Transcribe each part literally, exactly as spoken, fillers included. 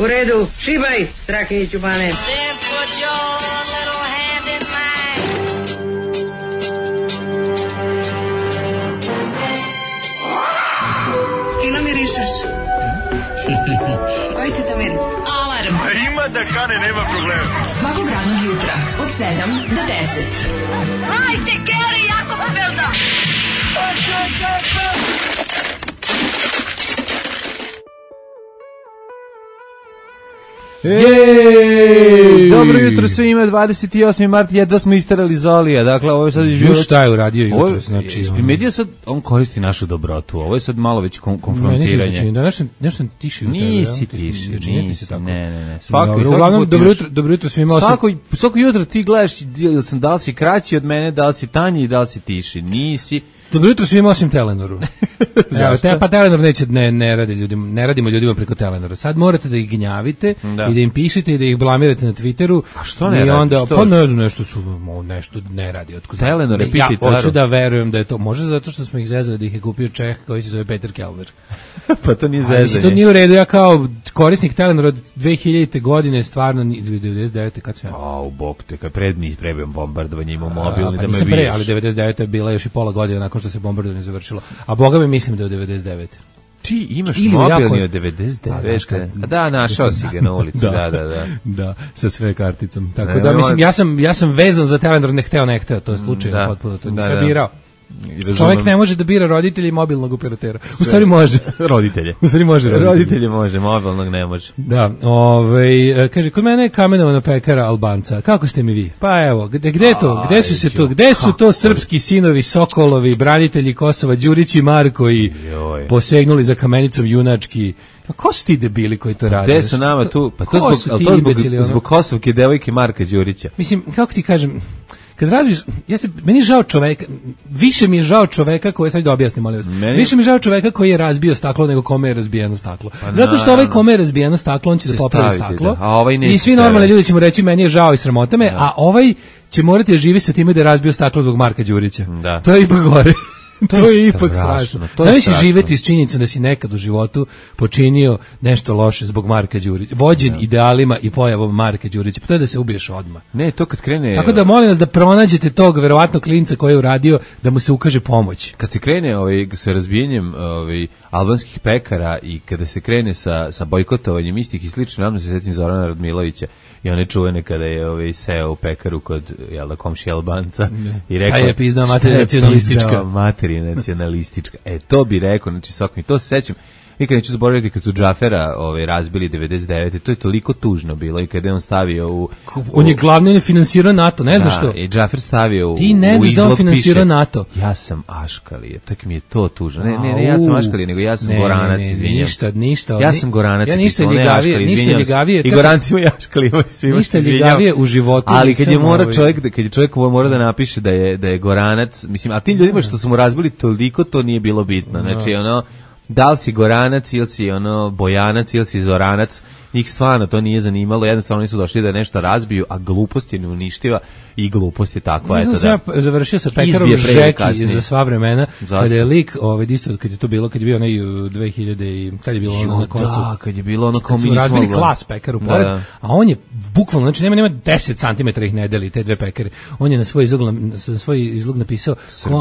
U redu, šibaj, Strahinjiću Bane. Fino mirišeš. Koji ti to miris? Alarm. A ima da kane, nema problema. Svakog radnog jutra, od sedam do deset. Hajde, Geri, jako se velda. Jej! Dobro jutro svima, dvadeset osmi mart, jedva smo isterali Zolija, dakle ovo je sad... Još šta je uradio jutro, znači... Primetio sad, on koristi našu dobrotu, ovo je sad malo već kon konfrontiranje. Ne, da nešto, nešto tiši u tebe. Nisi tiši, nisi, ne, ne, ne. Svako, dobro, uglavnom, dobro jutro, dobro jutro svima. Svako, svako jutro ti gledaš da li si kraći od mene, da li si tanji i da li si tiši, nisi... Dobro jutro svima osim Telenoru. Evo, te, pa Telenor neće, ne, ne, radi ljudima, ne radimo ljudima preko Telenora. Sad morate da ih gnjavite da. I da im pišete i da ih blamirate na Twitteru. A što ne i onda, radi? Što? Pa ne znam, nešto su, nešto ne radi. Otkud Telenor je ja hoću da verujem da je to, možda zato što smo ih zezali da ih je kupio Čeh koji se zove Peter Kellner. Pa to nije zezanje. Mislim, to nije u redu, ja kao korisnik Telenora od dve hiljadite godine stvarno, ili devedeset devete kad sve. A, u bok te, kad pred mi prebijam bombardovanje imao mobilni pa da me vidiš. Pre, ali devedeset devete je bila još i pola godine nakon što se bombardovanje završilo. A boga mi mislim da je u devedeset devete. Ti imaš ili mobilni od devedeset devete. A da, našao si ga na ulici, da, da, da. Da, sa sve karticom. Tako ne, da, mislim, ja sam, ja sam vezan za Telenor, ne hteo, ne hteo, to je slučajno, potpuno, to nisam birao. Čovjek ne može da bira roditelje i mobilnog operatera. U stvari može. Roditelje. U stvari može roditelje. Roditelje može, mobilnog ne može. Da, ovaj, kaže, kod mene je kamenovana pekara Albanca. Kako ste mi vi? Pa evo, gde, gde to? Gde su se to? Gde su to srpski sinovi, Sokolovi, branitelji Kosova, Đurić i Marko i posegnuli za kamenicom junački? Pa ko su ti debili koji to rade? Gde su nama tu? Pa to zbog, to zbog, zbog Kosovke devojke Marka Đurića. Mislim, kako ti kažem... Kad razbiš, ja se, meni je žao čoveka, više mi je žao čoveka koji, sad da objasnim, molim vas, meni... više mi je žao čoveka koji je razbio staklo nego kome je razbijeno staklo. Pa zato što ovaj kome je razbijeno staklo, on će se da popravi staklo, da. A ovaj i svi normalni ljudi će mu reći, meni je žao i sramota me, da. A ovaj će morati da živi sa time da je razbio staklo zbog Marka Đurića. Da. To je ipak gore. To, to je ipak strašno. Znaš si živeti s činjenicom da si nekad u životu počinio nešto loše zbog Marka Đurića, vođen ja. Idealima i pojavom Marka Đurića, pa to je da se ubiješ odmah. Ne, to kad krene... Tako da molim vas da pronađete tog verovatno klinca koji je uradio da mu se ukaže pomoć. Kad se krene ovaj, sa razbijanjem ovaj, albanskih pekara i kada se krene sa, sa bojkotovanjem istih i slično, javno se setim Zorana Radmilovića i one čuvene kada je ovaj, seo u pekaru kod jel da, komši Albanca ne. I rekao... Šta je pizdao materija nacionalistička? Materija nacionalistička. E, to bi rekao, znači sok mi, to se sećam. Nikad neću zaboraviti kad su Džafera ovaj, razbili devedeset devete. To je toliko tužno bilo i kada je on stavio u... u on je glavni, on je finansirao NATO, ne znaš što? Da, i Džafer stavio u, ti ne znaš da on finansirao piše, NATO. Ja sam Aškalija, tako mi je to tužno. Ne, ne, ne, ja sam Aškalija, nego ja sam ne, Goranac, izvinjam ništa, se. Ništa, ja sam Goranac, ja ništa ljigavije, ništa ljigavije. I Gorancima i Aškalijima svima ništa ljigavije u životu. Ali kad je mora čovjek, kad je čovjek mora da napiše da je, da je Goranac, mislim, a tim ljudima što su mu razbili toliko, to nije bilo bitno. Znači, ono, da li si Goranac ili si ono Bojanac ili si Zoranac, njih stvarno to nije zanimalo, jednostavno nisu došli da nešto razbiju, a glupost je neuništiva i glupost je takva. Eto da, ja završio sa pekarom Žeki za sva vremena, kada je lik, ovaj, isto, kad je to bilo, kad je bio onaj dve hiljade i kad je bilo ono na koncu. Da, kad je bilo ono kao mi smo razbili klas pekaru pored, da. A on je bukvalno, znači nema, nema deset centimetara ih ne deli, te dve pekare. On je na svoj izlog, na svoj izlog napisao,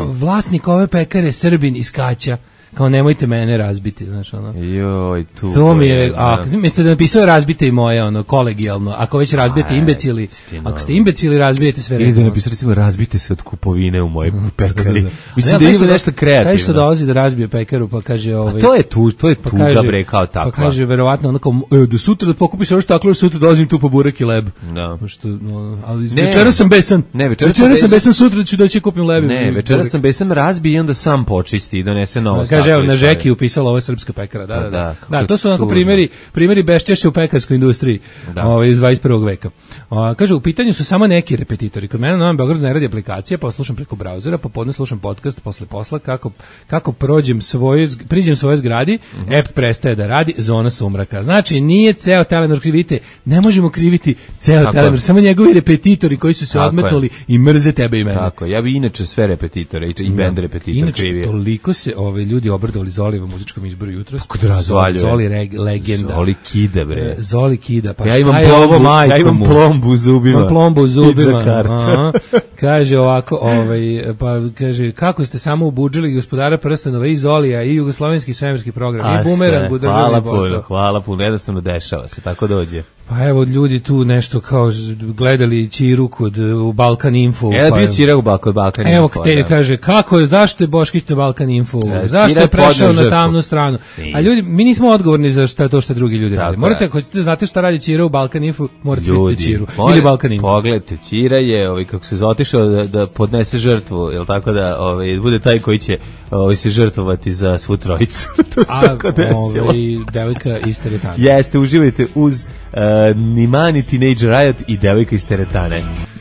vlasnik ove pekare Srbin iz Kaća. Kao nemojte mene razbiti, znaš, ono. Joj, tu. To mi je, a mislim da napisao razbite i moje, ono, kolegijalno. Ako već razbijete Aj, imbecili, stino. Ako ste imbecili, razbijete sve. Ili da napisao recimo razbite se od kupovine u mojoj pekari. Mislim da ima nešto kreativno. Kaže što dolazi da razbije pekaru, pa kaže ovaj. A to je tu, to je tu pa da bre kao tako. Pa kaže verovatno onako da sutra da pokupiš ono staklo, sutra dolazim tu po burek i leb. Da. Što, no, ali večeras sam besan. Ne, večeras sam besan, sutra ću doći kupim leb. Ne, večeras sam besan, razbije i onda sam počisti i donese novo. Kaže evo na Žeki upisala ovo srpska pekara, da, da, da. Da, to su onako primjeri, primjeri beščešća u pekarskoj industriji, ovaj iz dvadeset prvog veka. O, kaže u pitanju su samo neki repetitori. Kod mene na Novom Beogradu ne radi aplikacija, pa slušam preko brauzera, popodne slušam podcast posle posla kako kako prođem svoje priđem svoje zgradi, uh -huh. app prestaje da radi, zona sumraka. Znači nije ceo Telenor krivite, ne možemo kriviti ceo tako Telenor, samo njegovi repetitori koji su se tako odmetnuli je. I mrze tebe i mene. Tako, ja bi inače sve repetitore i, i bend repetitor inače, krivio. Toliko se ove ljudi ljudi obradovali Zolijevom muzičkom izboru jutros. Kako da razvaljuje? Zoli reg, legenda. Zoli kida, bre. Zoli kida. Pa ja imam plombu, ja imam plombu u zubima. Imam plombu u zubima. Aha. Kaže ovako, ovaj, pa kaže, kako ste samo ubudžili Gospodara prstenova i Zolija i jugoslovenski svemirski program A i bumerang u državni hvala posao. puno, hvala puno, jednostavno dešava se, tako dođe. Pa evo, ljudi tu nešto kao gledali Ćiru kod u Balkan Info. Ja pa bio Ćira u Balkan, Balkan Evo, Info. te da. Kaže, kako je, zašto je Boškić na Balkan Info? Da, zašto je prešao na tamnu stranu? I. A ljudi, mi nismo odgovorni za šta to što drugi ljudi Tako rade. Morate, je. ako ćete znate šta radi Ćira u Balkan Info, morate Ljudi, vidjeti Ćiru. moje, Ili Balkan Info. Pogledajte, Ćira je, ovaj, kako se zotišao da, da podnese žrtvu, jel tako da ovaj, bude taj koji će ovaj, se žrtvovati za svu trojicu. To se A tako desilo. ovaj, devojka iz teretane. Jeste, uživajte uz uh, Nimani Teenage Riot i devojka iz teretane.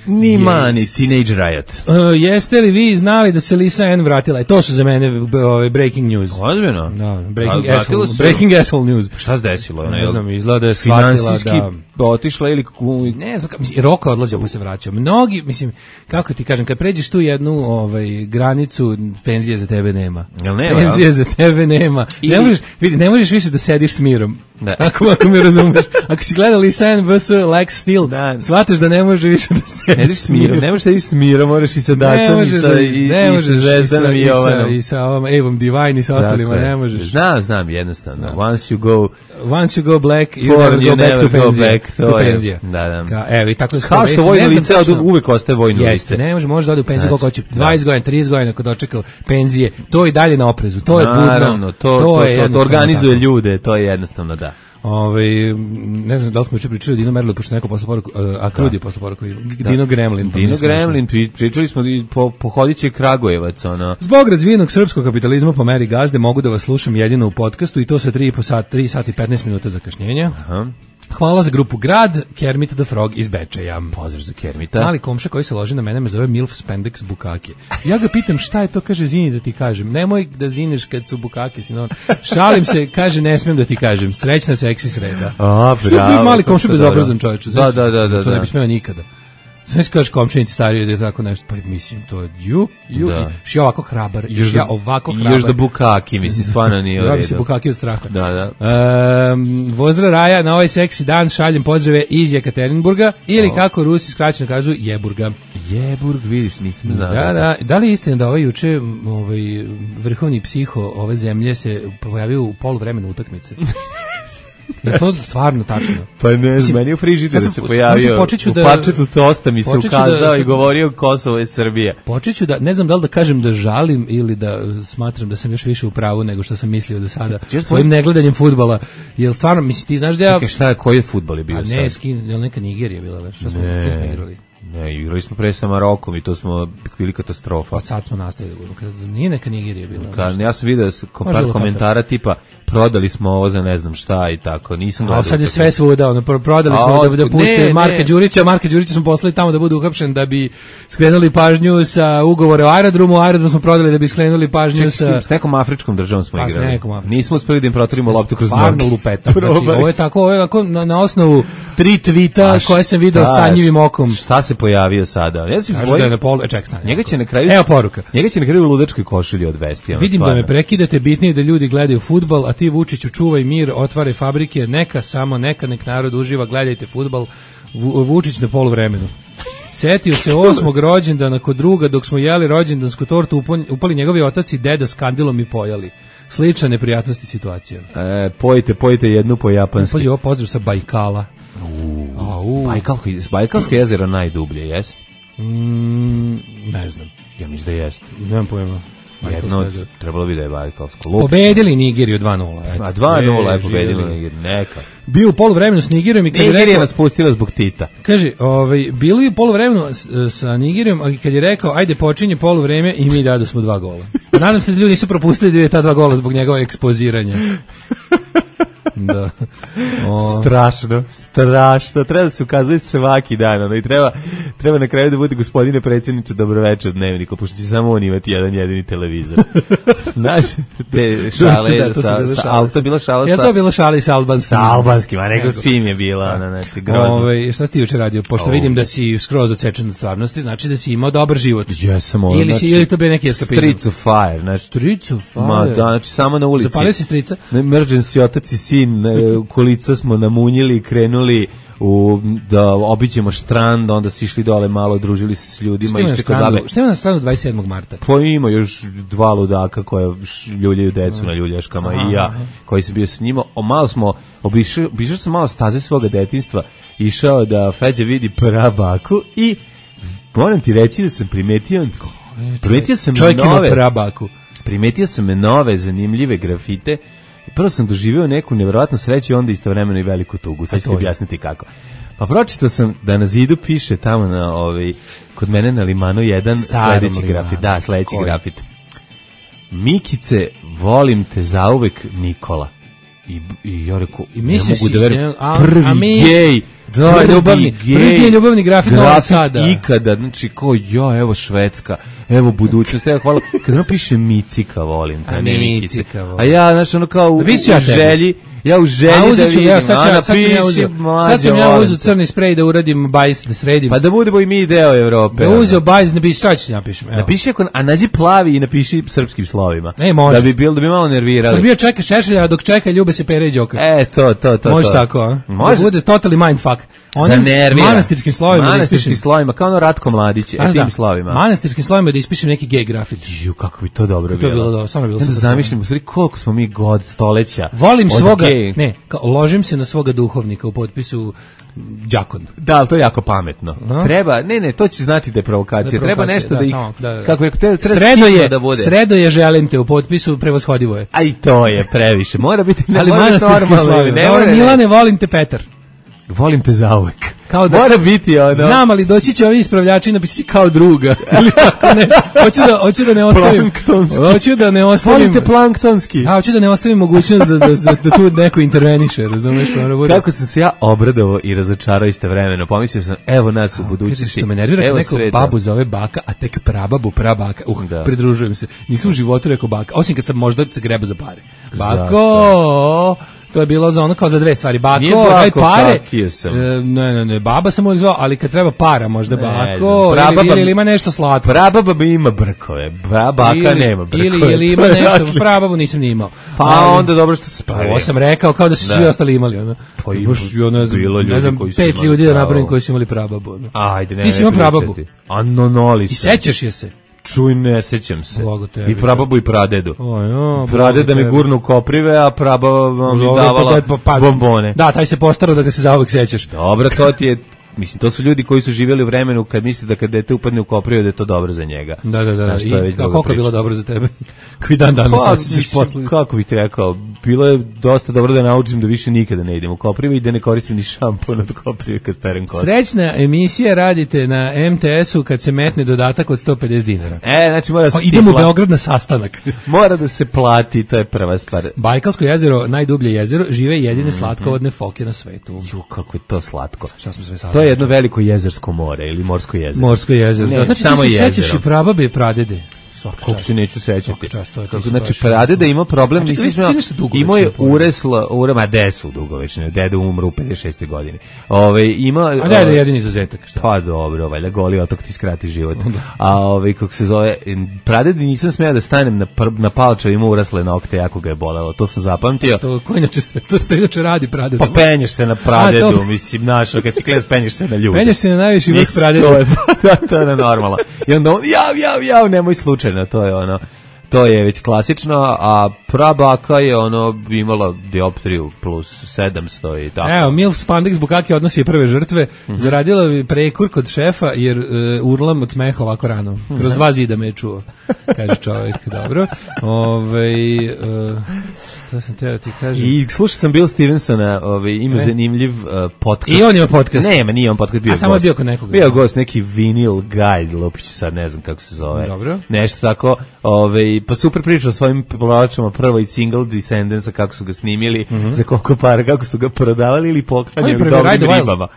Nimani yes. Teenage Riot. Uh, jeste li vi znali da se Lisa Ann vratila? E, to su za mene ovaj, breaking news. Ozbiljno? No, breaking, A, asshole, se... breaking asshole news. Šta se desilo? Ne znam, izgleda da je shvatila da... otišla ili... Ne znam, mislim, Roka odlazio pa se vraćao. Mnogi, mislim, kako ti kažem, kad pređeš tu jednu ovaj, granicu, penzije za tebe nema. Jel nema? Penzije za tebe nema. Ili... Ne, možeš, vidi, ne možeš više da sediš s mirom. Da. Ako, ako me razumeš. Ako si gledao Lisa Ann vs. Lex Steel, da. Shvataš da ne može više da sediš s mirom. Ne možeš da sediš s mirom, moraš i sa Dacom i sa, i, ne i sa Zvezdanom i, i Jovanom. I sa ovom Evom Divine i sa ostalima, dakle, ne možeš. Znam, znam, jednostavno. Da. Once you go... Once you go black, you For, never go you back never to penzija. Back, to penzija. Da, da. Ka, evo, i tako Kao što, što vojno lice, tačno, uvek ostaje vojno lice. Jeste, ne može, može da ode u penziju koliko hoće, dvadeset godina, trideset godina ako dočekao penzije, to i dalje na oprezu, to je budno. Naravno, to, to, to, to, to organizuje tako. Ljude, to je jednostavno, da. Ove, ne znam da li smo juče pričali o Dino Merlu, pošto neko posle poruku, a Krudi posle poruku, Dino Gremlin. Dino Gremlin, pričali smo po, po hodiće Kragujevac. Ono. Zbog razvijenog srpskog kapitalizma po meri gazde mogu da vas slušam jedino u podcastu i to sa tri sat, tri sati i petnaest minuta zakašnjenja. Aha. Hvala za grupu Grad, Kermit the Frog iz Bečeja. Pozdrav za Kermita. Mali komša koji se loži na mene me zove Milf Spandex Bukake. Ja ga pitam šta je to, kaže zini da ti kažem. Nemoj da zineš kad su bukake, sino. Šalim se, kaže ne smijem da ti kažem. Srećna seksi sreda. A, bravo. Mali komša bezobrazan čovječ. Da, da, da, da. To ne bi smeo nikada. Sve se kažeš komšinici stariji da je tako nešto, pa mislim, to je ju, ju, da. Još ja ovako hrabar, još ja ovako hrabar. Još da bukaki, mislim, stvarno nije u redu. Ja bi se bukaki od straha. Da, da. Um, Vozdra Raja, na ovaj seksi dan šaljem pozdrave iz Jekaterinburga, ili o. kako Rusi skraćeno kažu, Jeburga. Jeburg, vidiš, nisam znao. Da, da, da li je istina da ovaj juče ovaj, vrhovni psiho ove zemlje se pojavio u poluvremenu utakmice? Je to stvarno tačno? Pa ne znam, meni u frižideru se pojavio, u da, pačetu tosta mi se ukazao da, i govorio Kosovo je Srbija. Počeću da, ne znam da li da kažem da žalim ili da smatram da sam još više u pravu nego što sam mislio do sada svojim negledanjem fudbala. Jel stvarno, misli ti znaš da ja... Čekaj, šta je, koji je fudbal je bio sad? A ne, skin, jel neka Nigerija bila već? Šta smo, ne, smo igrali? Ne, igrali smo pre sa Marokom i to smo bili katastrofa. Pa sad smo nastavili. Nije neka Nigerija bila. Ka, ja sam vidio par komentara tipa prodali smo ovo za ne znam šta i tako. Nisam a sad je sve svuda, ono, prodali smo a, da, da puste Marka Đurića, Marka Đurića smo poslali tamo da bude uhapšen da bi skrenuli pažnju sa ugovore o aerodromu, aerodrom smo prodali da bi skrenuli pažnju Ček, sa... S nekom afričkom državom smo pa, igrali. Nekom nismo uspeli da im proturimo loptu kroz noge. Stvarno lupeta. Znači, ovo je tako, ovo je tako na, na osnovu tri tvita koje sam video sanjivim okom. Šta se pojavio sada? Ja sam Kažu da je na polu, e, ček, stane. Njega će na kraju... Evo poruka. Njega će na kraju u ludačkoj košulji odvesti. Vidim stvarno. Da me prekidate, bitnije da ljudi gledaju fudbal, a ti Vučiću čuvaj mir, otvaraj fabrike, neka, samo neka, nek narod uživa, gledajte fudbal, Vučić na poluvremenu. Setio se osmog rođendana kod druga dok smo jeli rođendansku tortu, upali njegovi otac i deda s kandilom i pojeli. Slična neprijatnosti situacija. E, pojite, pojite jednu po japanski. Pođe ovo pozdrav sa Bajkala. Uh, Bajkalsko, Bajkalsko jezero najdublje, jest? Mm, ne znam. Ja mislim da jest. Nemam pojma. Jedno, trebalo bi da je Bajkalsko. Pobedili Nigeriju dva nula. A dva nula je pobedili Nigeriju, neka. Bio u poluvremenu s Nigerijom i kad Nigerija je rekao... nas pustila zbog Tita. Kaže, ovaj, bili u poluvremenu sa Nigerijom, a kad je rekao, ajde počinje poluvreme i mi dadu smo dva gola. Nadam se da ljudi nisu propustili da je ta dva gola zbog njegove ekspoziranja. Da. O... Strašno, strašno. Treba da se ukazuje svaki dan, ono, i treba, treba na kraju da bude gospodine predsjedniče dobroveče u Dnevniku, pošto će samo on imati jedan jedini televizor. Znaš, te šale, da, da, sa, sa, ali to je bila šala sa... Ja to je bila šala i sa albanskim. Sa albanskim, a nego svim je bila, ona, znači, grozno. Ove, šta si ti juče radio? Pošto vidim da si skroz odsečen od stvarnosti, znači da si imao dobar život. Jesam, ono, ili, si, znači, ili to bio neki eskapizam? Streets of Fire, znači. Streets of Fire? Ma, da, znači, samo na ulici. Zapalio si strica? Emergency, otac i sin, kolica smo namunjili i krenuli u, da obiđemo štrand, onda si išli dole malo, družili se s ljudima. Šta ima na strandu dvadeset sedmog marta? Pa ima još dva ludaka koja ljuljaju decu mm. na ljuljaškama aha, i ja, aha. koji sam bio s njima. O, malo smo, obišao, obišao sam malo staze svoga detinjstva, išao da Feđa vidi prabaku i moram ti reći da sam primetio, primetio sam čovjek nove, ima prabaku. Primetio sam nove zanimljive grafite. Prvo sam doživio neku nevjerojatnu sreću i onda istovremeno i veliku tugu. Sad ću ti objasniti kako. Pa pročitao sam da na zidu piše tamo na ovaj kod mene na Limanu jedan sledeći grafit. Da, sledeći grafit. Mikice, volim te zauvek, Nikola. I, i ja rekao, I ne mogu da verujem, prvi a mi, gej, da, prvi ljubavni, gej, prvi ljubavni grafit, grafit sada. Ikada, znači ko, ja, evo Švedska, evo budućnost, evo hvala, kad ono piše Micika, volim te, ne Mikice. A ja, znači, ono kao u, u želji, ja u želji da vidim, ja, sad, sad, sad sam ja uzeo, sad sam ja uzeo crni sprej da uradim bajs, da sredim. Pa da budemo i mi deo Evrope. Da uzeo bajs, napiši, sad ću napišem. Napiši, a nađi plavi i napiši srpskim slovima. Ne, može. Da bi bil, da bi malo nervirali. Srbija čeka Šešelja, a dok čeka Ljube se Pere i Đoka. E, to, to, to. Može tako, a? Može. Da bude totally mindfuck. Onim da manastirskim slovima da ispišem. slovima, kao ono Ratko Mladić, e tim slovima. Manastirskim slovima da ispišem neki gej grafit. Ju, kako bi to dobro bilo. To je bilo dobro, stvarno bilo super. Da zamišljam, u stvari, koliko smo mi god, stoleća. Volim svoga, ne, kao, ložim se na svoga duhovnika u potpisu đakon. Da, ali to je jako pametno. No? Treba, ne, ne, to će znati da je provokacija. Da, treba nešto da, da ih, samo, da, da. kako je, treba, treba sredo je, da bude. Sredo je, želim te u potpisu, prevashodivo je. A i to je previše. Mora biti, ne, ali manastirski slovi. Dobro, Milane, volim te, Petar. Volim te zauvek. Kao da, mora biti ono. Znam, ali doći će ovi ispravljači i napisati kao druga. Ili tako ne. Hoću da, hoću da ne ostavim. Hoću da ne ostavim. Volite planktonski. A, hoću da ne ostavim mogućnost da, da, da, da tu neko interveniše, razumeš? Bude. Kako sam se ja obradovao i razočarao istovremeno. Pomislio sam, evo nas u budućnosti. Što me nervira kad neko sveta. Babu zove baka, a tek prababu prabaka. Uh, da. Pridružujem se. Nisam u životu rekao baka, osim kad sam možda se greba za pare. Bako! To je bilo za ono kao za dve stvari. Bako, daj pare. E, ne, ne, ne, baba sam uvijek zvao, ali kad treba para, možda bako, ne, ili, ili, ili ima nešto slatko. Prababa ima brkove, baka ili, nema brkove. Ili, ili ima nešto, prababu nisam ni imao. Pa ali, onda dobro što se pa ovo sam rekao, kao da su svi ostali imali. Ono. Pa i baš, ono, bilo ljudi ne znam, koji su pet ljudi da napravim koji su imali prababu. Ono. Ajde, ne, ti si imao prababu. Anonoli I sećaš je se. Čuj, ne sećam se. I prababu i pradedu. O, jo, pradeda mi gurnu koprive, a prababa mi davala pa, pa, bombone. Da, taj se postarao da ga se zauvek sećaš. Dobro, to ti je... Mislim, to su ljudi koji su živjeli u vremenu kad misle da kad dete upadne u koprivu da je to dobro za njega. Da, da, da. I koliko je bilo dobro za tebe? Koji dan danas pa, osjećaš posle? Kako bih ti rekao, bilo je dosta dobro da naučim da više nikada ne idem u koprivu i da ne koristim ni šampon od koprive kad perem kosu. Srećna emisija radite na em te esu kad se metne dodatak od sto pedeset dinara. E, znači mora da se... Idemo u Beograd na sastanak. Mora da se plati, to je prva stvar. Bajkalsko jezero, najdublje jezero, žive jedine slatkovodne foke na svetu. Ju, kako je to slatko. Šta smo sve to je jedno veliko jezersko more ili morsko jezero. Morsko jezero. Ne, da, znači samo ti se sećaš i prababe i pradede. Kako se neću sećati. Čast, to je, kako, znači, pradeda ima problem, znači, nisi imao je uresla, urema, desu dugovečne, dede umru u pedeset šestoj godini. Ove, ima, a dede je jedini izuzetak. Šta? Pa dobro, valjda Goli otok ti skrati život. A ove, kako se zove, pradedi nisam smeo da stanem na, na palča, ima urasle nokte, jako ga je bolelo. To sam zapamtio. To, ko inače, to što inače radi pradeda? Pa penješ se na pradedu, a, mislim, našo, kad si kles, penješ se na ljude. Penješ se na najviši vrh pradedu. To je normalno. I onda on, jav, jav, jav, nemoj slučajno, to je ono, to je već klasično, a prabaka je ono imala dioptriju plus sedamsto i tako. Evo, Milf Spandex Bukaki odnosi prve žrtve, mm-hmm. zaradila bi prekur kod šefa jer uh, urlam od smeha ovako rano. Kroz dva zida me je čuo, kaže čovjek, dobro. Ove, uh, šta sam teo ti kažem? I slušao sam Bill Stevensona, ovaj, ima e? zanimljiv uh, podcast. I on ima podcast? Nema, nije on podcast, bio a gost. samo je bio kod nekoga. Bio gost, neki Vinyl Guide, Lupić sad ne znam kako se zove. Dobro. Nešto tako, ovaj, ovaj, pa super priča o svojim pločama, prvo i single Descendants, kako su ga snimili, mm -hmm. za koliko para, kako su ga prodavali ili poklanjali dobrim ribama.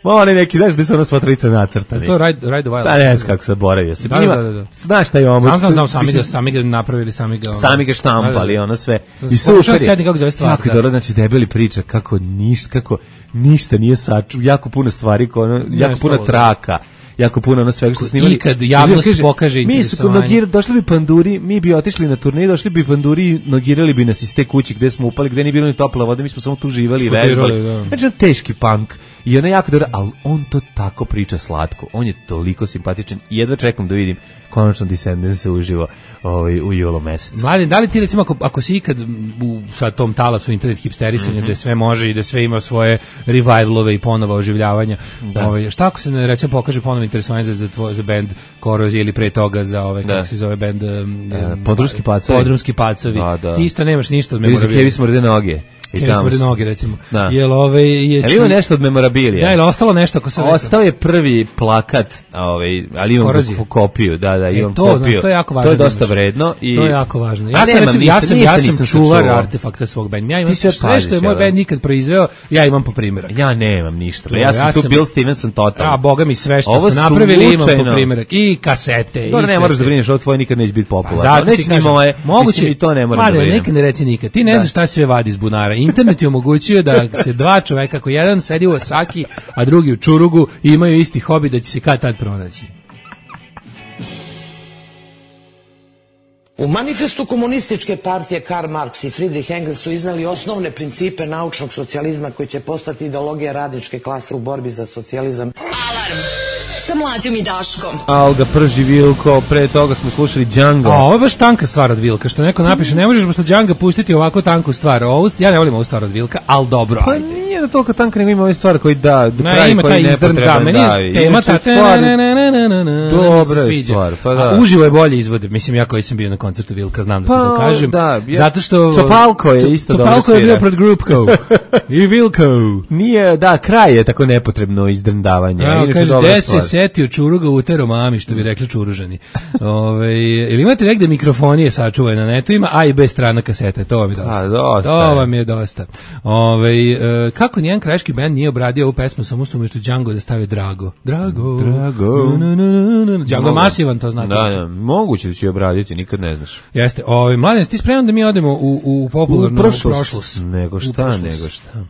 Ma oni neki, znaš, gde su ona sva trojica nacrtani. To je Ride, Ride the Wild. Da, ne znam kako se boravio. Se da, ima, da, da, da. Znaš šta je ovo? Sam sam znao, sami ga, sami ga napravili, sami ga... Ono, sami ga štampali, da, da. ono sve. I super je. Sedni kako zove stvar. Jako je dobro, znači debeli priča kako ništa, kako ništa nije saču, jako puno stvari, ono, jako puno traka. Jako puno ono svega što su snimali. I kad javnost kaže, pokaže interesovanje. Mi su došli bi panduri, mi bi otišli na turneju, došli bi panduri i nogirali bi nas iz te kuće gde smo upali, gde nije bilo ni topla voda, mi smo samo tu živali i vežbali. Da. Znači, teški punk. I ona jako dobro, ali on to tako priča slatko. On je toliko simpatičan i jedva čekam da vidim konačno Descendants se uživo ovaj, u julu mesecu. Mladen, da li ti recimo, ako, ako si ikad u sa tom talasu internet hipsterisanja, mm -hmm. gde sve može i da sve ima svoje revivalove i ponova oživljavanja, da. Ovaj, šta ako se ne, recimo pokaže ponovo interesovanje za, za, tvoj, za band Korozija ili pre toga za ove, kako se zove band... Um, e, Podrumski pacovi. Podrumski pacovi. Da, da. Ti isto nemaš ništa od memorabilija. Kevi smrde noge. I tamo su noge, recimo. Da. Jel ove je Jel ima nešto od memorabilija? Da, ili ostalo nešto ako se ostao je prvi plakat, ovaj, ali imam kopiju, da, da, imam e, to, kopiju. Znaš, to je jako važno. To je dosta vredno i to je jako važno. Ja sam recimo, ja sam ja sam čuvar artefakta svog benda. Ja imam sve što je moj bend nikad proizveo, ja imam po primjerak. Ja nemam ništa. Ja sam tu Bill Stevenson totalno. A boga mi sve što ste napravili imam po primjerak i kasete. To ne moraš da brineš, ovo tvoje nikad neće biti popularno. Neće ni moje. Moguće i to ne moraš da brineš. Nikad ne reci nikad. Ti ne znaš šta sve vadi iz bunara. Internet je omogućio da se dva čoveka, ako jedan sedi u Osaki, a drugi u Čurugu, i imaju isti hobi, da će se kad tad pronaći. U manifestu komunističke partije Karl Marx i Friedrich Engels su iznali osnovne principe naučnog socijalizma koji će postati ideologija radničke klase u borbi za socijalizam. Alarm sa Mlađom i Daškom. Alga prži Vilko, pre toga smo slušali Django. A ovo je baš tanka stvar od Vilka, što neko napiše, ne možeš posle Djanga pustiti ovako tanku stvar. Ovo, ja ne volim ovu stvar od Vilka, ali dobro, pa, ajde. Nije da toliko tanka, nego ima ove stvari koji da, do kraja ima koji nepotreban da. Da, tema ta, dobra je stvar, pa da. A uživo je bolje izvode, mislim, ja koji sam bio na koncertu Vilka, znam da pa, to kažem. Da, ja, zato što... Topalko je isto dobro svira. Topalko je bio pred Grupko. I Vilko. Nije, da, kraj je tako nepotrebno izdrndavanje. Ja, kaže, gde se setio Čuruga utero mami, što bi rekli Čuružani. Ove, ili imate negde mikrofonije sačuvane na netu, ima A i B strana kasete, to vam je dosta. A, dosta to vam je dosta. Ove, e, kako nijedan krajiški band nije obradio ovu pesmu, samo što umjesto Django da stavio Drago. Drago. Drago. Na, na, na, na. Django masivan, to znate. Da, da, moguće da će obraditi, nikad ne znaš. Jeste. Ove, Mladen, ti spreman da mi odemo u, u popularnu prošlost? Nego šta, nego šta.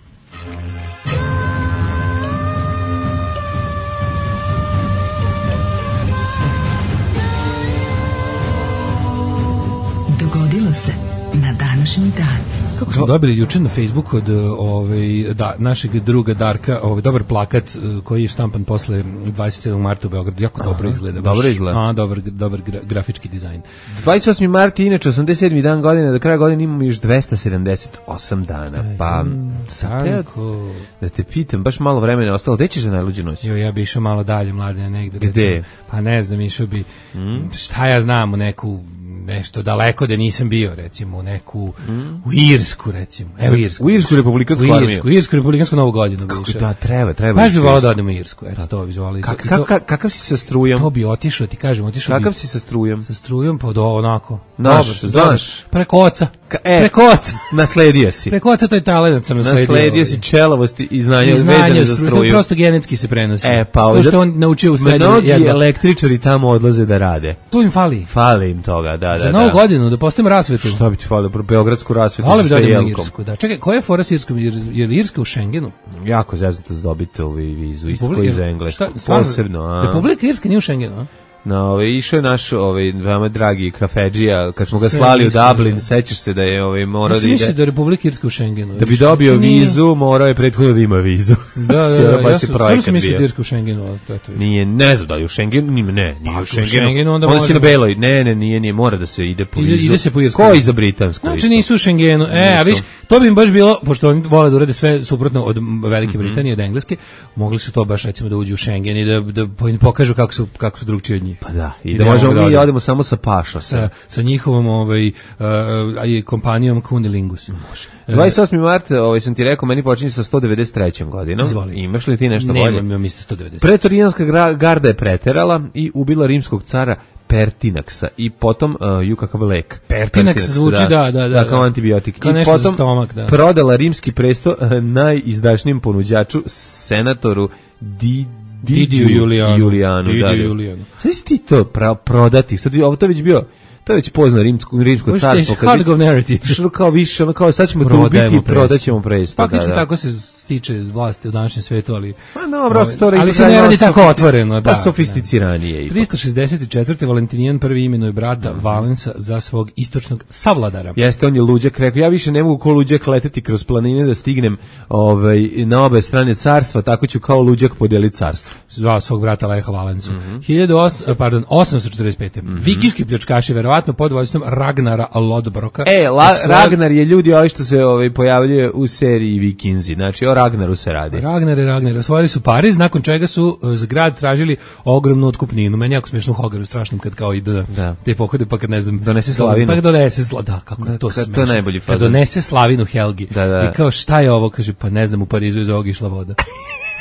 Dogodilo se na današnji dan. Kako smo dobili juče na Facebooku od ovaj, da, našeg druga Darka, ovaj, dobar plakat koji je štampan posle dvadeset sedmog marta u Beogradu, jako dobro Aha, izgleda. Baš, dobro izgleda. A, dobar, dobar gra, grafički dizajn. dvadeset osmi mart, inače osamdeset sedmi dan godine, do kraja godine imamo još dvesta sedamdeset osam dana. Pa, Sanko. Da te pitam, baš malo vremena ostalo, gde ćeš za najluđu noć? Jo, ja bi išao malo dalje, Mladene, negde. Gde? Recimo, pa ne znam, išao bi, mm? šta ja znam, u neku nešto daleko da nisam bio, recimo, u neku, mm. u Irsku, recimo. Evo Irsku. U Irsku republikansku armiju. U Irsku, Irsku republikansku novu godinu. Kako da, treba, treba. Baš bi volao da odemo u Irsku, eto, to bi zvali. Kak, kak, kak, kakav si sa strujom? To bi otišao, ti kažem, otišao bi. Kakav si sa strujom? Sa strujom, pa do, onako. Naš, znaš. Preko oca. Ka, e, preko oca. Nasledio si. Preko oca, to je talent, sam nasledio. Nasledio si čelavosti i znanje vezane za struju. To prosto genetski se prenosi. E, pa ovo. To što on naučio u srednjoj. Mnogi električari tamo odlaze da rade. To im fali. Fali im toga, da, da. Za novu godinu, da postavimo rasvetu. Šta bi ti falilo, beogradsku rasvetu sa sve jelkom. Irsku, da. Čekaj, koja je fora s Irskom? Jer, jer Irska u Schengenu? Jako zeznuto dobiti ovu vizu, isto koji za Englesku. Posebno. A. Republika Irska nije u Schengenu, a? No, ovaj išao je naš ovaj veoma dragi kafedžija kad smo ga slali u Dublin, sećaš se da je ovaj morao da ide. Da Republika Irska u Schengenu. Da bi dobio vizu, morao je prethodno da ima vizu. Da, da, da, ja sam mislio da Irska u Schengenu, ali to je to. Nije, ne znam da je u Schengenu, nije, ne, nije u Schengenu. Onda se na beloj, ne, ne, nije, nije, mora da se ide po vizu. Ide se po Irsku. Koji za britansku? Znači nisu u Schengenu. E, a viš, to bi im baš bilo, pošto oni vole da urade sve suprotno od Velike Britanije, od Engleske, mogli su to baš recimo da uđu u Schengen i da da pokažu kako su kako su drugčiji od njih. Pa da, i da možemo mi da odemo samo sa paša sa sa njihovom ovaj uh, kompanijom Kunilingus. Može. dvadeset osmi mart, ovaj sam ti rekao, meni počinje sa sto devedeset trećom godinom. Izvoli. Imaš li ti nešto ne, bolje? Nemam, ja mislim sto devedeset. Pretorijanska garda je preterala i ubila rimskog cara Pertinaksa i potom uh, ju kakav lek. Pertinax zvuči, da, da, da. Da, kao antibiotik. Kao I nešto potom za stomak, da. Prodala rimski presto uh, najizdašnijem ponuđaču, senatoru Di Didiju Julijanu. Julijanu, Didiju da, da. Julijanu. Sad si ti to pra, prodati, sad ovo to već bio, to je već pozno rimsko, rimsko carstvo. Hard narrative. Što kao više, ono kao sad ćemo to ubiti i prodat ćemo presto. Faktički da, da. Tako se stiče vlasti u današnjem svetu, ali pa dobro, ali, ali se ne radi tako otvoreno, da. Pa sofisticiranije ipak. trista šezdeset četvrte Valentinijan prvi imenuje brata mm. Valensa za svog istočnog savladara. Jeste, on je luđak, rekao, ja više ne mogu ko luđak leteti kroz planine da stignem ovaj, na obe strane carstva, tako ću kao luđak podeliti carstvo. Zvao svog brata Leha Valensu. Mm -hmm. pardon, osamsto četrdeset pete. Mm -hmm. Vikinški pljačkaši, verovatno pod vođstvom Ragnara Lodbroka. E, la, svoj... Ragnar je ljudi ovi što se ovaj, pojavljuje u seriji Vikinzi, znači o Ragnaru se radi. Ragnar i Ragnar osvojili su Pariz, nakon čega su za grad tražili ogromnu otkupninu. Meni jako smiješno u Hogaru, strašnom kad kao idu da. Te pohode, pa kad ne znam, donese slavinu. Pa donese slavinu, da, kako da, to smiješno. To je najbolji fazon. Kad donese slavinu Helgi. Da, da. I kao šta je ovo, kaže, pa ne znam, u Parizu iz ovog išla voda.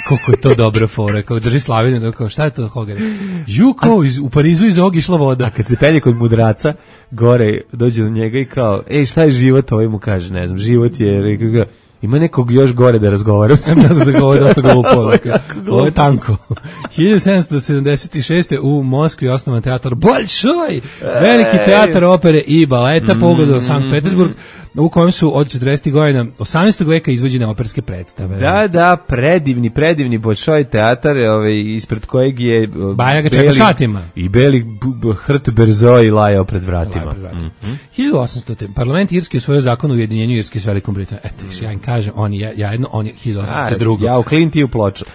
Koliko je to dobra fora, kao drži slavinu, da kao šta je to Hogar? Ju, kao iz, u Parizu iz ovog išla voda. A kad se penje kod mudraca, gore dođe do njega i kao, ej, šta je život? Ovaj mu kaže, ne znam, život je... Ima nekog još gore da razgovaram. da, da, da, ovo je dosta glupo. Ovo je tanko. hiljadu sedamsto sedamdeset šeste u Moskvi osnovan teatar Bolšoj, veliki teatar opere i baleta, mm, pogodio Sankt Petersburg, u kojem su od četrdesetih godina osamnaestog veka izvođene operske predstave. Da, da, predivni, predivni Bolšoj teatar, ovaj, ispred kojeg je Baja ga čeka satima. I beli hrt Berzoj lajao pred vratima. Pred vratima. Mm -hmm. hiljadu osamstote Parlament Irske usvojio zakon o ujedinjenju Irske s Velikom Britanijom. Eto, mm. ja im kažem, on je ja jedno, on je hiljadu osamsto druge. Ja u Klinti u Ploču.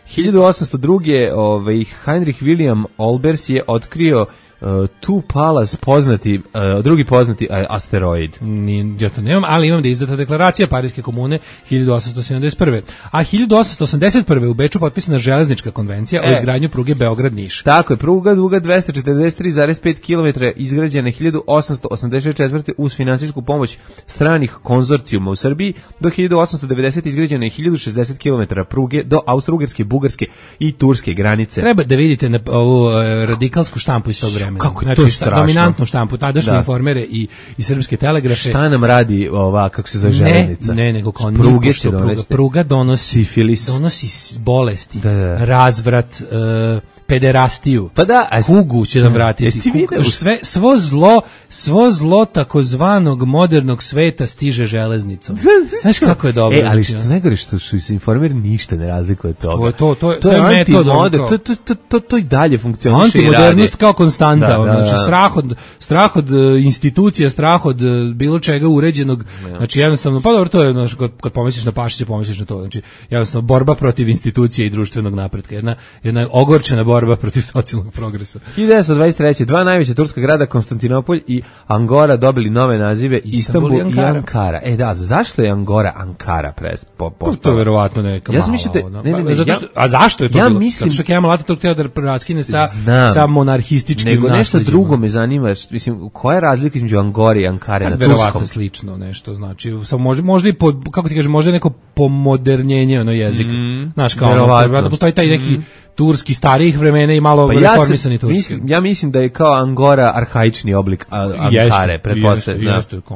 hiljadu osamsto druge ovaj, Heinrich William Olbers je otkrio Uh, tu Pallas poznati, uh, drugi poznati uh, asteroid. Nije, ja to nemam, ali imam da je izdata deklaracija Pariske komune hiljadu osamsto sedamdeset prve. A hiljadu osamsto osamdeset prve u Beču potpisana železnička konvencija e. o izgradnju pruge Beograd-Niš. Tako je, pruga duga dvesta četrdeset tri zarez pet kilometara izgrađena hiljadu osamsto osamdeset četvrte uz finansijsku pomoć stranih konzorcijuma u Srbiji, do hiljadu osamsto devedesete izgrađena je hiljadu šezdeset kilometara pruge do Austro-Ugarske, Bugarske i Turske granice. Treba da vidite na ovu uh, radikalsku štampu iz tog vremena. Kako je znači, to strašno. Dominantnu štampu, tadašnje da. Informere i, i srpske telegrafe. Šta nam radi ova, kako se zove železnica? Ne, ne, nego kao pruge što pruga, pruga donosi sifilis, donosi bolesti, da, da. razvrat, uh, pederastiju. Pa da, a kugu će nam vratiti. Kugu, sve svo zlo, svo zlo takozvanog modernog sveta stiže železnicom. Znaš kako je dobro. E, ali što najgore što su se informeri ništa ne razlikuje od toga. To je to, to, to, to je metod, to to to to to i dalje funkcioniše. Antimodernost kao konstanta, da, da, znači da. strah od strah od uh, institucija, strah od uh, bilo čega uređenog. Ja. Znači jednostavno pa dobro to je znači kad, kad pomisliš na Pašića, pomisliš na to. Znači jednostavno borba protiv institucija i društvenog napretka. Jedna jedna ogorčena borba protiv socijalnog progresa. hiljadu devetsto dvadeset treće dva najveća turska grada, Konstantinopolj i Angora, dobili nove nazive, Istanbul i Ankara. i Ankara. E da, zašto je Angora Ankara pres po postala? To je verovatno neka ja mislim da ne, ne, ne, zato što, a zašto je to ja bilo? Mislim, zato što Kemal Atatürk hteo da raskine sa sa monarhističkim nego nešto drugo me zanima, mislim koja je razlika između Angore i Ankare na turskom? Verovatno slično nešto, znači samo može možda i po, kako ti kažeš, možda neko pomodernjenje ono jezika. Mm, Znaš kao verovatno postoji taj neki mm. turski starijih vremena i malo pa reformisani ja turski. Mislim, ja mislim da je kao Angora arhaični oblik a, Ankare, pretpostavljam. Jeste, jeste.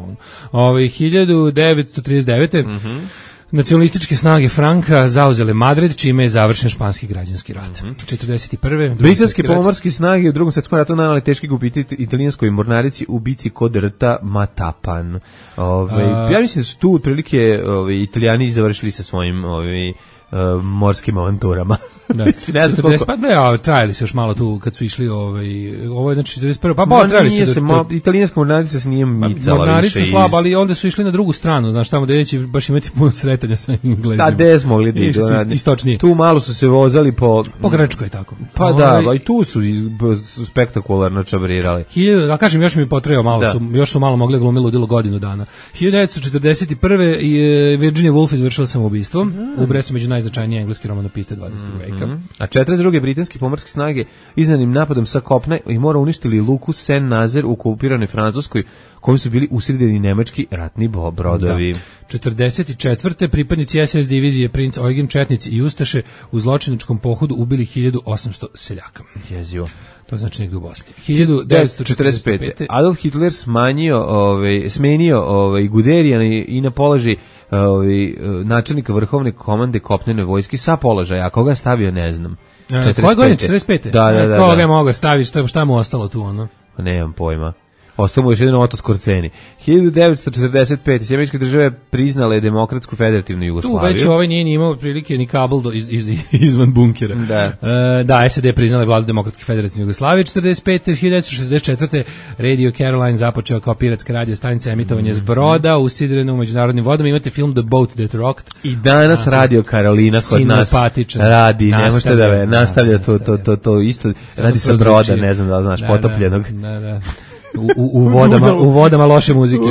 Ovaj hiljadu devetsto trideset devete Mhm. Nacionalističke snage Franka zauzele Madrid, čime je završen španski građanski rat. Mm-hmm. četrdeset prve Britanske pomorske snage u Drugom svjetskom ratu nanijele teški gubitak italijanskoj mornarici u bici kod rta Matapan. Ove, A... Ja mislim da su tu otprilike ove, Italijani završili sa svojim ove, Uh, morskim avanturama. Da. ne znam koliko. Pa ne, a trajali se još malo tu kad su išli ovaj ovo je znači četrdeset prve pa pa trajali se. Se mo, italijanska mornarica se nije micala mornarica više. Mornarica slaba, ali onda su išli na drugu stranu, znaš, tamo gde neće baš imati puno sretanja sa Englezima. Da, des mogli da idu. Istočnije. Tu malo su se vozali po po Grčkoj tako. Pa o, da, i tu su, su spektakularno čabrirali. Hiljadu, da kažem, još mi potreo malo da. su, još su malo mogli glumiti ludilo godinu dana. hiljadu devetsto četrdeset prve je Virginia Woolf izvršila samoubistvo. Mm. Ubre se među najznačajnije engleski romanopisce dvadesetog veka. Seljaka. Mm-hmm. A četrdeset druge britanske pomorske snage iznanim napadom sa kopna i mora uništili luku Saint-Nazaire u okupiranoj Francuskoj, kojim su bili usredeni nemački ratni brodovi. Da. četrdeset četvrte pripadnici S S divizije Princ Eugen Četnici i Ustaše u zločinačkom pohodu ubili hiljadu osamsto seljaka. Jezivo. To znači negdje u Bosni. hiljadu devetsto četrdeset pete. Adolf Hitler smanjio, ovaj, smenio ovaj, Guderijana i, i na položaj ovaj, načelnika vrhovne komande kopnene vojske sa položaja, a koga stavio ne znam. Koje godine? četrdeset pete. Da, da, da. Koga da. je mogao staviti, šta, šta mu ostalo tu, ono? Pa nemam pojma. Ostao mu još jedan Oto Skorceni. hiljadu devetsto četrdeset pete. Sjemeničke države priznale demokratsku federativnu Jugoslaviju. Tu već ovaj nije ni imao prilike ni kabel do, iz, iz, izvan bunkera. Da. E, da, S A D priznale vladu demokratske federativne Jugoslavije. četrdeset pete. hiljadu devetsto šezdeset četvrte. Radio Caroline započeo kao piratska radio stanica emitovanje s broda u sidrenu u međunarodnim vodama. Imate film The Boat That Rocked. I danas a, Radio Karolina kod nas radi. Ne možete da ve, nastavlja to, to, to, to isto. Radi sa broda, ne znam da li znaš, da, potopljenog. Da, da. U, u, u, vodama, u vodama loše muzike.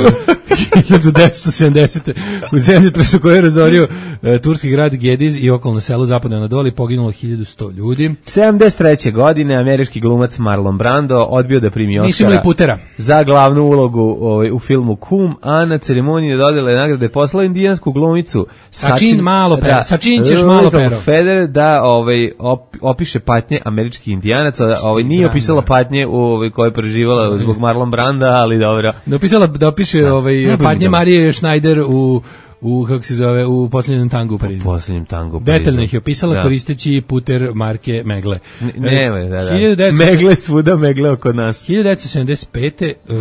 hiljadu devetsto sedamdesete. U zemljotresu koji je razorio e, turski grad Gediz i okolno selo zapadno Anadoli poginulo hiljadu sto ljudi. sedamdeset treće godine američki glumac Marlon Brando odbio da primi Oskara za glavnu ulogu ovaj, u filmu Kum, a na ceremoniji dodele nagrade poslao indijansku glumicu Sačin malo pero. Da, Sačin ćeš malo pero. Federer da ovaj, op, opiše patnje američkih indijanaca. Ovaj, nije opisala patnje u, ovaj, koje je preživala zbog Marlon Branda, ali dobro. Da opisala da opiše da. ovaj patnje Marije Schneider u u kako se zove u Posljednjem tangu u Parizu. U Posljednjem tangu u Parizu. Detaljno ih je opisala da. Koristeći puter marke Megle. Ne, ne, da, da. Megle svuda, Megle oko nas. hiljadu devetsto sedamdeset pete uh,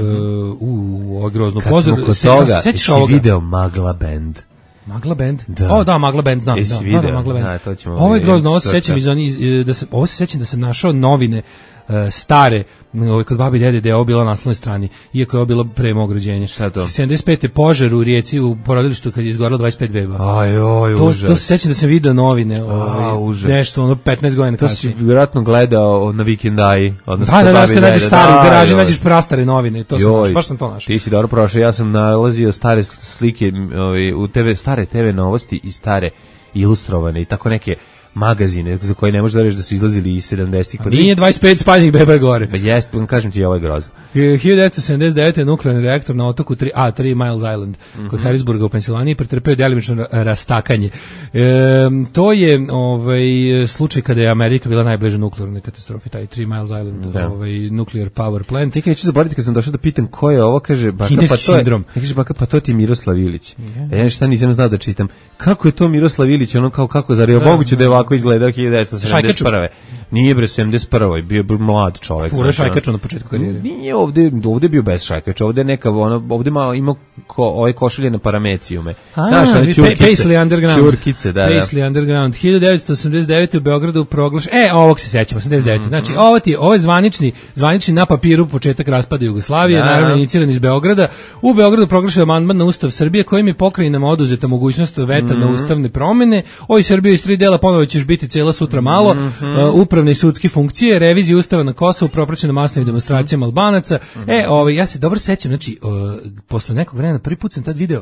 u ovo grozno pozor. Kad smo kod toga, si video Magla Band. Magla Band? Da. O, da, Magla Band, znam. Jesi da, video? Da, Magla Band. Da, to ćemo ovo je grozno, ovo se sećam iz oni, da se, ovo se sećam da sam našao novine uh, stare, ovaj kod babi i dede da je ovo bila na naslovnoj strani, iako je ovo bilo pre mog rođenja. Šta to? sedamdeset pete požar u Rijeci u porodilištu kad je izgorelo dvadeset pet beba. Aj, oj, to, užas. To se sećam da sam video novine, ovaj, A, užas. nešto, ono petnaest godina kasnije. To si vjerojatno gledao na Vikendaji, odnosno da, da, da, kad nađeš stari, u garaži nađeš prastare novine, to sam našao, baš sam to našao. Ti si dobro prošao, ja sam nalazio stare slike ovaj, u te ve, stare te ve novosti i stare ilustrovane i tako neke magazine za koje ne možeš da reći da su izlazili iz sedamdesetih. Nije dvadeset pet spaljenih beba je gore. Pa jest, kažem ti, ovo je grozno. hiljadu devetsto sedamdeset devete. nuklearni reaktor na otoku tri A, tri Miles Island, mm-hmm. kod Harrisburga u Pensilvaniji, pretrpeo delimično rastakanje. E, to je ovaj, slučaj kada je Amerika bila najbliža nuklearnoj katastrofi, taj tri Miles Island, da. ovaj, nuclear power plant. Ti neću zaboraviti kad sam došao da pitam ko je ovo, kaže, baka, pa to je, kaže, baka, pa to ti je Miroslav Ilić. Yeah. Ja šta nisam znao da čitam. Kako je to Miroslav Ilić, ono kao kako, zar je moguće da je ovako izgledao hiljadu devetsto sedamdeset prve. Nije bre sedamdeset prve, bio je mlad čovjek. Fura Šajkača na početku karijere. Nije ovde, ovde bio bez Šajkača, ovde neka ono, ovde malo ima ko, ovaj košulje na paramecijume. Znaš, ali ćurkice. Paisley Underground. Ćurkice, da, da. Paisley Underground. hiljadu devetsto osamdeset devete. u Beogradu proglaš. E, ovog se sećamo, osamdeset devete. Mm-hmm. Znači, ovo ti je, ovo je zvanični, zvanični na papiru početak raspada Jugoslavije, da. Naravno iniciran iz Beograda. U Beogradu proglašen amandman na Ustav Srbije kojim je pokrajinama oduzeta mogućnost veta mm-hmm. na ustavne promene. Oj Srbija iz tri dela ponovo ćeš biti cela sutra malo. Mm-hmm. Uh, upravne i sudske funkcije, revizija ustava na Kosovu propraćena masovnim demonstracijama Albanaca. Mm-hmm. E, ovaj ja se dobro sećam, znači uh, posle nekog vremena prvi put sam tad video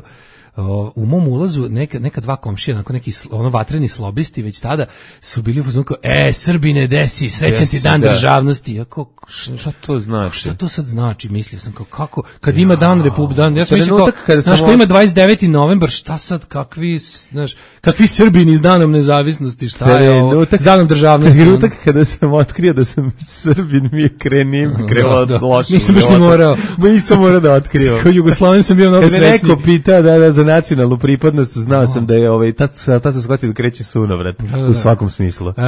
Uh, u mom ulazu neka, neka dva komšija, onako neki ono vatreni slobisti već tada su bili u fazonu kao, e, Srbine, desi, srećan ti dan da. Državnosti. Ja kao, šta to znači? Šta to sad znači? Mislio sam kao, kako, kad ja. Ima dan Republike, dan, ja sam mislio kao, znaš, ko ima dvadeset deveti novembar, šta sad, kakvi, znaš, kakvi Srbini s danom nezavisnosti, šta je ovo, s danom državnosti. Trenutak kada sam otkrio da sam Srbin, mi je krenim, krenuo da, da. Loše. Nisam baš ni morao. Nisam morao da otkrivam. Kao Jugoslaven sam bio mnogo srećniji. Kad me neko pita, da, da, za nacionalnu pripadnost, znao sam da je ovaj tad tad sam shvatio da kreće sunovrat u svakom smislu. E,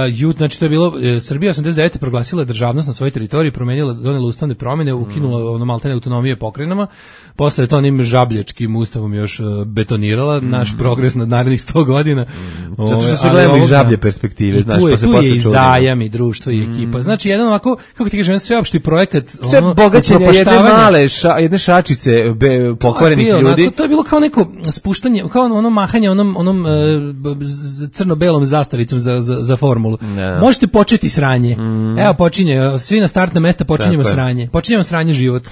jut, znači to je bilo e, Srbija osamdeset devete. proglasila državnost na svojoj teritoriji, promenila, donela ustavne promjene, ukinula ono maltene autonomije pokrajinama. Posle je to onim žabljačkim ustavom još uh, betonirala mm. naš progres nad narednih sto godina. Mm. Zato što se gledamo iz žablje perspektive, znaš, tu je, pa se tu posle je i zajam i društvo i ekipa. Mm. Znači jedan ovako, kako ti kažem, sveopšti projekat, sve ono, bogaćenje jedne male, ša, jedne šačice be, pokvarenih bio, ljudi. Onako, to je bilo kao neko spuštanje, kao ono mahanje onom, onom uh, crno-belom zastavicom za, za, za formulu. Ne. Možete početi sranje. Mm. Evo počinje, svi na startna mesta počinjemo sranje. Počinjemo sranje život.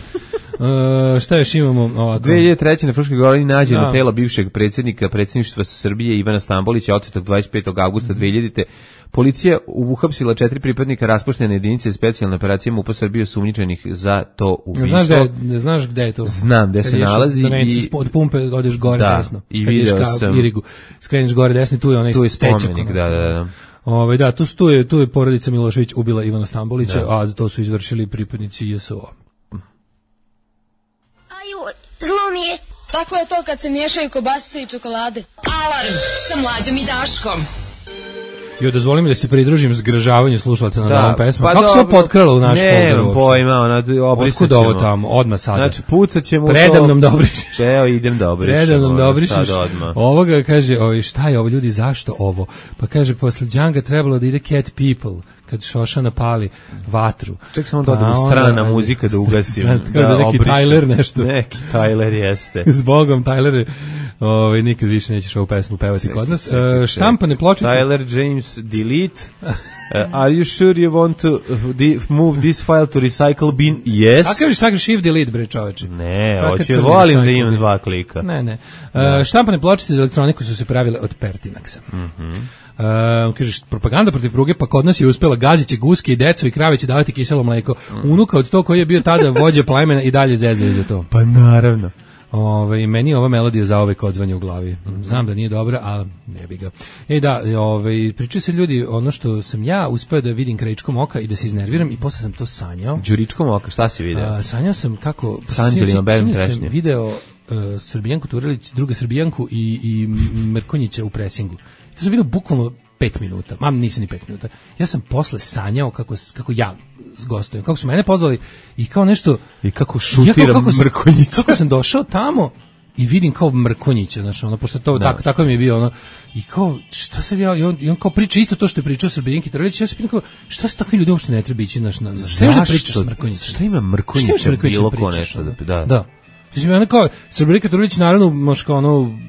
Uh, šta još imamo ovako? dve hiljade treće. na Fruškoj Gori nađeno da. telo bivšeg predsjednika predsjedništva Srbije Ivana Stambolića, otetog dvadeset petog avgusta dve hiljadite. Policija uhapsila četiri pripadnika raspuštene jedinice specijalne operacije MUP-a Srbije osumnjičenih za to ubistvo. Znaš gde, znaš gde je to? Znam gde se nalazi. I od pumpe odeš gore da, desno. I video sam. Irigu, skreniš gore desno, tu je onaj tu je stečak. Spomenik, da, da, da. Ove, da, tu, tu, je, tu je porodica Milošević ubila Ivana Stambolića, da. A to su izvršili pripadnici J S O. Aju, zlo mi je. Tako je to kad se miješaju kobasice i čokolade. Alarm sa Mlađom i Daškom. Jo, dozvoli mi da se pridružim zgražavanju slušalaca na ovom pesmu. Pa kako se ovo potkralo u naš folder? Nemam pojma, ona obrisat ćemo. Otkud ovo tamo, odmah sada. Znači, pucat ćemo Predam nam dobriš. Evo, idem dobriš. Predam nam dobrišeš. Ovoga kaže, ovi, šta je ovo ljudi, zašto ovo? Pa kaže, posle Džanga trebalo da ide Cat People, kad Šošana pali vatru. Ček samo da odem u strana muzika da ugasim. Kao za neki Tyler nešto. Neki Tyler jeste. S Bogom, Tyler, ovaj, nikad više nećeš ovu pesmu pevati ček, kod nas. Ček, ček, uh, štampane pločice. Tyler James delete. Uh, are you sure you want to move this file to recycle bin? Yes. A kažeš sakriš shift delete, bre čoveče. Ne, hoću, volim da imam dva klika. Ne, ne. Uh, štampane pločice za elektroniku su se pravile od Pertinaxa. Mhm. Mm Uh, kažeš, propaganda protiv pruge, pa kod nas je uspela, gaziće guske i decu i krave će davati kiselo mleko. Unuka od to koji je bio tada vođa plemena i dalje zezuje za to. Pa naravno. Ove, meni je ova melodija za ove odzvanja u glavi. Znam da nije dobra, a ne bi ga. E da, ove, pričaju se ljudi, ono što sam ja uspeo da vidim krajičkom oka i da se iznerviram i posle sam to sanjao. Đuričkom oka, šta si video? A, sanjao sam kako... S Anđelinom Belim Trešnje. Trešnje. Video uh, Srbijanku Turelić, druga Srbijanku i, i Mrkonjića u presingu. To sam vidio bukvalno pet minuta, mam nisam ni pet minuta. Ja sam posle sanjao kako, kako ja gostujem, kako su mene pozvali i kao nešto... I kako šutiram ja Mrkonjića. Kako sam došao tamo i vidim kao Mrkonjića, znači ono, pošto to, tako, tako mi je bio, ono, i kao, šta sad ja, i on, i on kao priča isto to što je pričao Srbijanki Turelić, ja se pitam kao, šta se takvi ljudi uopšte ne treba ići, znaš, na, sve da pričaš s Mrkonjićem? Šta ima Mrkonjića bilo ko nešto? Da. Da. Znači, ono kao, Srbijanka Turelić, naravno, možda kao ono,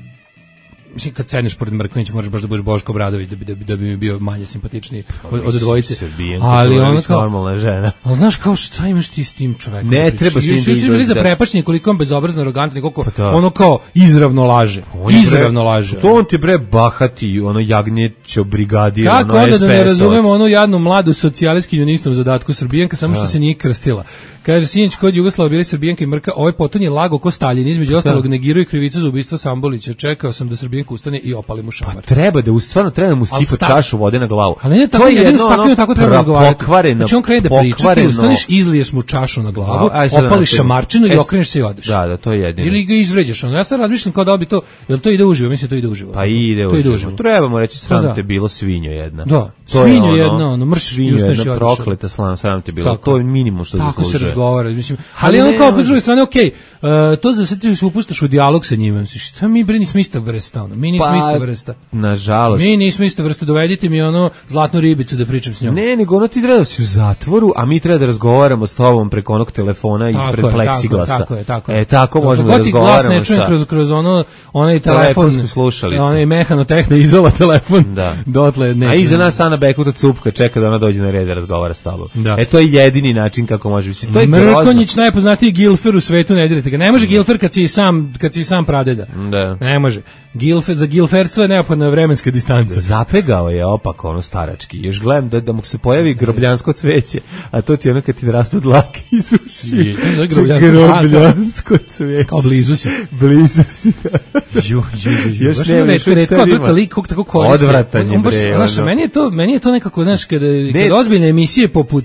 mislim, kad sedneš pored Mrkonjića možeš baš da budeš Boško Obradović da bi, da bi, da bi mi bio manje simpatičniji od, od dvojice. Ali ona kao normalna žena. Ali znaš kao šta imaš ti s tim čovekom? Ne treba s tim da izlazi. Za prepačenje koliko on bezobrazno, arogantan, koliko pa ono kao izravno laže. Izravno laže. To on ti bre bahati, ono jagnjećo brigadir, ono S P S. Kako onda da ne razumemo onu jadnu mladu socijalistsku junistom zadatku Srbijanka, samo što se nije krstila. Kaže, sinoć kod Jugoslava bili Srbijanka i Mrka, ovaj potonji lago ko Staljin, između ostalog negiruje krivicu za ubistvo Stambolića. Čekao sam da Srbijanka ustane i opali mu šamar. Pa treba da, stvarno treba da mu sipa čašu vode na glavu. Ali ne, tako, jedino s takvim tako treba razgovarati. Znači on krene da priča, ti ustaneš, izliješ mu čašu na glavu, opališ šamarčinu i okreneš se i odeš. Da, da, to je jedino. Ili ga izvređaš. Ja sad razmišljam kao da bi to, jel to ide uživo, mislim to ide uživo. Pa ide uživo. Trebamo reći sram te bilo svinjo jedna. Da, svinjo jedna, ono mrš i ustaneš i odeš. Prokleta sram te bilo. To je minimum što zaslužuje. Tako se razgovara, mislim. Ali ono kao, po druge strane, okej, okay, uh, to za sad ti se upustaš u dijalog sa njima. Šta mi, bre, nismo ista vrsta, ono. Mi nismo pa, ista vrsta. Nažalost. Mi nismo ista vrsta, dovedite mi ono zlatnu ribicu da pričam s njom. Ne, nego ono ti treba da si u zatvoru, a mi treba da razgovaramo s tobom preko onog telefona tako ispred je, pleksiglasa. Tako je, tako je. E, tako možemo da razgovaramo sa... glas ne čujem kroz, kroz ono, onaj telefon, slušalicu. Onaj mehanotehna izola telefon. Da. Dotle neće. A iza nas Ana Bekuta Cupka čeka da ona dođe na red da razgovara s tobom. Da. E, to je jedini način kako može biti. To je Mrkonjić, najpoznatiji Gilfer u svetu, ne dirite ga. Ne može Gilfer kad si sam, kad si sam pradeda. Da. Ne može. Gilfer, za Gilferstvo je neophodna vremenska distanca. Zapegao je opak ono starački. Još gledam da, da mu se pojavi grobljansko cveće, a to ti ono kad ti rastu dlake iz uši. Grobljansko cveće. Kao blizu si. Blizu si. Ju, ju, ju. Još ne, redko, redko, odvrta lik kog tako koriste. Odvratan je, bre. Znaš, meni je to, meni je to nekako, znaš, kada, kada ozbiljne emisije poput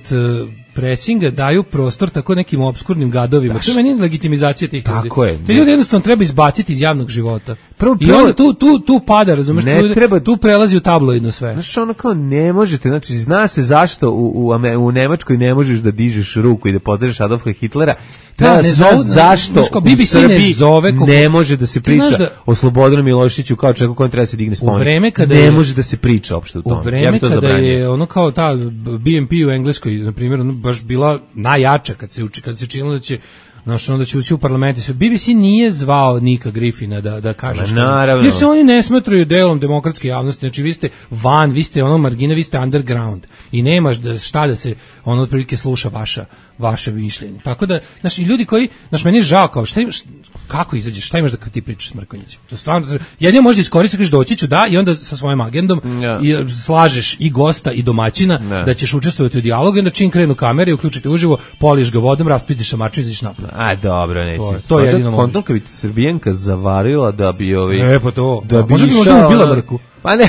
presinga daju prostor tako nekim obskurnim gadovima. Daš, to je meni legitimizacija tih ljudi. Tako je. Te ljudi jednostavno treba izbaciti iz javnog života. Prvo, I onda tu, tu, tu pada, razumeš, ne tu, treba, tu prelazi u tabloidno sve. Znaš, ono kao ne možete, znači zna se zašto u, u, u Nemačkoj ne možeš da dižeš ruku i da podržeš Adolfa Hitlera. Treba da, ne zove, zašto znaš, u Srbiji ne, zove koliko, ne može da se priča da, o Slobodanu Miloševiću kao čovjeku kojem treba se digne spomenik. Ne je, može da se priča uopšte u tome. U vreme ja to kada zabranio. Je ono kao ta B M P u Engleskoj, na primjer, ono baš bila najjača kad se uči, kad se činilo da će Znaš, onda će ući u parlament i sve. B B C nije zvao Nika Griffina da, da kaže što. Naravno. Jer se oni ne smatraju delom demokratske javnosti. Znači, vi ste van, vi ste ono margina, vi ste underground. I nemaš da, šta da se ono otprilike sluša vaša, vaše mišljenje. Tako da, znači, ljudi koji, znači, meni je žao kao, šta imaš, kako izađeš, šta imaš da ti pričaš s Mrkonjićem? To stvarno, jedino možda iskoristiti, kažeš doći ću, da, i onda sa svojim agendom ja. i slažeš i gosta i domaćina ja. da ćeš učestvovati u dijalogu i onda čim krenu kamere i uključite uživo, poliš ga vodom, raspizdiš šamarču i izađeš napolje. A, dobro, neći. To, to je jedino možeš. Kontom bi Srbijenka zavarila da bi ovi... E, pa to. Da bi možda bi možda ubila Mrku. Pa ne.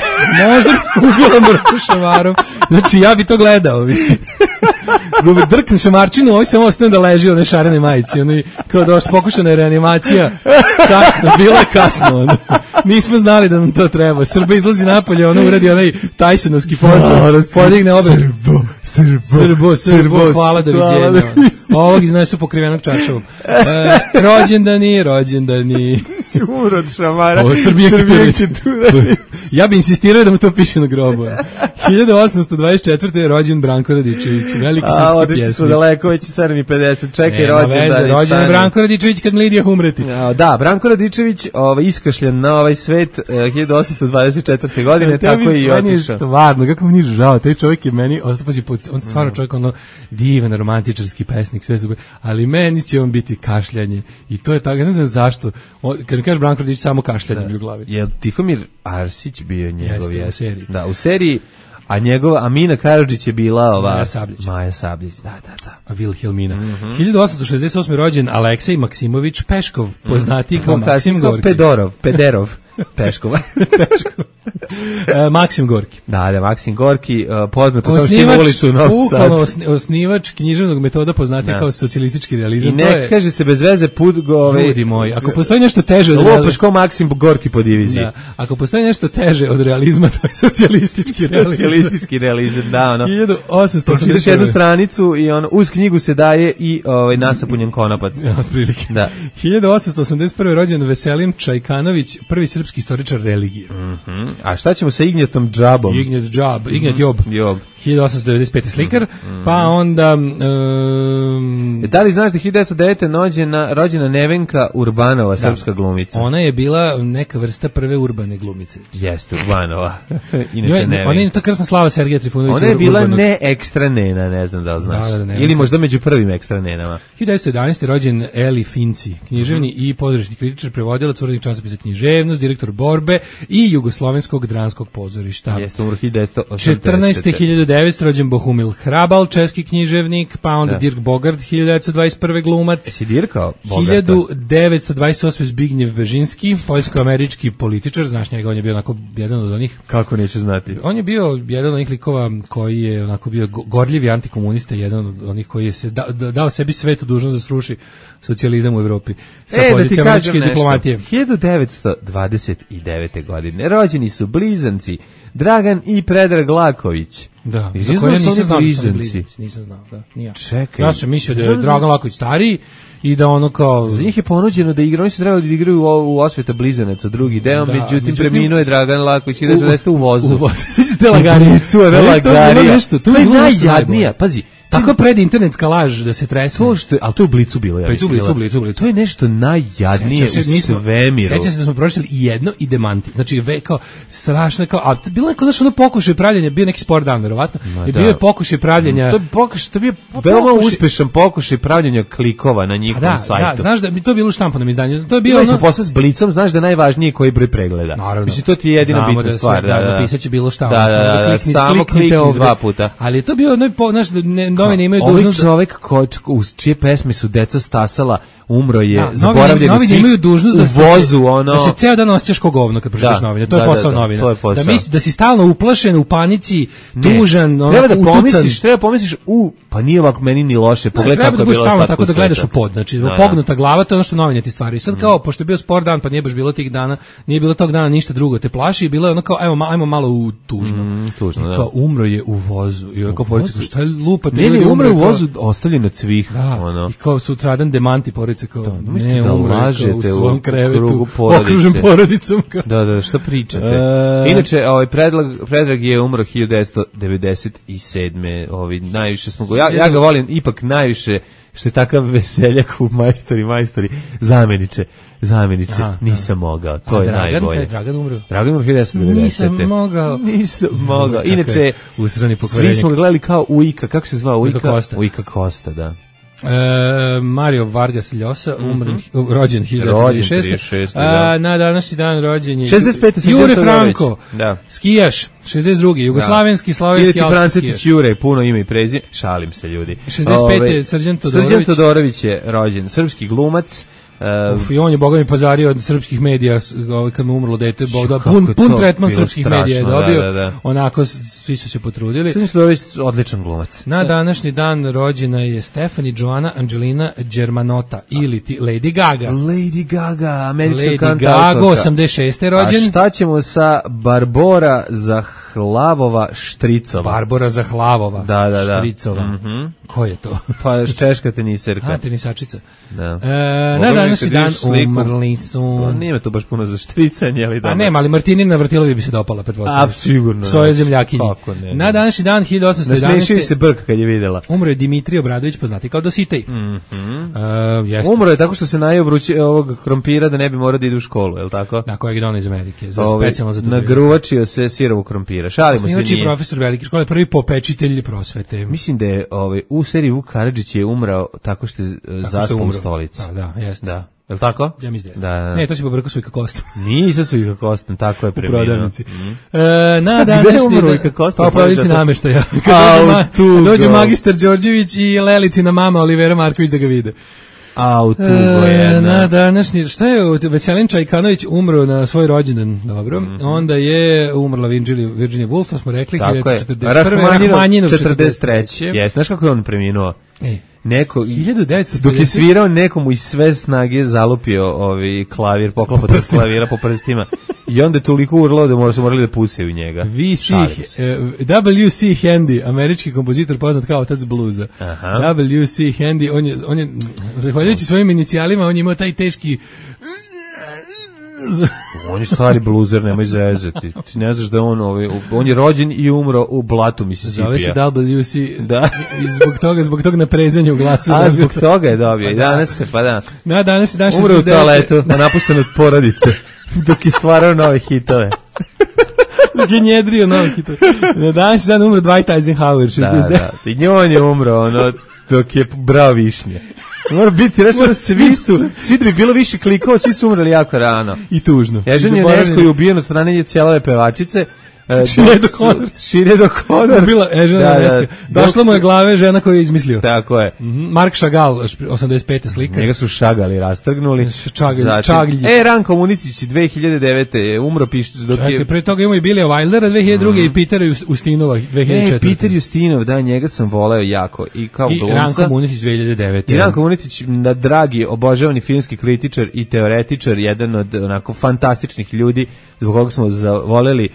Možda bi ubila Mrku šamarom. Znači, ja bi to gledao, mislim. Gubi drkne šamarčinu, ovaj samo ostane da leži u onoj šarenoj majici. Ono, kao da još pokušana je reanimacija. Kasno, bila je kasno. Ono. Nismo znali da nam to treba. Srba izlazi napolje, ono uradi onaj Tysonovski pozdrav. Podigne obe. Srbo, Srbo, Srbo, Srbo, hvala, doviđenja. Ovog iznesu pokrivenog čaršavom. E, rođendani, rođendani. Umro od šamara. O, Srbijenke ja bi insistirao da mu to piše na grobu. hiljadu osamsto dvadeset četvrte je rođen Branko Radičević, veliki srpski pjesnik. A, otići su daleko, već je sedam i pedeset, čekaj, rođen. Rođen je Branko Radičević kad Lidija umreti. A, da, Branko Radičević ovaj, iskašljen na ovaj svet uh, hiljadu osamsto dvadeset četvrte godine, ja, tako i otišao. Stvarno, kako mi nije žao, taj čovjek je meni, ostapazi, on stvarno čovjek, ono, divan, romantičarski pesnik, sve su, ali meni će on biti kašljanje. I to je tako, ja ne znam zašto. O, kad mi kažeš Branko Radičević, samo kašljanje mi u glavi. Je Tihomir Arsić bio njegov? Jeste, u seriji. Da, u seriji. A njegova Amina Karadžić je bila ova Maja Sabljić. Maja Sabljić, da, da, da. A Wilhelmina. Mm-hmm. hiljadu osamsto šezdeset osme rođen Aleksej Maksimović Peškov, poznatiji kao Maksim Gorki. Pedorov, Pederov. Peškova. Peškov. E, Maksim Gorki. Da, da, Maksim Gorki, uh, poznat po tom što ima ulicu u Novom Sadu. Osni, osnivač književnog metoda poznati kao socijalistički realizam. I ne je, kaže se bez veze put go... Ove, ljudi moji, ako postoji nešto teže od realizma... Lopaš ko Maksim Gorki po diviziji. Da, ako postoji nešto teže od realizma, to je socijalistički realizam. Socijalistički realizam, da, ono. hiljadu osamsto osamdeset Pročitaš jednu stranicu i ono, uz knjigu se daje i ovaj, nasapunjen konopac. Ja, otprilike. Da. hiljadu osamsto osamdeset prve rođen Veselin Čajkanović, prvi srpski istoričar religije. Mm-hmm. A šta ćemo sa Ignjatom Džabom? Ignjat Džab, Ignjat Job. Job. hiljadu osamsto devedeset pete slikar, mm-hmm. pa onda... Um, da li znaš da hiljadu devetsto devete rođena, rođena Nevenka Urbanova, da, srpska glumica? Ona je bila neka vrsta prve urbane glumice. Jeste, Urbanova. Inače jo, Nevenka. Ona je to krsna slava Sergeja Trifunovića. Ona je bila urbanog... ne ekstra nena, ne znam da li znaš. Da, da, da, ili možda među prvim ekstra nenama. hiljadu devetsto jedanaeste rođen Eli Finci, književni mm-hmm. i pozorišni kritičar, prevodilac, urednik časopisa Književnost, direktor Borbe i Jugoslovenskog dramskog pozorišta. Jeste, umro hiljadu devetsto osamdesete. četrnaeste hiljadu devetsto rođen Bohumil Hrabal, česki književnik, pa onda da. Dirk Bogart, hiljadu devetsto dvadeset prve glumac. Jesi dirkao Bogarta? hiljadu devetsto dvadeset osme Zbignjev Bežinski, poljsko-američki političar, znaš njega, on je bio onako jedan od onih... Kako neću znati? On je bio jedan od onih likova koji je onako bio gorljivi antikomunista, jedan od onih koji je se da, da, dao sebi svetu dužnost da sruši socijalizam u Evropi sa e, pozicije da američke diplomatije. hiljadu devetsto dvadeset devete. godine rođeni su blizanci Dragan i Predrag Laković. Da, za koje ja nisam znao da sam blizanci, nisam znao, da, nije. Čekaj. Ja sam mislio da je Dragan Laković stariji i da ono kao... Za njih je ponuđeno da igraju, oni su trebali da igraju u, u Osveta blizanaca drugi deo, da, međutim, međutim preminuo je Dragan Laković hiljadu devetsto devete. u vozu. U vozu, svi su te lagarije. To je najjadnija, pazi, tako pred internetska laž da se tresne. To što je, al to je u Blicu bilo, ja mislim. Blicu, Blicu, Blicu. To je nešto najjadnije se, u svemiru. Sećam se da smo pročitali i jedno i demanti. Znači ve kao strašno kao, a bilo je kao da što ono pokušaj pravljenja, bio neki sport dan verovatno. I bio je pokušaj pravljenja. To je pokušaj, to je bio veoma uspešan pokušaj pravljenja klikova na njihovom da, sajtu. Da, znaš da bi to bilo u štampanom izdanju. To je bio ono posle s Blicom, znaš da najvažnije koji broj pregleda. Naravno. Mislim to ti je jedina bitna stvar, da, da. Napisaće bilo šta, da, da, da, samo klikni dva puta. Ali je to bio onaj, znaš, novine imaju dužnost čovek ko, uz čije pesme su deca stasala, umro je, da, zaboravljeni novine svih imaju dužnost u da vozu, se, ono... da se ceo dan osjećaš ko govno kad pročitaš novine. To da, je posao da, da, novina. To je posao. Da, misli, da si stalno uplašen, u panici, tužan, ono, treba da utucan. pomisliš, treba pomisliš, u, pa nije ovako meni ni loše, pogledaj kako je bilo stalno tako da gledaš u pod, znači da, pognuta glava, to je ono što novine ti stvari. I sad kao, pošto je bio sport dan, pa nije baš bilo tih dana, nije bilo tog dana ništa drugo, te plaši i bilo je ono kao, ajmo, ajmo malo u tužno. Mm, tužno, da. Kao, umro je u vozu. I kao, poruci, šta je lupa? Ne, ne, umro je u vozu, ostavljen od svih. Da, i kao sutradan demanti, pored dvojica kao, da, ne, da umre lažete u svom krevetu, okružen porodice. porodicom. Kao. Da, da, što pričate? E... Inače, ovaj Predrag, Predrag je umro hiljadu devetsto devedeset sedme Ovi, najviše smo go, ja, ja ga volim ipak najviše što je takav veseljak u majstori, majstori, zameniče, zameniče, Aha, nisam mogao, to a, je Dragan, najbolje. Dragan umro. Dragan umro hiljadu devetsto devedesete Nisam mogao. Nisam mogao. Inače, svi smo ga gledali kao Ujka, kako se zvao Ujka? Ujka Kosta. Ujka Kosta, da. E, Mario Vargas Llosa, umren, mm-hmm. rođen hiljadu devetsto trideset šeste. A, na današnji dan rođen je šezdeset pete Jure Franko, da. Skijaš, šezdeset drugi Jugoslavenski, slavenski, alpski Francetić Jure, puno ime i prezime, šalim se ljudi. šezdeset pete Srđan Todorović. Srđan Todorović je rođen, srpski glumac. Uh, Uf, i on je, boga mi, pozario od srpskih medija kad mu umrlo dete, boga, pun, pun tretman srpskih strašno, medija je dobio, da, da, da. Onako svi su se potrudili. Srđan Todorović odličan glumac. Na današnji dan rođena je Stephanie Joanna Angelina Germanotta ili ti Lady Gaga. Lady Gaga, američka Lady kantautorka. Gaga, osamdeset šeste rođen. A šta ćemo sa Barbora Zahlavova Štricova? Barbora Zahlavova da, da, da. Štricova. Mm-hmm. Ko je to? Pa češka teniserka. A, tenisačica. Da. E, na današnji dan umrli su... Pa nije to baš puno za štricanje, ali da. A nema, ali Martinina Vrtilovi bi se dopala, pretpostavljam. A, sigurno. Svoje zemljakinje. Ne, na današnji dan hiljadu osamsto jedanaeste. Nasmešio se Brk kad je videla. Umro je Dimitrij Obradović, poznati kao Dositej. Mm-hmm. Uh, Umro je tako što se najeo vruće ovog krompira da ne bi morao da ide u školu, je li tako? Da, kojeg je donao iz Amerike, za Ove, specijalno za to. Nagruvačio se sirovu krompira. Šalimo se nije. Profesor velike škole, prvi popečitelj prosvete. Mislim da je ovaj, u seriji Vuk Karadžić je umrao tako što je zaspao u stolici. Da, da, jeste. Da. Je li tako? Ja mislim da, da. Ne, to si pobrkao Svojka Kostom. Nisam Svojka Kostom, tako je preminuo. U prodavnici. Mm. E, na današnji Svojka Kostom? Pa u prodavnici nameštaja. Kad dođu magistar Đorđević i Lelicina mama Olivera Marković da ga vide. Au, tugo jedna. Na današnji, šta je, Veselin Čajkanović umro na svoj rođendan, dobro. Mm-hmm. Onda je umrla Virginia, Virginia Woolf, to smo rekli, tako je. Rahmanjinov četrdeset treće Jes, znaš kako je on preminuo? E. Neko, hiljadu devetsto dok je svirao nekomu iz sve snage zalupio ovaj klavir, poklopac od klavira po prstima i onda je toliko urlao da mora, su morali da pucaju njega. V C, uh, W C Handy, američki kompozitor poznat kao otac bluza. Aha. W C Handy, on je, on je zahvaljujući svojim inicijalima, on je imao taj teški... On je stari bluzer, nemoj zezati. Ti ne znaš da on, ovaj, on je rođen i umro u blatu Mississippi. Zove se W C. Da. I zbog toga, zbog tog naprezanja u glasu. A, zbog toga je dobio. I danas se, pa da. Na, danas je dan umro u toaletu, a napušten od porodice, dok je stvarao nove hitove. Dok je njedrio nove hitove. Na današnji dan umro Dwight Eisenhower, šezdeset devet. Da, da. I njoj je umro, ono, dok je brao višnje. Mora biti, reći da svi su, svi da bi bilo više klikova, svi su umrli jako rano. I tužno. Ježen je Nesko je ubijen od strane cijelove pevačice. Širedo Hodor. Širedo Hodor. Bila Ežena Neska. Došla mu je glave žena koju je izmislio. Tako je. Mm-hmm. Mark Chagall, osamdeset pete slika. Njega su šagali, rastrgnuli. Čagalj, čaglji. E, Ranko Munitić, dve hiljade devete je umro, piš, dok Čekaj, je... pre toga imamo i Bilija Wildera dve hiljade druge mm. i Petera Ustinova dve hiljade četvrte. E, Peter Ustinov, da, njega sam voleo jako. I kao I glumca. Ranko Munitić dve hiljade devete. I Ranko Munitić, na dragi, obožavani filmski kritičar i teoretičar, jedan od onako fantastičnih ljudi, zbog koga smo zavoleli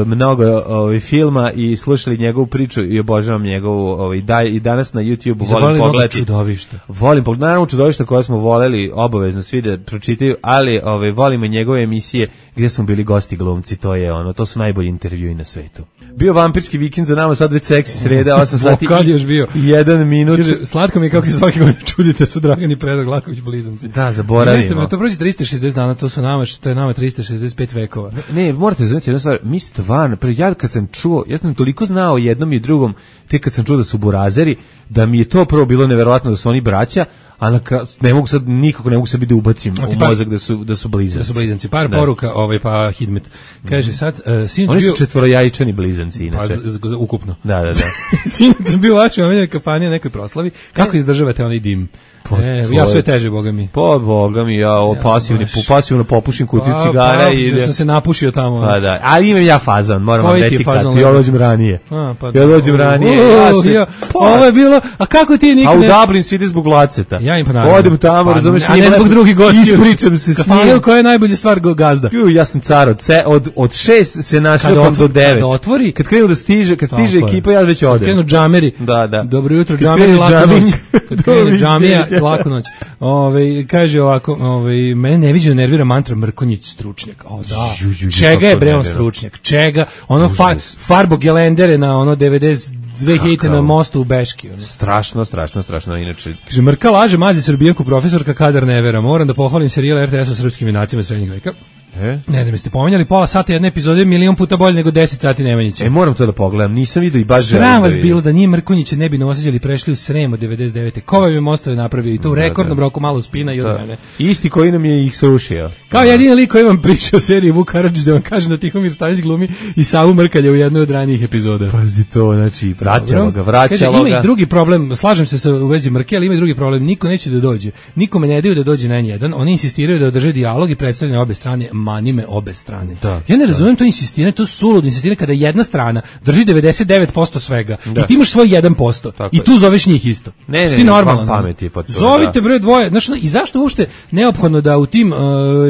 mnogo ovaj filma i slušali njegovu priču i obožavam njegovu ovaj daj i danas na YouTubeu volim pogledati čudovišta. Volim pogledati naravno čudovišta koje smo voleli obavezno svi da pročitaju, ali ovaj volimo i njegove emisije gdje smo bili gosti glumci, to je ono, to su najbolji intervjui na svetu. Bio vampirski vikend za nama, sad već seksi sreda, osam sati kad još bio jedan minut. Kaže, slatko mi je kako se svaki godin čudite su Dragan i Predrag Laković blizanci. Da, zaboravimo. Jeste, to prođe trista šezdeset dana, to su nama, što je nama trista šezdeset pet vekova. Ne, ne morate znati jednu stvar, mi stvarno, ja kad sam čuo, ja sam toliko znao jednom i drugom, tek kad sam čuo da su burazeri, da mi je to prvo bilo neverovatno da su oni braća, a na ne mogu sad nikako ne mogu sebi da ubacim u par, mozak da su da su blizanci. Da su blizanci. Par da. Poruka, ovaj pa Hidmet. Kaže sad uh, sinoć oni bio su četvorojajčani blizanci inače. Pa z, z, ukupno. Da, da, da. Sinoć sam bio u vašoj omiljnoj kafani nekoj proslavi. Kako e? izdržavate onaj dim? Po, e, ja sve teže, boga mi. Po boga mi, ja o pasivni, ja, pasivno popušim kutiju pa, cigara pa, i ja sam se napušio tamo. Pa da. Ali imam ja fazon, moram vam reći kad ja dođem ranije. A, pa, ja dođem ranije. Uh, ja se, ja, ovo je bilo, a kako ti nikad... A u Dublin se ide zbog Laceta. Ja im pa naravno. Odem tamo, pa, razumeš, a ne zbog drugih gostiju. Ispričam se s njim. Kafana koja je najbolja stvar gazda. Ju, ja sam car od, se, od, od šest se našao do devet. Kada otvori. Kad krenu da stiže, kad stiže ekipa, ja već odem. Kad krenu džameri. Da, da. Dobro jutro, džameri, laku noć. Kad krenu džamija, laku noć. Ove, kaže ovako, ove, mene neviđeno nervira mantra Mrkonjić stručnjak. O da, Ju, ju, ju, čega je kako bre on nervira. stručnjak? Čega? Ono fa, farbo gelendere na ono devedeset dve hiljadite na mostu u Beški. Ono. Strašno, strašno, strašno, inače. Kaže, Mrka laže, mazi Srbijanku, profesorka Kadar ne vera. Moram da pohvalim serijal er te es o srpskim junacima srednjeg veka. E? Ne znam, jeste pominjali pola sata jedne epizode, milion puta bolje nego deset sati Nemanjića. E, moram to da pogledam, nisam vidio i baš želim Sram da vas vidim. bilo da nije Mrkonjića ne bi novosađali prešli u Srem od devedeset devete. Ko vam je mostove napravio i to u Da, rekordnom da. roku malo spina i od Da. mene. Isti koji nam je ih srušio. Kao jedini lik koji vam priča o seriji Vuk Karadžić da vam kaže da Tihomir Stanić glumi i Savu Mrkalja u jednoj od ranijih epizoda. Pazi to, znači, vraćalo Dobro. ga, vraćalo Kaže, ima ga. i drugi problem, slažem se sa u vezi Mrke, ali ima i drugi problem, niko neće da dođe. Nikome ne daju da dođe na en jedan, oni insistiraju da održe dijalog i predstavljaju obe strane, manime obe strane. Da, ja ne razumem to insistiranje, to suludo insistiranje kada jedna strana drži devedeset devet posto svega Da. i ti imaš svoj jedan posto Tako i je. tu zoveš njih isto. Ne, ne, Ti ne, normalan, vam pamet je pa to, Zovite da. bre dvoje, znaš, i zašto uopšte neophodno da u tim uh,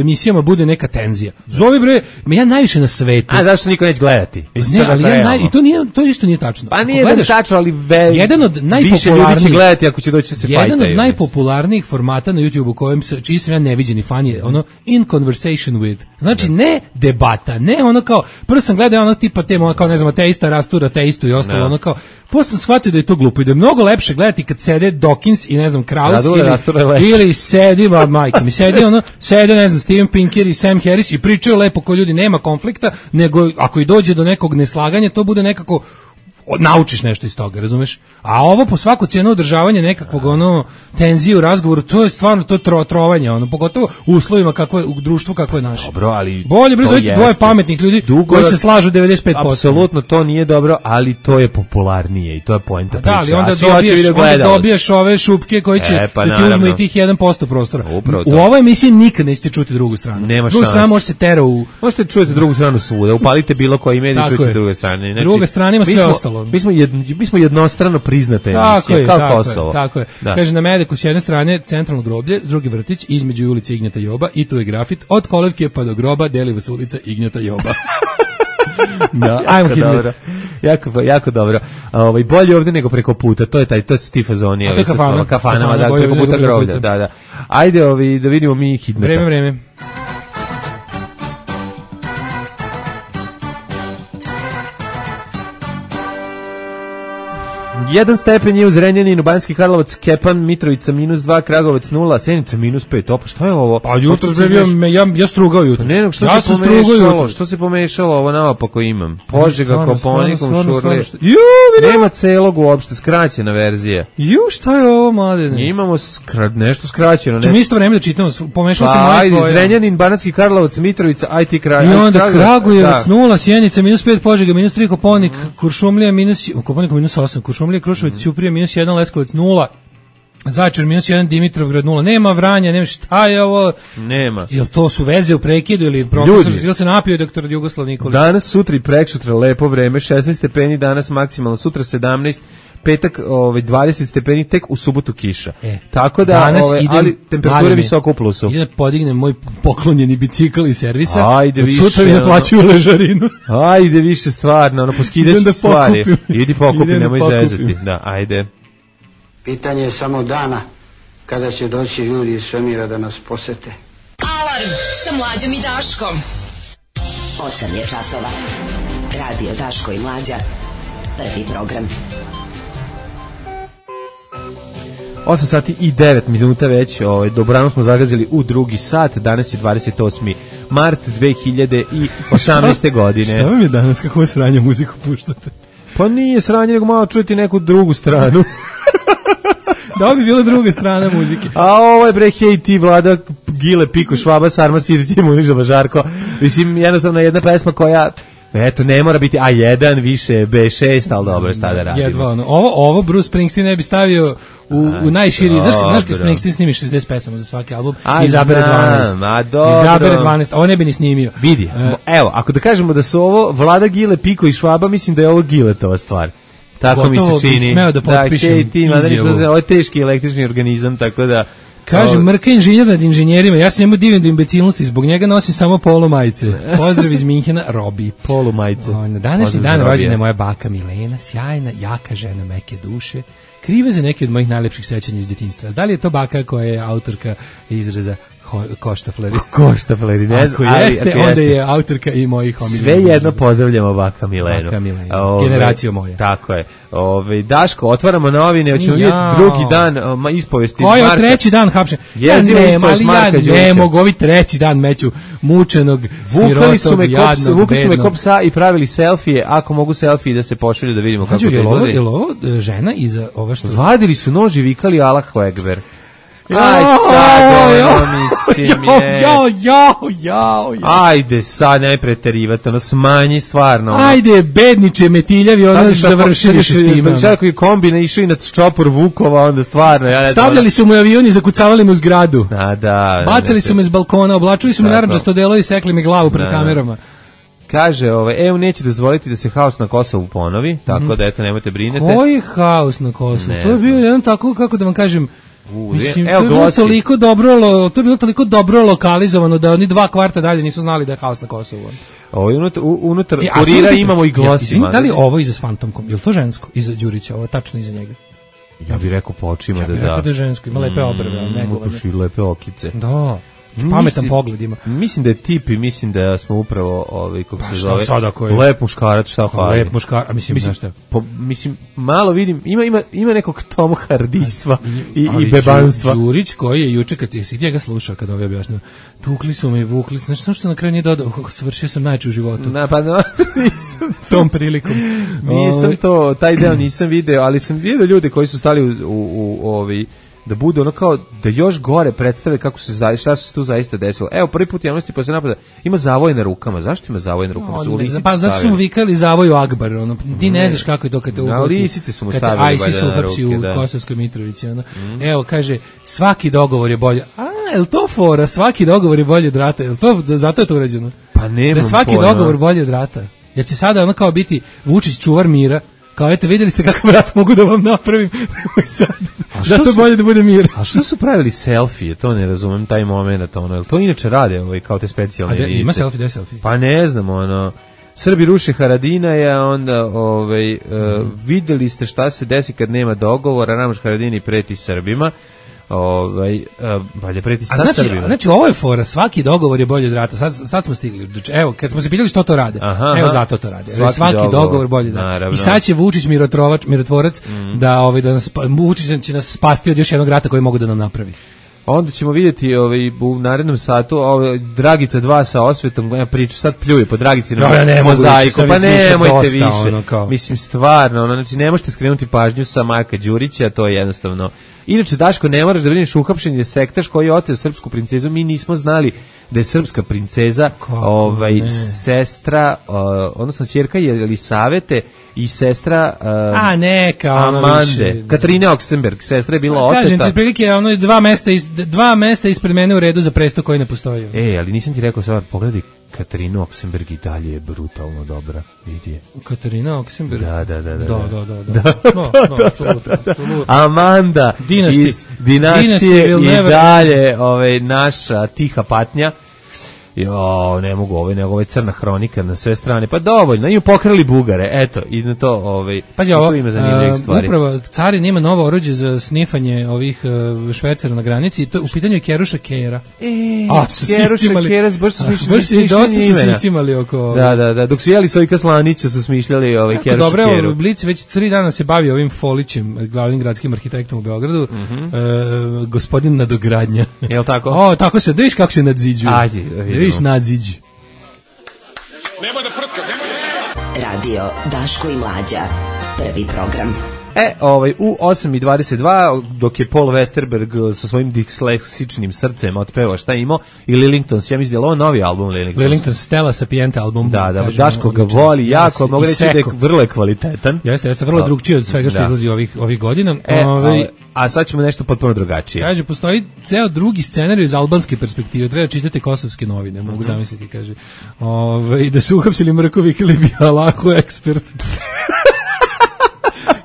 emisijama bude neka tenzija? Zovi bre, me ja najviše na svetu. A zašto niko neće gledati? Mislim, Ne, sad ali da ja realno. naj, i to nije to isto nije tačno. Pa Ako nije da gledaš- tačno, ali ve, jedan od više ljudi najpopularnijih će gledati ako će doći da se jedan fajtaju. od najpopularnijih formata na YouTubeu kojem se čiji sam ja neviđeni fan je ono in conversation with. Znači ne debata, ne ono kao prvo sam gledao ono tipa tema kao ne znam ateista rastura ateistu i ostalo Da. ono kao posle sam shvatio da je to glupo i da je mnogo lepše gledati kad sede Dawkins i ne znam Kraus Radule rastura je ili, lepše. ili sedi ma majka mi sedi ono sede ne znam Steven Pinker i Sam Harris i pričaju lepo ko ljudi, nema konflikta, nego ako i dođe do nekog neslaganja to bude nekako o- naučiš nešto iz toga, razumeš? A ovo po svaku cijenu održavanje nekakvog ono tenzije u razgovoru, to je stvarno to tro, trovanje, ono pogotovo u uslovima kako je u društvu kako je naše. Dobro, ali Bolje bre to zovite dvoje jeste. pametnih ljudi Dugo- koji se slažu devedeset pet posto. Apsolutno to nije dobro, ali to je popularnije i to je poenta priče. Da, ali onda A svi hoće dobiješ, video onda gledalac. dobiješ ove šupke koji će E, pa da ti uzmu naravno. i tih jedan posto prostora. Upravo U to. ovoj emisiji nikad nećete čuti drugu stranu. Nema Druga strana šanse. može se tera u... Možete čujete drugu stranu svuda, upalite bilo koji medij, Tako čujete je. druge strane. Znači, Druga strana ima mi sve smo- ostalo. Mi smo, jed, mi smo jednostrano priznata Tako emisija, je, kao tako Kosovo. je, tako je. Da. Kaže, na Medeku s jedne strane centralno groblje, s druge vrtić, između ulice Ignjata Joba i tu je grafit, od kolevke pa do groba deli vas ulica Ignjata Joba. Da, ajmo Jako hitmet. dobro. Jako, jako dobro. A, Ovaj, bolje ovde nego preko puta, to je taj, to su ti fazoni. A to je ovaj, sa kafana. svojim kafanama, Kafana, da, bolje preko nego puta preko groblja, puta. da, da. Ajde ovi, da vidimo mi hitmeta. Vreme, vreme. Jedan stepen je u Zrenjaninu, Banjski Karlovac, Kepan, Mitrovica minus dva, Kragovac nula, Senica minus pet. Opa, šta je ovo? Pa jutro Otkud si bio, meš- me, ja, ja strugao jutro. Ne, nego što ja se sam strugao pomešalo? jutro. Što se pomešalo? Ovo naopako imam. Požega, Stvarno, Koponikom, stvarno, stvarno, Šurlije. stvarno. Ju, vidi. Nema celog uopšte, skraćena verzija. Ju, šta je ovo, mladene? Imamo skra, nešto skraćeno. Čemo Ne... isto vreme da čitamo, pomešao se Pa, moje ajde, tvoje. Zrenjanin, Banatski Karlovac, Mitrovica, I T kraj. I onda Kragujevac, Kragujevac da. nula, Sjenica minus pet, Požega minus tri, Koponik, Kuršumlija minus, Koponik minus osam, Kuršumlija, Kruševac, Ćuprija minus jedan, Leskovac nula, Zaječar minus jedan, Dimitrovgrad nula, nema Vranja, nema šta je ovo, Nema. jel to su veze u prekidu ili profesor, Ljudi. ili se napio doktor Jugoslav Nikolić? Danas, sutra i preksutra lepo vreme, šesnaest stepeni danas maksimalno, sutra sedamnaest, petak ovaj dvadeset stepeni, tek u subotu kiša. E, Tako da, danas ovaj, idem- ali temperatura je Mladene, visoko u plusu. idem da podignem moj poklonjeni bicikl iz servisa. Ajde od više, sutra mi ono. naplaćuju ležarinu. Ajde više stvarno, ono, poskidaš Idem da stvari. pokupim. Idi pokupi, Idem da nemoj pokupim. zezati. Da, ajde. Pitanje je samo dana kada će doći ljudi iz svemira da nas posete. Alarm sa Mlađom i Daškom. osam je časova. Radio Daško i Mlađa. Prvi program. osam sati i devet minuta već, ovaj, dobrano smo zagazili u drugi sat, danas je dvadeset osmi mart dve hiljade osamnaeste. godine. Šta vam je danas, kako sranje muziku puštate? Pa nije sranje, nego malo čujete neku drugu stranu. Da bi bila druga strana muzike. A ovo je bre, hej ti, Vlada, Gile, Piko, Švaba, Sarma, Sirć, Muniža, Bažarko. Mislim, jednostavno jedna pesma koja, eto, ne mora biti A jedan, više B šest, ali dobro, šta da radimo. Jedva ono. Ovo, ovo Bruce Springsteen ne bi stavio u, u najširi. Znaš, znaš kad dobro. Springsteen snimi šezdeset pesama za svaki album, A, izabere znam, dvanaest. a dobro. Izabere dvanaest, ovo ne bi ni snimio. Vidi, E, evo, ako da kažemo da su ovo Vlada, Gile, Piko i Švaba, mislim da je ovo Giletova stvar. Tako mi Gotovo se bih čini. smeo da potpišem hej ti, mada ništa, izjavu. ovo je teški električni organizam, tako da Kaže, Mrka inženjer nad inženjerima, ja se njemu divim do imbecilnosti, zbog njega nosim samo polo majice. Pozdrav iz Minhena, Robi. Polo majice. O, na današnji dan rođena je moja baka Milena, sjajna, jaka žena meke duše, kriva za neke od mojih najlepših sećanja iz djetinjstva. Da li je to baka koja je autorka izraza koštafleri? Koštafleri, ne znam. Ako jeste, ako onda jeste. Je autorka i mojih omiljenih. Sve jedno pozdravljamo baka Milenu. Baka Milenu, Ove, generaciju moja. Tako je. Ove, Daško, otvaramo novine, hoćemo vidjeti drugi dan um, ispovesti Koji je treći dan hapšen? Ja ne, ali ja ne mogu ovi treći dan meću mučenog, vukali sirotog, jadnog, vukali su me kop psa i pravili selfije, ako mogu selfije da se pošalju da vidimo kako to izgleda. Je li ovo žena iza ova što... Vadili su nož i vikali Allahu Ekber. Aj sad, ono, mislim je... Jao, jao, jao, ajde sad, ne preterivati, ono, smanji stvarno. Ono. Ajde, bedniče metiljavi, ono, završili se s tim. Sad koji kombine išao i na čopor Vukova, onda stvarno... Ja stavljali su mu avion i zakucavali mu zgradu. A, da. Bacali su me s balkona, oblačili su me narandžasto delo i sekli mi glavu pred kamerama. Kaže, ovaj, E U neće dozvoliti da se haos na Kosovu ponovi, tako mm. da eto, nemojte brinete. Koji haos na Kosovu? Ne to je bio jedan tako, kako da vam kažem, U, mislim, evo, to je bilo toliko dobro, to je bilo toliko dobro lokalizovano da oni dva kvarta dalje nisu znali da je haos na Kosovu. Ovo unutar, unutar e, kurira imamo i glosima. Ja, da li ovo iza s Fantomkom? Je li to žensko? Iza Đurića, ovo tačno iza njega? Ja bih rekao po očima ja da da. Ja bih rekao da je žensko, ima lepe obrve, mm, negovane. Ima lepe okice. Da. Pametan mislim, pogled ima. Mislim da je tip i mislim da smo upravo ovaj kako se zove. Sada ko je? Lep muškarac, šta fali? Lep muškarac, a mislim, mislim znaš šta? Po, mislim malo vidim, ima ima ima nekog Tom Hardistva i i bebanstva. Đurić koji je juče kad si njega slušao kad ovaj objašnjava. Tukli su me i vukli, znači samo što na kraju nije dodao, kako svršio sam najče u životu. Na pa no, nisam tom prilikom. Nisam to, taj deo nisam video, ali sam video ljude koji su stali u u, u ovi da bude ono kao da još gore predstave kako se zaista šta se tu zaista desilo. Evo prvi put javnosti posle napada ima zavoj na rukama. Zašto ima zavoj na rukama? Su lisice pa zato su mu vikali zavoju Akbar, ono ti ne znaš kako je to kad te uhvati. Lisice su mu stavili ISIS u hapsi u Kosovskoj Mitrovici, ono. Mm. Evo kaže svaki dogovor je bolje. A, je li to fora? Svaki dogovor je bolje od rata. Je li to zato je to urađeno? Pa nemam da svaki pojma. Dogovor bolje od rata. Jer će sada ono kao biti Vučić čuvar mira. Kao eto vidjeli ste kakav rat mogu da vam napravim. Sad, da to bolje da bude mir. A što su pravili selfije? To ne razumem taj momenat, ono. Jel to inače rade ovaj kao te specijalne jedinice? A de, ima selfie, da selfie. Pa ne znam, ono. Srbi ruše Haradinaja, onda ovaj uh, vidjeli ste šta se desi kad nema dogovora, Ramoš Haradini preti Srbima. Ovaj uh, valje preti sa znači, Srbima. Znači ovo je fora, svaki dogovor je bolji od rata. Sad sad smo stigli. Evo, kad smo se pitali što to rade. Aha, evo zato to rade. Svaki, svaki dogovor, dogovor bolji od rata. I sad će Vučić mirotvorac, mirotvorac mm. da ovaj da nas Vučić će nas spasti od još jednog rata koji mogu da nam napravi. Onda ćemo vidjeti ovaj u narednom satu ovaj Dragica dva sa osvetom, ja pričam sad pljuje po Dragici na ja, ne mozaiku, pa nemojte više. Ono mislim stvarno, ono znači ne možete skrenuti pažnju sa Marka Đurića, to je jednostavno. Inače Daško ne moraš da brineš uhapšen je sektaš koji je oteo srpsku princezu, mi nismo znali da je srpska princeza kako ovaj ne. Sestra uh, odnosno ćerka je Elisavete i sestra uh, a neka ono Amande više. Katarine Oksenberg, sestra je bila oteta. Kažem ti prilike ono dva mesta iz, dva mesta ispred mene u redu za presto koji ne postoji. E, ali nisam ti rekao sad pogledaj Katarina Oksenberg i dalje je brutalno dobra, vidi je. Katarina Oksenberg? Da, da, da. Da, da, da. da, da. da. No, no, apsolutno, apsolutno. Amanda Dynasty. iz Dinastije i never... dalje ovaj, naša tiha patnja. Jo, ne mogu ovaj, nego ovaj crna hronika na sve strane. Pa dovoljno, im pokrali Bugare, eto, i na to, ovaj, pazi, ovo, ima zanimljivih stvari. Upravo, carin ima novo oruđe za snifanje ovih uh, švercera na granici, to u pitanju je Keruša Kera. E, a, su Keruša Kera, baš su smišljali. Baš su dosta su smišljali oko... Da, da, da, dok su jeli Sojka Slanića su smišljali ovaj Keruša Keru. Dobro, evo, Blic već tri dana se bavi ovim Folićem, glavnim gradskim arhitektom u Beogradu, mm -hmm. uh, gospodin nadogradnja. Jel tako? O, tako se, da viš kako se nadziđuje. Ajde, da viš nadziđu. Nemoj da prska, nemoj da... Radio Daško i Mlađa, prvi program. E, ovaj, u osam i dvadeset dva, dok je Paul Westerberg sa svojim disleksičnim srcem otpevao šta je imao, i Lillingtons, ja mislim da je ovo novi album Lillingtons. Lillingtons, Stella Sapienta album. Da, da, kažem, Daško ga voli jako, yes, mogu reći da je vrlo je kvalitetan. Jeste, jeste, vrlo drugčije od svega što da. izlazi ovih, ovih godina. E, Ove, a sad ćemo nešto potpuno drugačije. Kaže, postoji ceo drugi scenarij iz albanske perspektive, treba čitati kosovske novine, mogu mm-hmm. zamisliti, kaže. Ove, da su uhapsili Mrkovi ili bi Allahu ekspert.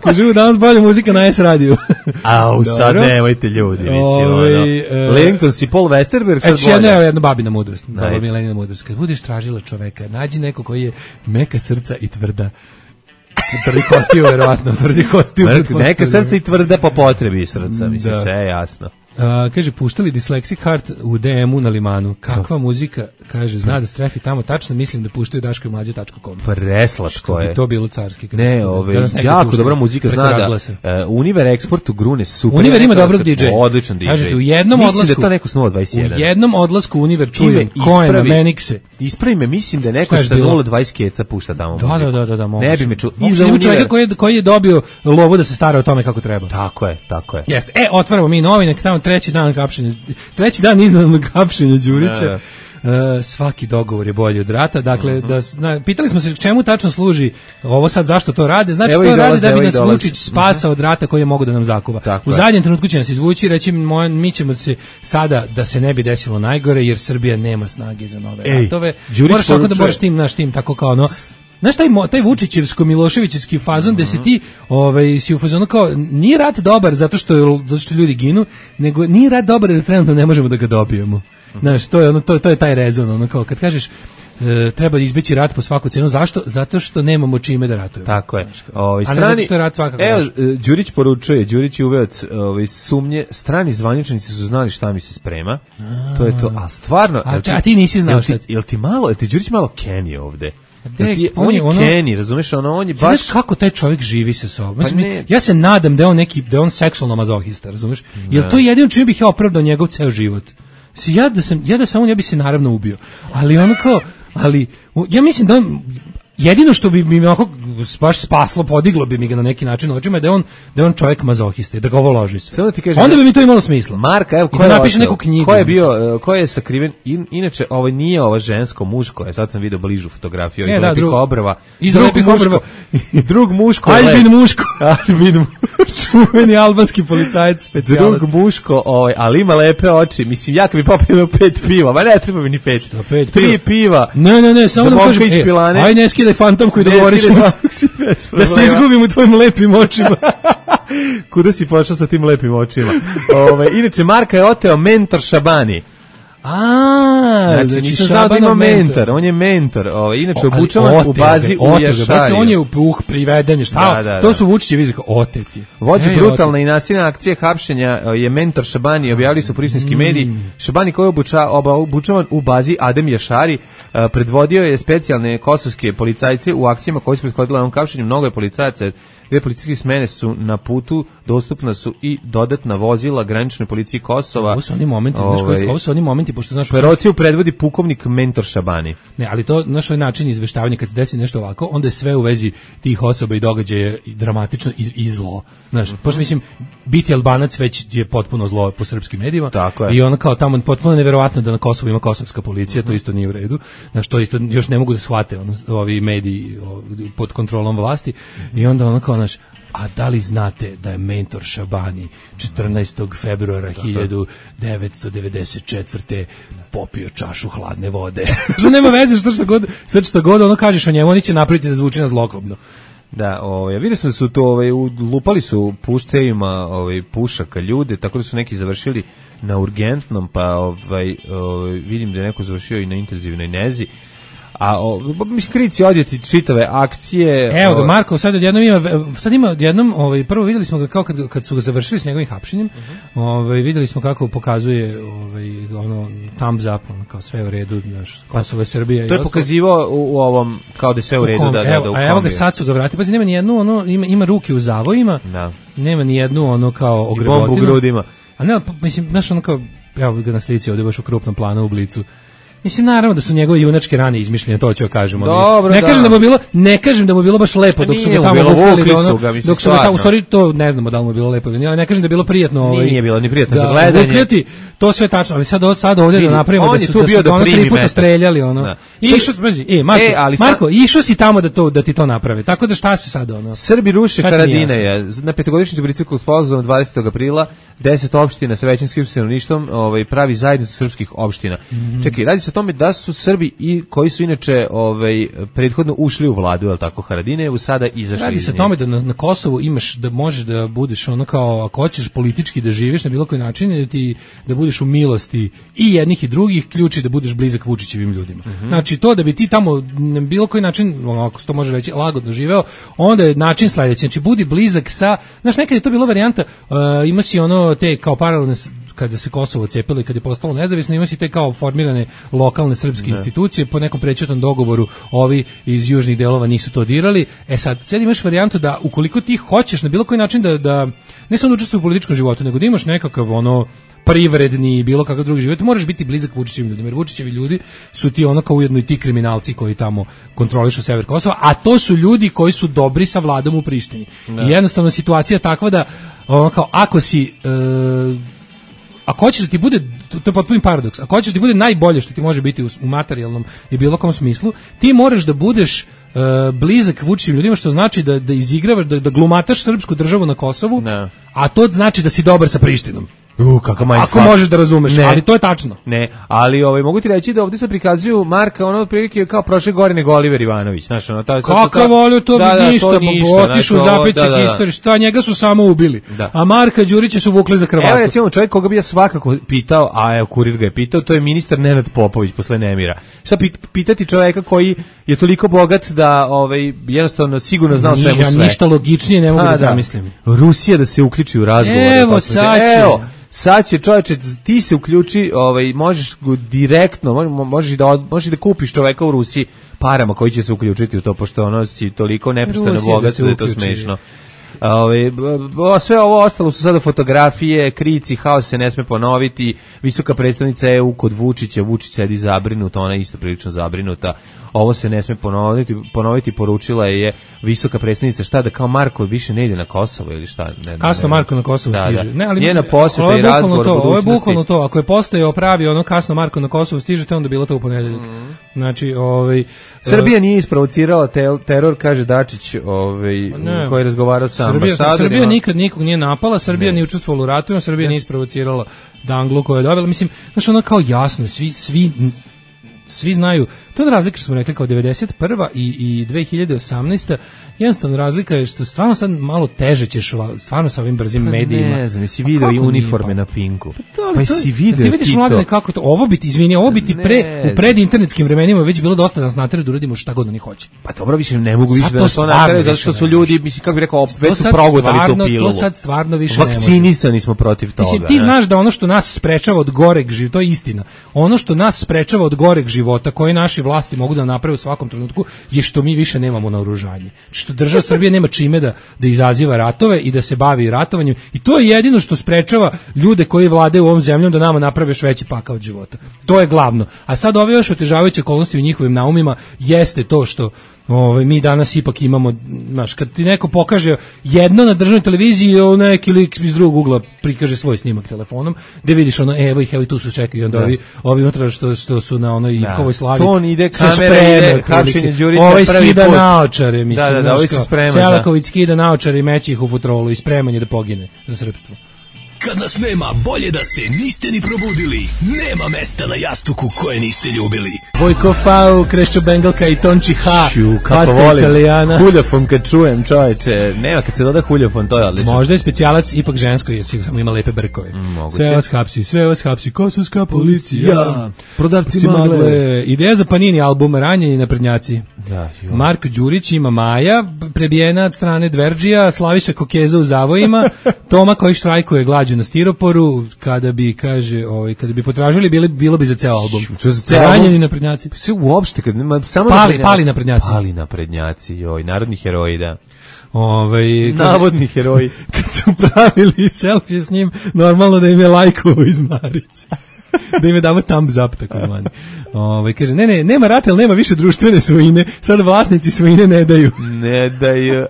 Kažu, danas bolje muzika na S radiju. Au, sad nemojte ljudi, mislim, Ove, ono. Langton si Paul Westerberg, sad bolje. Eći jedna, jedna babina mudrost, baba Milenina mudrost. Kad budeš tražila čoveka, nađi neko koji je meka srca i tvrda. Tvrdi kostiju, verovatno, tvrdi kostiju. Neka srca i tvrda po potrebi srca, mislim, sve je jasno. Uh, kaže, puštali Dyslexic Heart u D M-u na Limanu. Kakva muzika, kaže, zna da strefi tamo, tačno mislim da puštaju daško i mlađe tačka com. Preslatko je. Bi to bilo carski. Ne, ove, jako puštaju, dobra muzika, zna da uh, Univer Export u Grune super. Univer ima dobrog D J. Odličan D J. Kažete, u jednom mislim odlasku, da to neko s nula dvadeset jedan. U jednom odlasku Univer čujem Coena, Menixe. Ispravi me, mislim da je neko sa nula dvadeset keca pušta tamo da, muziku. Da, da, da, moguće. Ne bi me čuo. I za čovjeka koji, koji je dobio lovu da se stara o tome kako treba. Tako je, tako je. Jeste. E, otvaramo mi novine, tamo treći dan kapšenja, treći dan iznenadnog kapšenja Đurića. Uh, svaki dogovor je bolji od rata. Dakle, uh-huh. da, na, pitali smo se čemu tačno služi ovo sad, zašto to rade. Znači, evo to rade da bi nas Vučić spasao uh-huh. od rata koji je mogu da nam zakuva. Tako u zadnjem je. trenutku će nas izvući i reći moj, mi ćemo se sada, da se ne bi desilo najgore, jer Srbija nema snage za nove Ej, ratove. Moraš tako da moraš tim naš tim, tako kao ono. Znaš, taj, taj Vučićevsko-Miloševićevski fazon, gde se ti ovaj, si u fazonu kao, nije rat dobar zato što, zato što ljudi ginu, nego nije rat dobar jer trenutno ne možemo da ga dobijemo. Znaš, to je, ono, to, to je taj rezon, ono, kao kad kažeš e, treba izbeći rat po svaku cenu, zašto? Zato što nemamo čime da ratujemo. Tako je. Ovi, strani, a ne zato što je rat svakako. Evo, Đurić poručuje, Đurić je uveo ovi, sumnje, strani zvaničnici su znali šta mi se sprema, a, to je to, a stvarno... A, ti, a ti nisi znao šta? Jel ti, jel ti malo, jel ti Đurić malo Kenny ovde? Dek, ti, on je ono, Kenny, razumeš, ono, on je baš... Znaš kako taj čovjek živi sa sobom? Pa Mislim, ja se nadam da je on neki, da je on seksualno mazohista, razumeš? Jer to je jedino čime bih ja opravdao njegov ceo život. Ja da sam, ja da sam on, ja bi se naravno ubio. Ali ono kao, ali, ja mislim da on, jedino što bi mi onako baš spaslo, podiglo bi mi ga na neki način očima, da je on, da je on čovjek mazohista, da ga ovo loži se. Da kažem, onda bi mi to imalo smisla. Marka, evo, ko je da napiše neku knjigu. Ko je bio, ko je sakriven, in, inače, ovo nije ovo žensko, muško, je, sad sam vidio bližu fotografiju, ne, i da, lepih drug, obrva. Iz lepih obrva. Drug muško. Albin muško. Albin muško. Čuveni albanski policajac, specijalac. Drug muško, ovaj, ali ima lepe oči. Mislim, ja kad bi popio pet piva, ma ne treba mi ni pet. Što pet Tri piva. Ne, ne, ne, samo da kažem, e, aj ne skidaj fantom koji dogovoriš da se izgubim u tvojim lepim očima. Kuda si pošao sa tim lepim očima? Ove, inače, Marka je oteo mentor Šabani. A, znači, znači nisam znao da ima mentor, on je mentor, ovaj, inače obučavan u bazi u Jašariju. On je u uh, priveden, šta? Da, da, da. To su Vučićevi izreka, oteti. Vođa brutalna i nasilna akcija hapšenja je mentor Šabani, objavili su prištinski mm. mediji. Šabani koji je obuča, oba, obučavan u bazi Adem Jašari, uh, predvodio je specijalne kosovske policajce u akcijama koje su prethodile ovom hapšenju. Mnogo je policajaca. Dve policijske smene su na putu, dostupna su i dodatna vozila graničnoj policiji Kosova. Ovo su oni momenti, ovaj, ovo su oni momenti, pošto znaš... Operaciju predvodi pukovnik mentor Šabani. Ne, ali to, naš ovaj način izveštavanja, kad se desi nešto ovako, onda je sve u vezi tih osoba i događaja dramatično i, i zlo. Znaš, mm-hmm. pošto mislim, biti Albanac već je potpuno zlo po srpskim medijima. Tako je. I ono kao tamo potpuno neverovatno da na Kosovu ima kosovska policija, mm-hmm. to isto nije u redu. Znaš, to isto još ne mogu da shvate ono, ovi mediji ovi, pod kontrolom vlasti. Mm-hmm. I onda ono kao, znaš, a da li znate da je mentor Šabani četrnaestog februara hiljadu devetsto devedeset četvrte popio čašu hladne vode? Što nema veze što što god, sve što god ono kažeš o njemu, oni će napraviti da zvuči na zlokobno. Da, ovaj vidio smo da su to ovaj lupali su puštevima ovaj pušaka ljude, tako da su neki završili na urgentnom, pa ovaj, ovaj vidim da je neko završio i na intenzivnoj nezi. A o, mislim krici odjeti čitave akcije. Evo ga Marko, sad odjednom ima sad ima odjednom, ovaj prvo videli smo ga kao kad kad su ga završili s njegovim hapšenjem. Uh-huh. Ovaj videli smo kako pokazuje ovaj ono thumbs up, ono kao sve u redu, znaš, Kosovo, Srbija i to je pokazivao u, u ovom kao da sve u redu, u da, da, evo, da u a evo ga sad su ga vratili, pa nema ni jednu ono ima ima ruke u zavojima. Da. Nema ni jednu ono kao ogrebotinu. Bombu u grudima. A ne, mislim, znaš ono kao evo ga na slici ovde baš u krupnom planu u blicu. Mislim naravno da su njegove junačke rane izmišljene, to ću kažemo. Dobro, ne da. kažem da mu je bilo, ne kažem da mu je bilo baš lepo dok su ga tamo vukli, ono, dok su ga tamo, u stvari to ne znamo da li mu je bilo lepo, ali ne kažem da je bilo prijatno, ovaj. Nije bilo ni prijatno da, za gledanje. Vukljati, to sve tačno, ali sad sad ovdje da napravimo da su da su ono tri puta streljali, ono. Da. Išao, e, Marko, e, ali Marko, sad... išao si tamo da to da ti to naprave. Tako da šta se sad ono? Srbi ruše Haradinaja. Na petogodišnjici Briselskog sporazuma dvadesetog aprila deset opština sa većinskim stanovništvom ovaj pravi zajednicu srpskih opština. Mm-hmm. Čekaj, radi se tome da su Srbi i koji su inače ovaj prethodno ušli u vladu, al tako Haradine, u sada izašli. Radi se o tome da na, na Kosovu imaš da možeš da budeš ono kao ako hoćeš politički da živiš na bilo koji način da ti da budeš u milosti i jednih i drugih, ključi da budeš blizak Vučićevim ljudima. Mm-hmm. Znači to da bi ti tamo na bilo koji način, ako se to može reći, lagodno živeo, onda je način sledeći, znači budi blizak sa, znaš, nekad je to bilo varijanta, uh, ima si ono te kao paralelne kada se Kosovo cepilo i kada je postalo nezavisno, ima si te kao formirane lokalne srpske ne. institucije, po nekom prećutnom dogovoru ovi iz južnih delova nisu to dirali. E sad, sad imaš varijantu da ukoliko ti hoćeš na bilo koji način da, da ne samo da učestvuješ u političkom životu, nego da imaš nekakav ono privredni i bilo kakav drugi život, moraš biti blizak Vučićevim ljudima, jer Vučićevi ljudi su ti ono kao ujedno i ti kriminalci koji tamo kontrolišu sever Kosova, a to su ljudi koji su dobri sa vladom u Prištini. Ne. I jednostavno situacija takva da ono kao ako si e, ako hoćeš da ti bude, to je potpuni paradoks, ako hoćeš da ti bude najbolje što ti može biti u, u materijalnom i bilo kom smislu, ti moraš da budeš uh, blizak Vučićevim ljudima, što znači da, da izigravaš, da, da glumataš srpsku državu na Kosovu, ne. A to znači da si dobar sa Prištinom. Uh, kakav Ako možeš da razumeš, ne. Ali to je tačno. Ne, ali ovaj mogu ti reći da ovdje se prikazuju Marka ono prilike kao prošle gore nego Oliver Ivanović, znaš, ono ta Kakav volio to da, bi ništa, pa otišu u zapećak da, da, istorije, šta njega su samo ubili. Da. A Marka Đurića su vukli za kravatu. Evo recimo čovjek koga bi ja svakako pitao, a evo Kurir ga je pitao, to je ministar Nenad Popović posle nemira. Šta pitati čovjeka koji je toliko bogat da ovaj jednostavno sigurno znao sve mu sve. Ja ništa logičnije ne mogu a, da zamislim. Rusija da se uključi u razgovor. Evo sad će. Sad će čovječe, ti se uključi, ovaj, možeš direktno, možeš da, možeš da kupiš čoveka u Rusiji parama koji će se uključiti u to, pošto ono si toliko neprestano bogat da je to smešno. Ove, sve ovo ostalo su sada fotografije, krici, haos se ne sme ponoviti, visoka predstavnica E U kod Vučića, Vučić sedi zabrinuta, ona je isto prilično zabrinuta, ovo se ne sme ponoviti, ponoviti poručila je visoka predstavnica šta da kao Marko više ne ide na Kosovo ili šta? Ne, kasno ne, Marko na Kosovo da, stiže. Da. Ne, ali njena posjeta i razgovor to, ovo je bukvalno to, ako je postojao pravi ono kasno Marko na Kosovo stiže, te onda bilo to u ponedeljak. Mm. Znači, ovaj Srbija nije isprovocirala te, teror, kaže Dačić, ovaj ne, koji je razgovarao sa ambasadorima. Srbija nikad nikog nije napala, Srbija nije učestvovala u ratovima, Srbija nije isprovocirala Danglu koju je dobila. Mislim, znači ono kao jasno, svi svi svi znaju, to je razlika što smo rekli kao devedeset prva i, i dve hiljade osamnaesta. Jednostavno razlika je što stvarno sad malo teže ćeš stvarno sa ovim brzim pa medijima. Ne znam, si video i uniforme na Pinku. Pa, to, pa si video ti vidiš mladine kako to, ovo biti, izvini, ovo biti pre, u predinternetskim vremenima već bilo dosta da nas nateraju da uradimo šta god oni hoće. Pa dobro, više ne mogu više da to nateraju, zato što su ljudi, mislim, kako bih rekao, već su progutali tu pilu. To sad stvarno više ne može. Vakcinisani smo protiv toga. Mislim, ti znaš da ono što nas sprečava od goreg života, to je istina, ono što nas sprečava od goreg života, koje naši vlasti mogu da naprave u svakom trenutku, je što mi više nemamo naoružanje. Što država Srbija nema čime da, da izaziva ratove i da se bavi ratovanjem. I to je jedino što sprečava ljude koji vladaju ovom zemljom da nama naprave još veći pakao od života. To je glavno. A sad ove još otežavajuće okolnosti u njihovim naumima jeste to što ovaj mi danas ipak imamo, znaš, kad ti neko pokaže jedno na državnoj televiziji, neki lik iz drugog ugla prikaže svoj snimak telefonom, da vidiš ono, evo ih, evo i tu su čekaju, onda da. ovi, ovi unutra što, što su na onoj Ivkovoj slavi. Ton ide, kamera ide, hapšenje Đurića ovaj prvi skida put. naočare, mislim, da, da, da, znaš, kao, Selaković skida naočare i meće ih u futrolu i spreman je da pogine za srpstvo. Kad nas nema, bolje da se niste ni probudili. Nema mesta na jastuku koje niste ljubili. Vojko Fau, Krešćo Bengalka i Tonči H. Ču, kako volim. Huljafon kad čujem, čoveče. Nema, kad se doda huljafon, to je odlično. Možda je specijalac ipak žensko, jer samo ima lepe brkove. Mm, sve vas hapsi, sve vas hapsi. Kosovska policija. Ja. Prodavci magle. magle. Ideja za Panini album Ranjeni naprednjaci. Ja, Marko Đurić ima Maja, prebijena od strane Dverđija, Slaviša Kokeza u zavojima, Toma koji štrajkuje glađu na stiroporu, kada bi, kaže, ovaj, kada bi potražili, bilo, bilo bi za ceo album. Ranjeni naprednjaci. Sve uopšte, kad nema, samo pali, naprednjaci. Pali naprednjaci. Pali naprednjaci, joj, narodni heroji, da. Ovaj, navodni heroji. Kad su pravili selfie s njim, normalno da im je lajkovo iz Marice. Da im je damo thumbs up, tako zvani. Ove, kaže, ne, ne, nema rata, ali nema više društvene svojine, sad vlasnici svojine ne daju. Ne daju.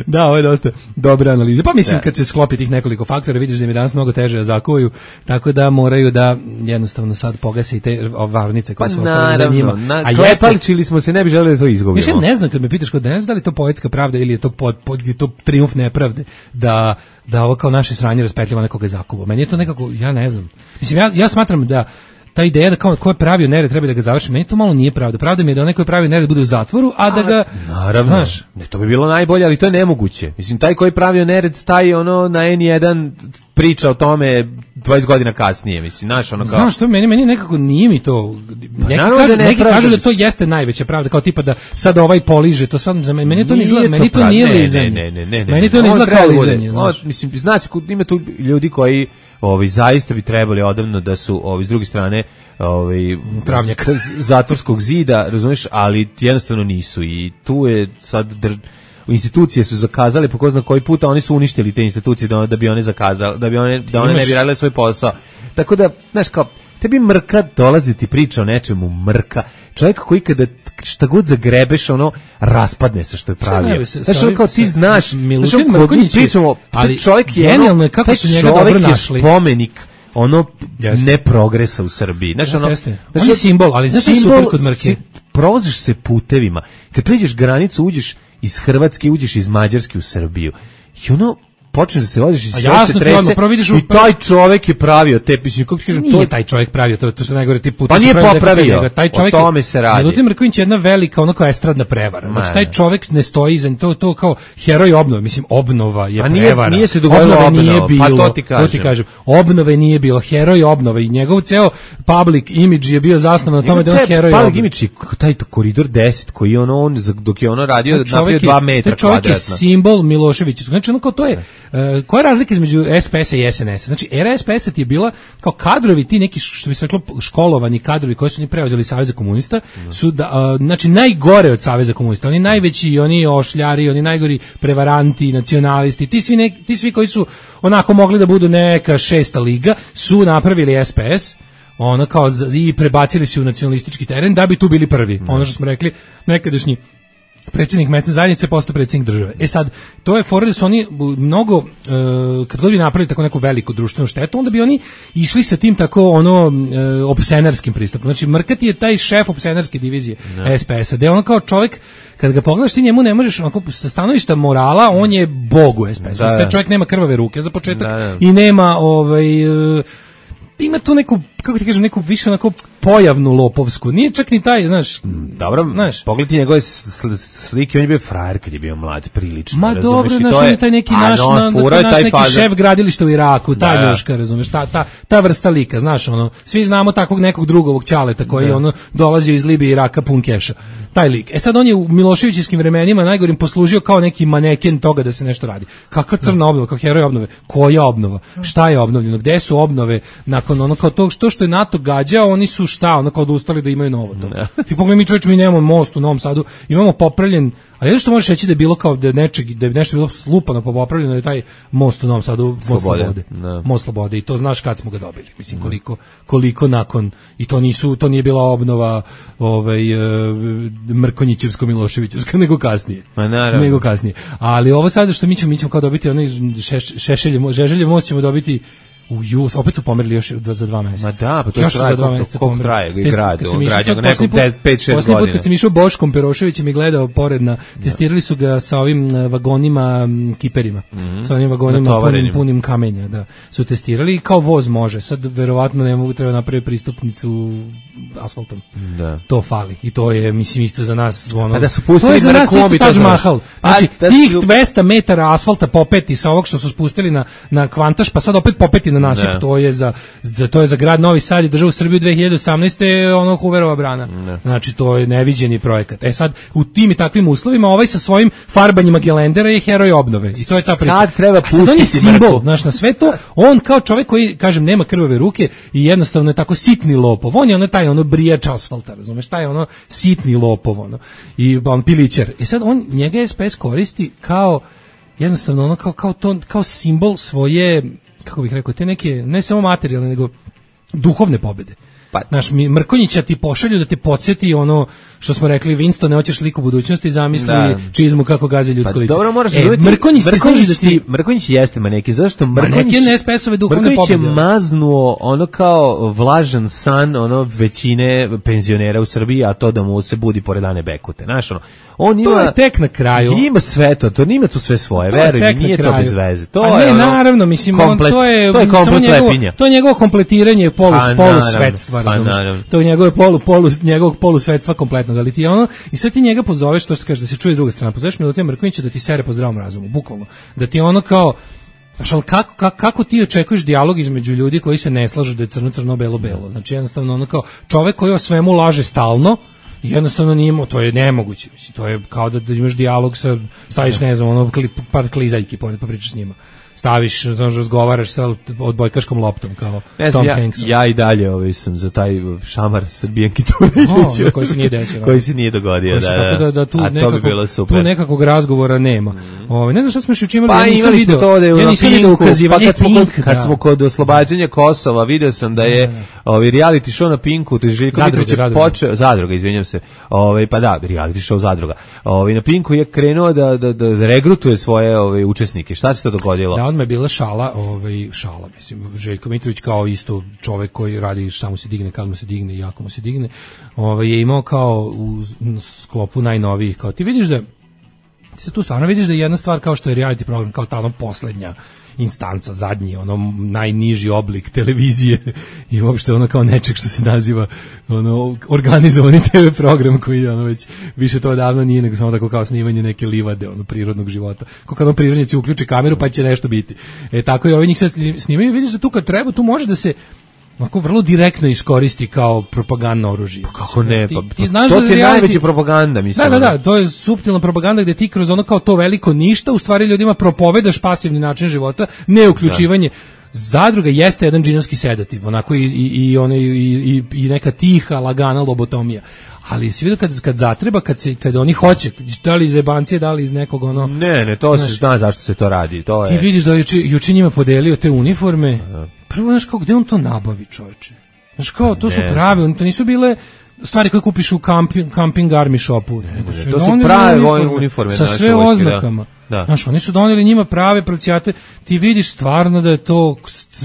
Da, ovo je dosta dobra analiza. Pa mislim, da. Kad se sklopi tih nekoliko faktora, vidiš da im je danas mnogo teže da zakuju, tako da moraju da jednostavno sad pogase i te varnice koje pa su ostale za njima. Na, a klepaličili smo se, ne bi želeli da to izgubimo. Ja ne znam, kad me pitaš kod danas, da li je to poetska pravda ili je to, pod, pod, je to trijumf nepravde, da da ovo kao naše sranje raspetljava nekoga zakuva. Meni je to nekako, ja ne znam. Mislim, ja, ja smatram da ta ideja da kao ko je pravio nered treba da ga završi, meni to malo nije pravda. Pravda mi je da onaj ko je pravio nered bude u zatvoru, a da ga naravno, znaš, ne, to bi bilo najbolje, ali to je nemoguće. Mislim, taj koji je pravio nered, taj ono na en jedan priča o tome dvadeset godina kasnije, mislim, znaš, ono kao... Znaš što, meni, meni nekako nije mi to... Pa, neki kažu, da, neki kažu da to jeste najveća pravda, kao tipa da sad ovaj poliže, to sve, meni to ne izgleda, meni to nije lizanje. Ne, ne, ne, ne, meni to ne izgleda kao lizanje. Mislim, znaš, ima tu ljudi koji ovi, zaista bi trebali odavno da su ovi, s druge strane ovi, travnjak zatvorskog zida, razumiješ, ali jednostavno nisu i tu je sad... Dr... institucije su zakazale po ko zna koji puta, oni su uništili te institucije da, da bi one zakazale, da bi one, da one ne bi radile svoj posao. Tako da, znaš, kao, tebi mrka dolazi ti priča o nečemu, mrka. Čovjek koji kada šta god zagrebeš, ono, raspadne se što je pravio. Znaš, ono kao ti znaš, Milutin Mrkonjić, pričamo, ali čovjek je, genijalno je kako su njega dobro našli. Spomenik ono ne progresa u Srbiji. Znaš, ono, on je simbol, ali znaš što je super kod Mrke? Provoziš se putevima. Kad priđeš granicu, uđeš iz Hrvatske, uđeš iz Mađarske u Srbiju. I ono, počneš da se voziš i sve jasno, se trese u... i taj čovjek je pravio te, mislim, kako ti kažem, nije to je... taj čovjek pravio, to, to se najgore ti puta. Pa nije popravio, taj čovjek, o tome se radi. Milutin Mrkonjić je jedna velika, ono kao estradna prevara. Znači, taj čovjek ne stoji iza to, to kao heroj obnove, mislim, obnova je nije, prevara. Nije se dogodilo obnova, nije bilo, pa to ti kažem. To ti kažem. Obnove nije bilo, heroj obnove i njegov ceo public image je bio zasnovan na tome da on heroj obnove. Public image, taj koridor deset koji ono, on, dok je ono radio, napravio dva metra kvadratna. Čovjek je simbol Miloševića. Znači, ono kao to je, koja je razlika između es pe esa i es en esa? Znači, era es pe esa ti je bila kao kadrovi, ti neki, što bi se reklo, školovani kadrovi koji su oni preuzeli Saveza komunista, su, da, uh, znači, najgore od Saveza komunista. Oni najveći, oni ošljari, oni najgori prevaranti, nacionalisti, ti svi, neki, ti svi koji su onako mogli da budu neka šesta liga, su napravili es pe es, ono kao i prebacili se u nacionalistički teren da bi tu bili prvi. Mm. Ono što smo rekli, nekadašnji predsjednik mesne zajednice postao predsjednik države. E sad, to je fora da su oni mnogo, e, kad god bi napravili tako neku veliku društvenu štetu, onda bi oni išli sa tim tako ono e, opsenarskim pristupom. Znači, Mrkati je taj šef opsenarske divizije ne. es pe esa, da je ono kao čovjek, kad ga pogledaš ti njemu ne možeš, onako, sa stanovišta morala, on je bog u es pe esu. Da, taj čovjek nema krvave ruke za početak da, da. i nema ovaj... E, ima tu neku, kako ti kažem, neku više onako pojavnu lopovsku. Nije čak ni taj, znaš... Dobro, znaš, pogledaj njegove slike, on je bio frajer kad je bio mlad, prilično. Ma dobro, znaš, on je taj neki naš, no, na, naš taj neki fazer. Šef gradilišta u Iraku, ta da. Ljuška, razumeš, ta, ta, ta vrsta lika, znaš, ono, svi znamo takvog nekog drugovog ćaleta koji da. Ono dolazio iz Libije i Iraka pun keša. Taj lik. E sad on je u Miloševićevskim vremenima najgorim poslužio kao neki maneken toga da se nešto radi. Kakva crna obnova, kao heroj obnove? Koja obnova? Šta je obnovljeno? Gde su obnove? Nakon ono kao to što što je NATO gađao, oni su šta, ono kao odustali da imaju novo to. Ne. Ti pogledaj, mi čovječ, mi nemamo most u Novom Sadu, imamo popravljen, a jedno što možeš reći da je bilo kao da nečeg, da je nešto bilo slupano pa popravljeno je taj most u Novom Sadu, most Slobode. Slobode. Most Slobode i to znaš kad smo ga dobili. Mislim koliko koliko nakon i to nisu to nije bila obnova ovaj uh, Mrkonjićevsko Miloševićevska nego kasnije. Ma naravno. Nego kasnije. Ali ovo sada što mi ćemo mi ćemo kao dobiti onaj šeš, šešelje, žeželje most ćemo dobiti u ju, opet su pomerili još za dva mjeseca. Ma da, pa to je traje, koliko traje, i grade, on građa nekom pet šest godina. Posljednji put kad sam išao Boškom Peroševićem i gledao pored na, testirali su ga sa ovim vagonima, kiperima, mm-hmm. sa onim vagonima punim, punim kamenja, da, su testirali i kao voz može, sad verovatno ne mogu, treba napraviti pristupnicu asfaltom. Da. To fali i to je, mislim, isto za nas, ono, a da su pustili to je za nas isto Taj Mahal. Znači, da tih su... dvesta metara asfalta popeti sa ovog što su spustili na, na Kvantaš, pa sad opet popeti na nasip, ne. to je za, za to je za grad Novi Sad i državu Srbiju dve hiljade osamnaeste ono Hooverova brana. Ne. Znači to je neviđeni projekat. E sad u tim i takvim uslovima ovaj sa svojim farbanjima gelendera je heroj obnove i to je ta priča. Sad treba pustiti. A sad on je simbol, znaš, na sve to, on kao čovjek koji, kažem, nema krvave ruke i jednostavno je tako sitni lopov. On je ono taj ono brijač asfalta, razumeš, taj ono sitni lopov, ono. I on pilićar. I sad on njega es pe es koristi kao jednostavno ono kao kao to kao simbol svoje, kako bih rekao, te neke, ne samo materijalne, nego duhovne pobjede. Pa, naš Mrkonjića ti pošalju da te podsjeti ono što smo rekli, Winston, ne hoćeš sliku budućnosti, zamisli da. Čizmu kako gazi ljudsko pa, lice. Dobro, moraš e, zoveti, Mrkonjić, Mrkonjić, ti da ti... Mrkonjić jeste maneki, zašto? Mrkonjić je es pe esove duhovne pobjede. Mrkonjić je maznuo ono kao vlažan san ono većine penzionera u Srbiji, a to da mu se budi pored Ane Bekute. Znaš, ono, on ima, to je tek na kraju. Ima sve to, to nima tu sve svoje, veruj mi, nije to bez veze. To a je ne, ono, naravno, mislim, komplet, on, to je, to je komplet njegovo, lepinja. To je njegovo kompletiranje polu, polu svetstva, razumiješ. To je njegove polu, polu, njegovog polusvetstva kompletnog, ali ti ono, i sad ti njega pozoveš, to što kaže da se čuje druga strana, pozoveš Milutija Mrkonjića da ti sere po zdravom razumu, bukvalno. Da ti ono kao, znaš, ali kako, kako, kako ti očekuješ dijalog između ljudi koji se ne slažu da je crno, crno, belo, belo? Znači jednostavno ono kao, čovek koji o svemu laže stalno, jednostavno nije imao, to je nemoguće, mislim, to je kao da, da imaš dijalog sa, staviš, ne znam, ono, kli, par klizaljki pored pa pričaš s njima. Staviš, znaš, razgovaraš sa odbojkaškom loptom kao ne Tom ja, Hanksom. Ja i dalje ovaj sam za taj šamar Srbijanki Turiliću. Oh, koji se nije desio. koji se nije dogodio, da, da, da, da tu, a nekako, to bi bilo super. Tu nekakvog razgovora nema. Mm. Ovaj ne znam šta smo još učinili, pa, ja nisam imali video. To da je ja nisam video ukazivanje pa kad, Pink, smo kod, kad da. smo kod oslobađanja Kosova, video sam da je ovaj reality show na Pinku, to je Željko Mitrović počeo, Zadruga, izvinjavam se. Ovaj pa da, reality show Zadruga. Ovaj na Pinku je krenuo da da da regrutuje svoje ovaj učesnike. Šta se to dogodilo? Da, odmah je bila šala, ovaj šala, mislim, Željko Mitrović kao isto čovjek koji radi samo se digne kad mu se digne i jako mu se digne, ovaj je imao kao u sklopu najnovijih, kao ti vidiš da ti se tu stvarno vidiš da je jedna stvar kao što je reality program, kao ta ono poslednja instanca, zadnji, ono najniži oblik televizije i uopšte ono kao nečeg što se naziva ono organizovani te ve program koji ono već više to odavno nije nego samo tako kao snimanje neke livade ono prirodnog života. Kako kad on prirodnjaci uključe kameru pa će nešto biti. E tako i ovi njih sad snimaju, vidiš da tu kad treba tu može da se onako vrlo direktno iskoristi kao propagandno oružje. Pa kako ne, ti, pa, ti znaš to da ti je reality, najveća propaganda, mislim. Da, da, da, to je suptilna propaganda gde ti kroz ono kao to veliko ništa u stvari ljudima propovedaš pasivni način života, ne uključivanje. Da. Zadruga jeste jedan džinovski sedativ, onako i, i, i, one, i, i, i neka tiha, lagana lobotomija. Ali si vidio kad, kad zatreba, kad, se, kad oni hoće, da li iz jebancije, da li iz nekog ono... Ne, ne, to se zna zašto se to radi. To je... Ti vidiš da juče, juče njima podelio te uniforme. Aha. Prvo, znaš kao, gde on to nabavi, čovječe? Znaš kao, to su prave, to nisu bile stvari koje kupiš u camping, camping army shopu. Ne, ne, ne, to su prave vojne uniforme. Sa sve vojske, oznakama. Da. Znaš, oni su doneli njima prave procijate, ti vidiš stvarno da je to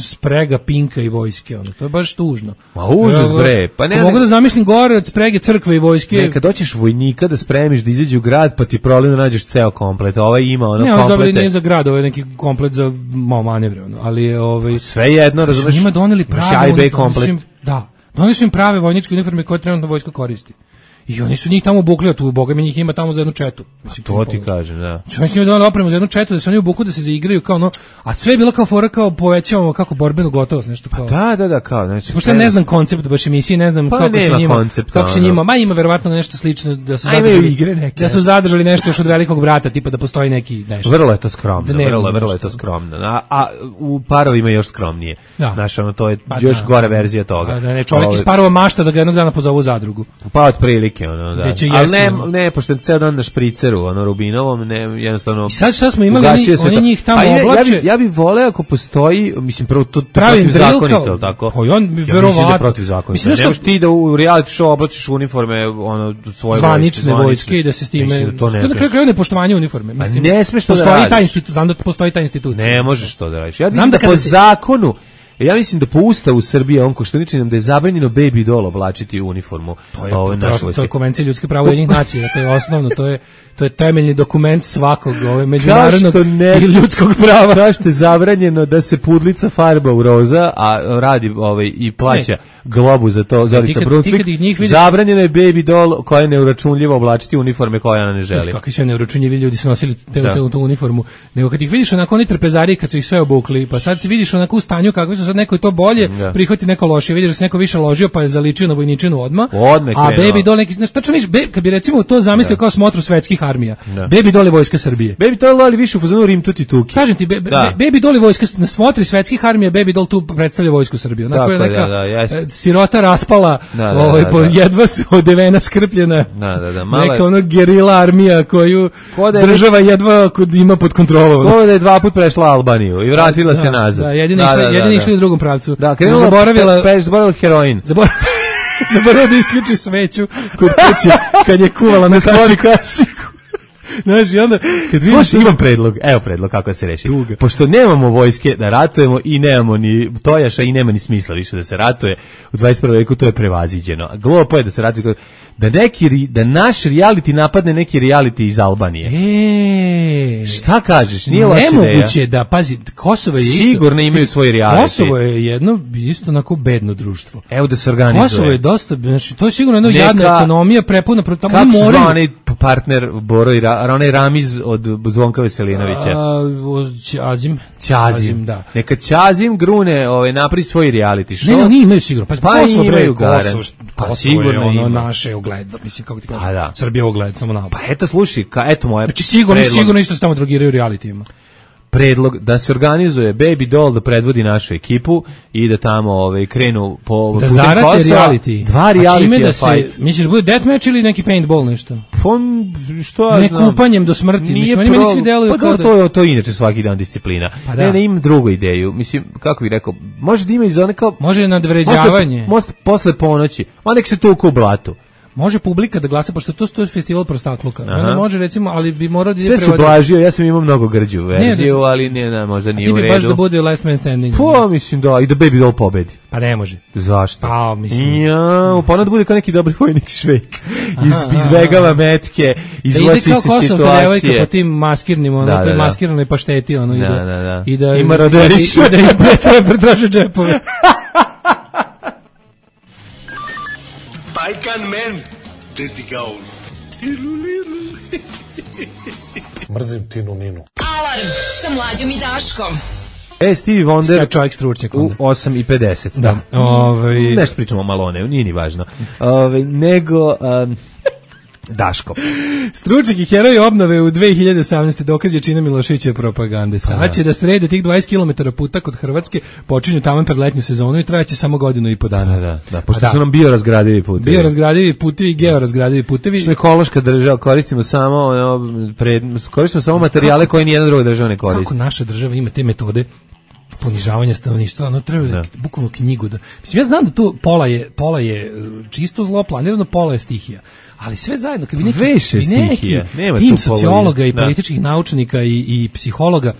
sprega Pinka i vojske, ono, to je baš tužno. Ma užas bre, pa ne. Mogu da zamislim gore od sprege crkve i vojske. Ne, kad doćeš vojnika da spremiš da izađe u grad, pa ti problem da nađeš ceo komplet. Ovaj ima ono ne, komplete. Ne, nije za grad, ovo je neki komplet za malo manevre, ono, ali je ovaj sve jedno, razumeš? Njima doneli prave vojničke komplet. Da. Doneli su im prave vojničke uniforme koje trenutno vojska koristi. I oni su njih tamo obukli, tu boga mi njih ima tamo za jednu četu. Mislim, to ti kažem, da. Oni su njima donali opremu za jednu četu, da se oni obuku da se zaigraju kao ono, a sve je bilo kao fora, kao povećavamo kako borbenu gotovost, nešto kao. Pa da, da, da, kao, znači. Pošto ne znam koncept baš emisije, ne znam pa kako se njima, koncept, kako se njima, ma ima verovatno nešto slično da su zadržali igre neke. Da su zadržali nešto još od Velikog brata, tipa da postoji neki nešto. Vrlo je to skromno, vrlo, vrlo je to skromno. A, a u parovima još skromnije. Znaš, ono to je još pa, gora verzija toga. Da, ne, čovjek iz parova mašta da ga jednog dana pozovu u zadrugu. Pa otprilike ono, da. Ali ne, ne, pošto ceo dan na špriceru, ono Rubinovom, ne, jednostavno. I sad šta smo imali, oni, oni njih tamo ja, oblače. Ja bi, ja bi voleo ako postoji, mislim, prvo to, to protivzakonito, tako? Pa on bi ja verovatno. Da protivzakonito. Ne možeš ti da u reality show oblačiš uniforme, ono, svoje zvanične vojske i da se s time. Mislim, to ne. To je kraj nepoštovanje uniforme. Mislim, ne smeš to da radiš. Postoji taj institut, znam da postoji ta institucija. Ne možeš to da radiš. Ja znam da po zakonu. Ja mislim da po ustavu Srbije on Koštuniči nam da je zabranjeno baby doll oblačiti u uniformu. To je, ove, to, to je konvencija ljudskih prava Ujedinjenih nacija, to je osnovno, to je to je temeljni dokument svakog ove međunarodnog i ljudskog prava. Kao što je zabranjeno da se pudlica farba u roza, a radi ovaj i plaća ne. globu za to Zorica Brunsvik. Zabranjeno je baby doll koja je neuračunljiva oblačiti uniforme koje ona ne želi. Kakvi sve neuračunljivi ljudi su nosili te, te, tu uniformu. Nego kad ih vidiš onako oni trpezari kad su ih sve obukli, pa sad se vidiš onako u stanju kakvi su sad neko je to bolje, da. Prihvati neko lošije, vidiš da se neko više ložio pa je zaličio na vojničinu odma. Odme a baby doll neki, znači tačno vidiš, kad bi recimo to zamislio kao smotru svetskih armija. Da. Baby doll je vojska Srbije. Baby doll ali više u fazonu Rim tuti tuki. Kažem ti, be, be, baby doll je vojska na smotri svetskih armija, baby doll tu predstavlja vojsku Srbije. Onako je neka da, da, sirota raspala, da, da, ovaj da, po da. jedva su odevena skrpljena. Da, da, da, male... Neka ono gerila armija koju je... država jedva ima pod kontrolom. Ko da je dva put prešla Albaniju i vratila da, se nazad. Da, jedini išli, jedini išli u drugom pravcu. Da, krenula, zaboravila, pe, zaboravila heroin. Zaboravila Zaboravila da isključi sveću kod kuće kad je kuvala na kašiku. Znaš, i onda... Kad Slušaj, imam predlog, evo predlog kako se reši. Tuga. Pošto nemamo vojske da ratujemo i nemamo ni tojaša i nema ni smisla više da se ratuje, u dvadeset prvom veku to je prevaziđeno. Glupo je da se ratuje, da, neki, da naš reality napadne neki reality iz Albanije. E, šta kažeš? Nije loša ideja. Nemoguće da, pazi, Kosovo je isto... Sigurno imaju svoj reality. Kosovo je jedno isto onako bedno društvo. Evo da se organizuje. Kosovo je dosta, znači, to je sigurno jedna Neka, jadna ekonomija prepuna, tamo kako moraju... Kako onaj partner Boro i Ra, onaj Ramiz od Zvonka Veselinovića? Ćazim. Ćazim, da. Neka Ćazim grune, ovaj, napravi svoj reality show. Ne, ne, oni imaju sigurno. Pa, pa Kosovo, bre, imaju Kosovo, pa Kosovo sigurno je ono ima. naše ogled, mislim, kako ti kažem, pa, da. Srbija ogled, samo na. Pa eto, slušaj, ka, eto moje znači, sigurno, predlog. Sigurno isto se tamo drogiraju realitijima. Predlog da se organizuje Baby Doll da predvodi našu ekipu i da tamo ovaj krenu po da zarate reality. Dva reality da se, misliš bude deathmatch ili neki paintball nešto? Fon što ne kupanjem do smrti, mislim oni meni svi deluju pa kao da to to inače svaki dan disciplina. Pa ne, ne imam drugu ideju. Mislim kako bih rekao, može da ima i za neka može nadvređavanje. Posle, posle ponoći, a nek se tuku u blatu. Može publika da glasa, pošto to je festival prostakluka. Onda može, recimo, ali bi morao da ide prevoditi. Sve su blažio, ja sam imao mnogo grđu verziju, ne, da ali nije, ne, možda nije u redu. Ti bi baš da bude last man standing. Pa, mislim da, i da Baby Doll pobedi. Pa ne može. Zašto? Pa, mislim. Ja, pa onda da bude kao neki dobri vojnik Švejk. Iz, izvegava metke, izvlači se situacije. Da ide kao Kosovka devojka po tim maskirnim, ono, da, toj da, maskiranoj pašteti, ono, da, i da, da, da. i da, ima roderiš. I da im pretraže džepove. Pajkan men. Mrzim Tinu Ninu. Alarm sa Mlađom i Daškom. E, Stevie Wonder čovjek stručnjak u osam i pedeset. Da. Ovaj nešto pričamo malo o ne, nije ni važno. Ovaj nego um, Daško. Stručnjak i heroj obnove u dve hiljade osamnaeste dokaz je čina Miloševićeve propagande. Sad će da srede tih dvadeset kilometara puta kod Hrvatske, počinju tamo pred letnju sezonu i trajaće samo godinu i po dana. Da, da, da, pošto da. su nam biorazgradivi putevi. Biorazgradivi putevi i georazgradivi putevi. Smo ekološka država, koristimo samo, ono, pred, koristimo samo materijale koje nijedna druga država ne koristi. Kako naša država ima te metode ponižavanja stanovništva, ono treba da. bukvalno knjigu da. Mislim, ja znam da tu pola je, pola je čisto zlo planirano, pola je stihija. Ali sve zajedno, kad bi neki, Veše neki tim sociologa i političkih da. naučnika i, i psihologa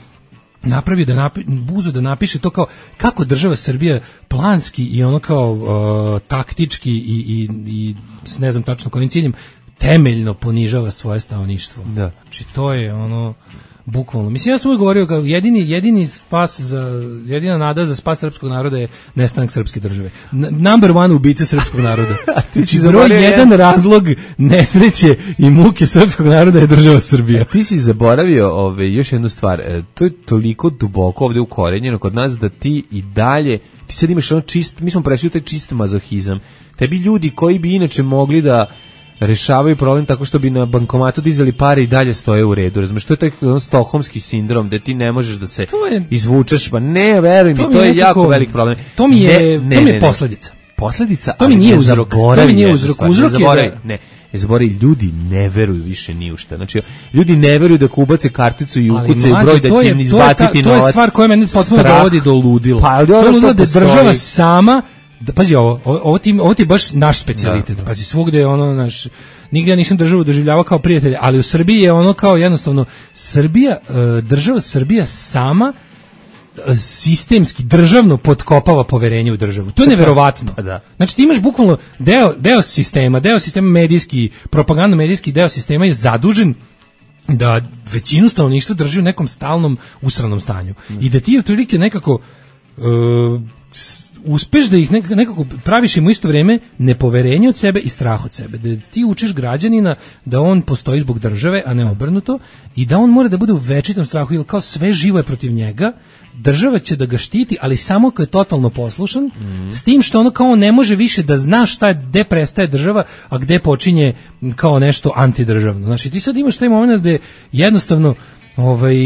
napravio da napi, buzu da napiše to kao kako država Srbija planski i ono kao uh, taktički i, i, i ne znam tačno kojim ciljem temeljno ponižava svoje stanovništvo. Da. Znači to je ono bukvalno. Mislim, ja sam uvijek govorio kao jedini, jedini spas za, jedina nada za spas srpskog naroda je nestanak srpske države. N number one ubice srpskog naroda. Znači, broj jedan razlog nesreće i muke srpskog naroda je država Srbija. A ti si zaboravio ove, još jednu stvar. E, to je toliko duboko ovdje ukorenjeno kod nas da ti i dalje, ti sad imaš ono čist, mi smo prešli u taj čist mazohizam. Tebi ljudi koji bi inače mogli da rešavaju problem tako što bi na bankomatu dizali pare i dalje stoje u redu. Razumeš, to je taj ono stokholmski sindrom gde ti ne možeš da se je, izvučeš, pa ne, veruj mi, to, to je nekako, jako velik problem. To mi je, ne, ne, to mi je ne, posljedica. Posljedica, to mi nije uzrok. To mi nije uzrok. Uzrok je da... Ne, ne zaboravi, ljudi ne veruju više ni u šta. Znači, ljudi ne veruju da ako ubace karticu i ukucaju broj da će im izbaciti novac. To je stvar koja mene potpuno dovodi do ludila. Pa, to je ludilo da država sama, da, pazi ovo, ovo ti, ovo ti je baš naš specijalitet. Da. Pazi, svugde je ono naš... Nigde ja nisam državu doživljavao kao prijatelja, ali u Srbiji je ono kao jednostavno Srbija, država Srbija sama sistemski, državno potkopava poverenje u državu. To je neverovatno. Da. Znači ti imaš bukvalno deo, deo sistema, deo sistema medijski, propagandno medijski deo sistema je zadužen da većinu stanovništva drži u nekom stalnom usranom stanju. I da ti otprilike nekako uh, uspeš da ih nekako praviš im u isto vrijeme nepoverenje od sebe i strah od sebe. Da ti učiš građanina da on postoji zbog države, a ne obrnuto, i da on mora da bude u večitom strahu, jer kao sve živo je protiv njega, država će da ga štiti, ali samo kad je totalno poslušan, mm. s tim što ono kao ne može više da zna šta je, gde prestaje država, a gde počinje kao nešto antidržavno. Znači ti sad imaš taj moment gde jednostavno ovaj...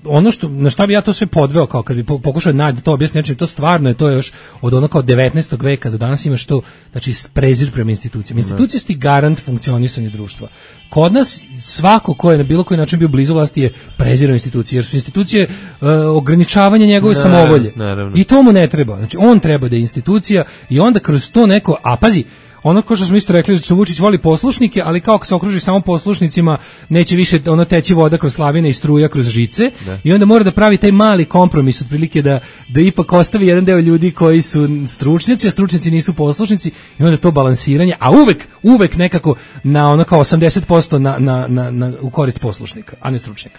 ono što, na šta bi ja to sve podveo, kao kad bi pokušao da to objasniti, znači to stvarno je, to je još od ono kao devetnaestog veka do danas imaš to, znači prezir prema institucijama. Institucije su ti garant funkcionisanja društva. Kod nas svako ko je na bilo koji način bio blizu vlasti je prezirao institucije, jer su institucije uh, ograničavanje njegove ne, samovolje. Naravno. I to mu ne treba. Znači on treba da je institucija i onda kroz to neko, a pazi, ono ko što smo isto rekli da su Vučić voli poslušnike, ali kao ako se okruži samo poslušnicima, neće više ono teći voda kroz slavine i struja kroz žice, da. I onda mora da pravi taj mali kompromis, otprilike da, da ipak ostavi jedan deo ljudi koji su stručnjaci, a stručnjaci nisu poslušnici, i onda to balansiranje, a uvek, uvek nekako na ono kao osamdeset posto na, na, na, na, u korist poslušnika, a ne stručnjaka.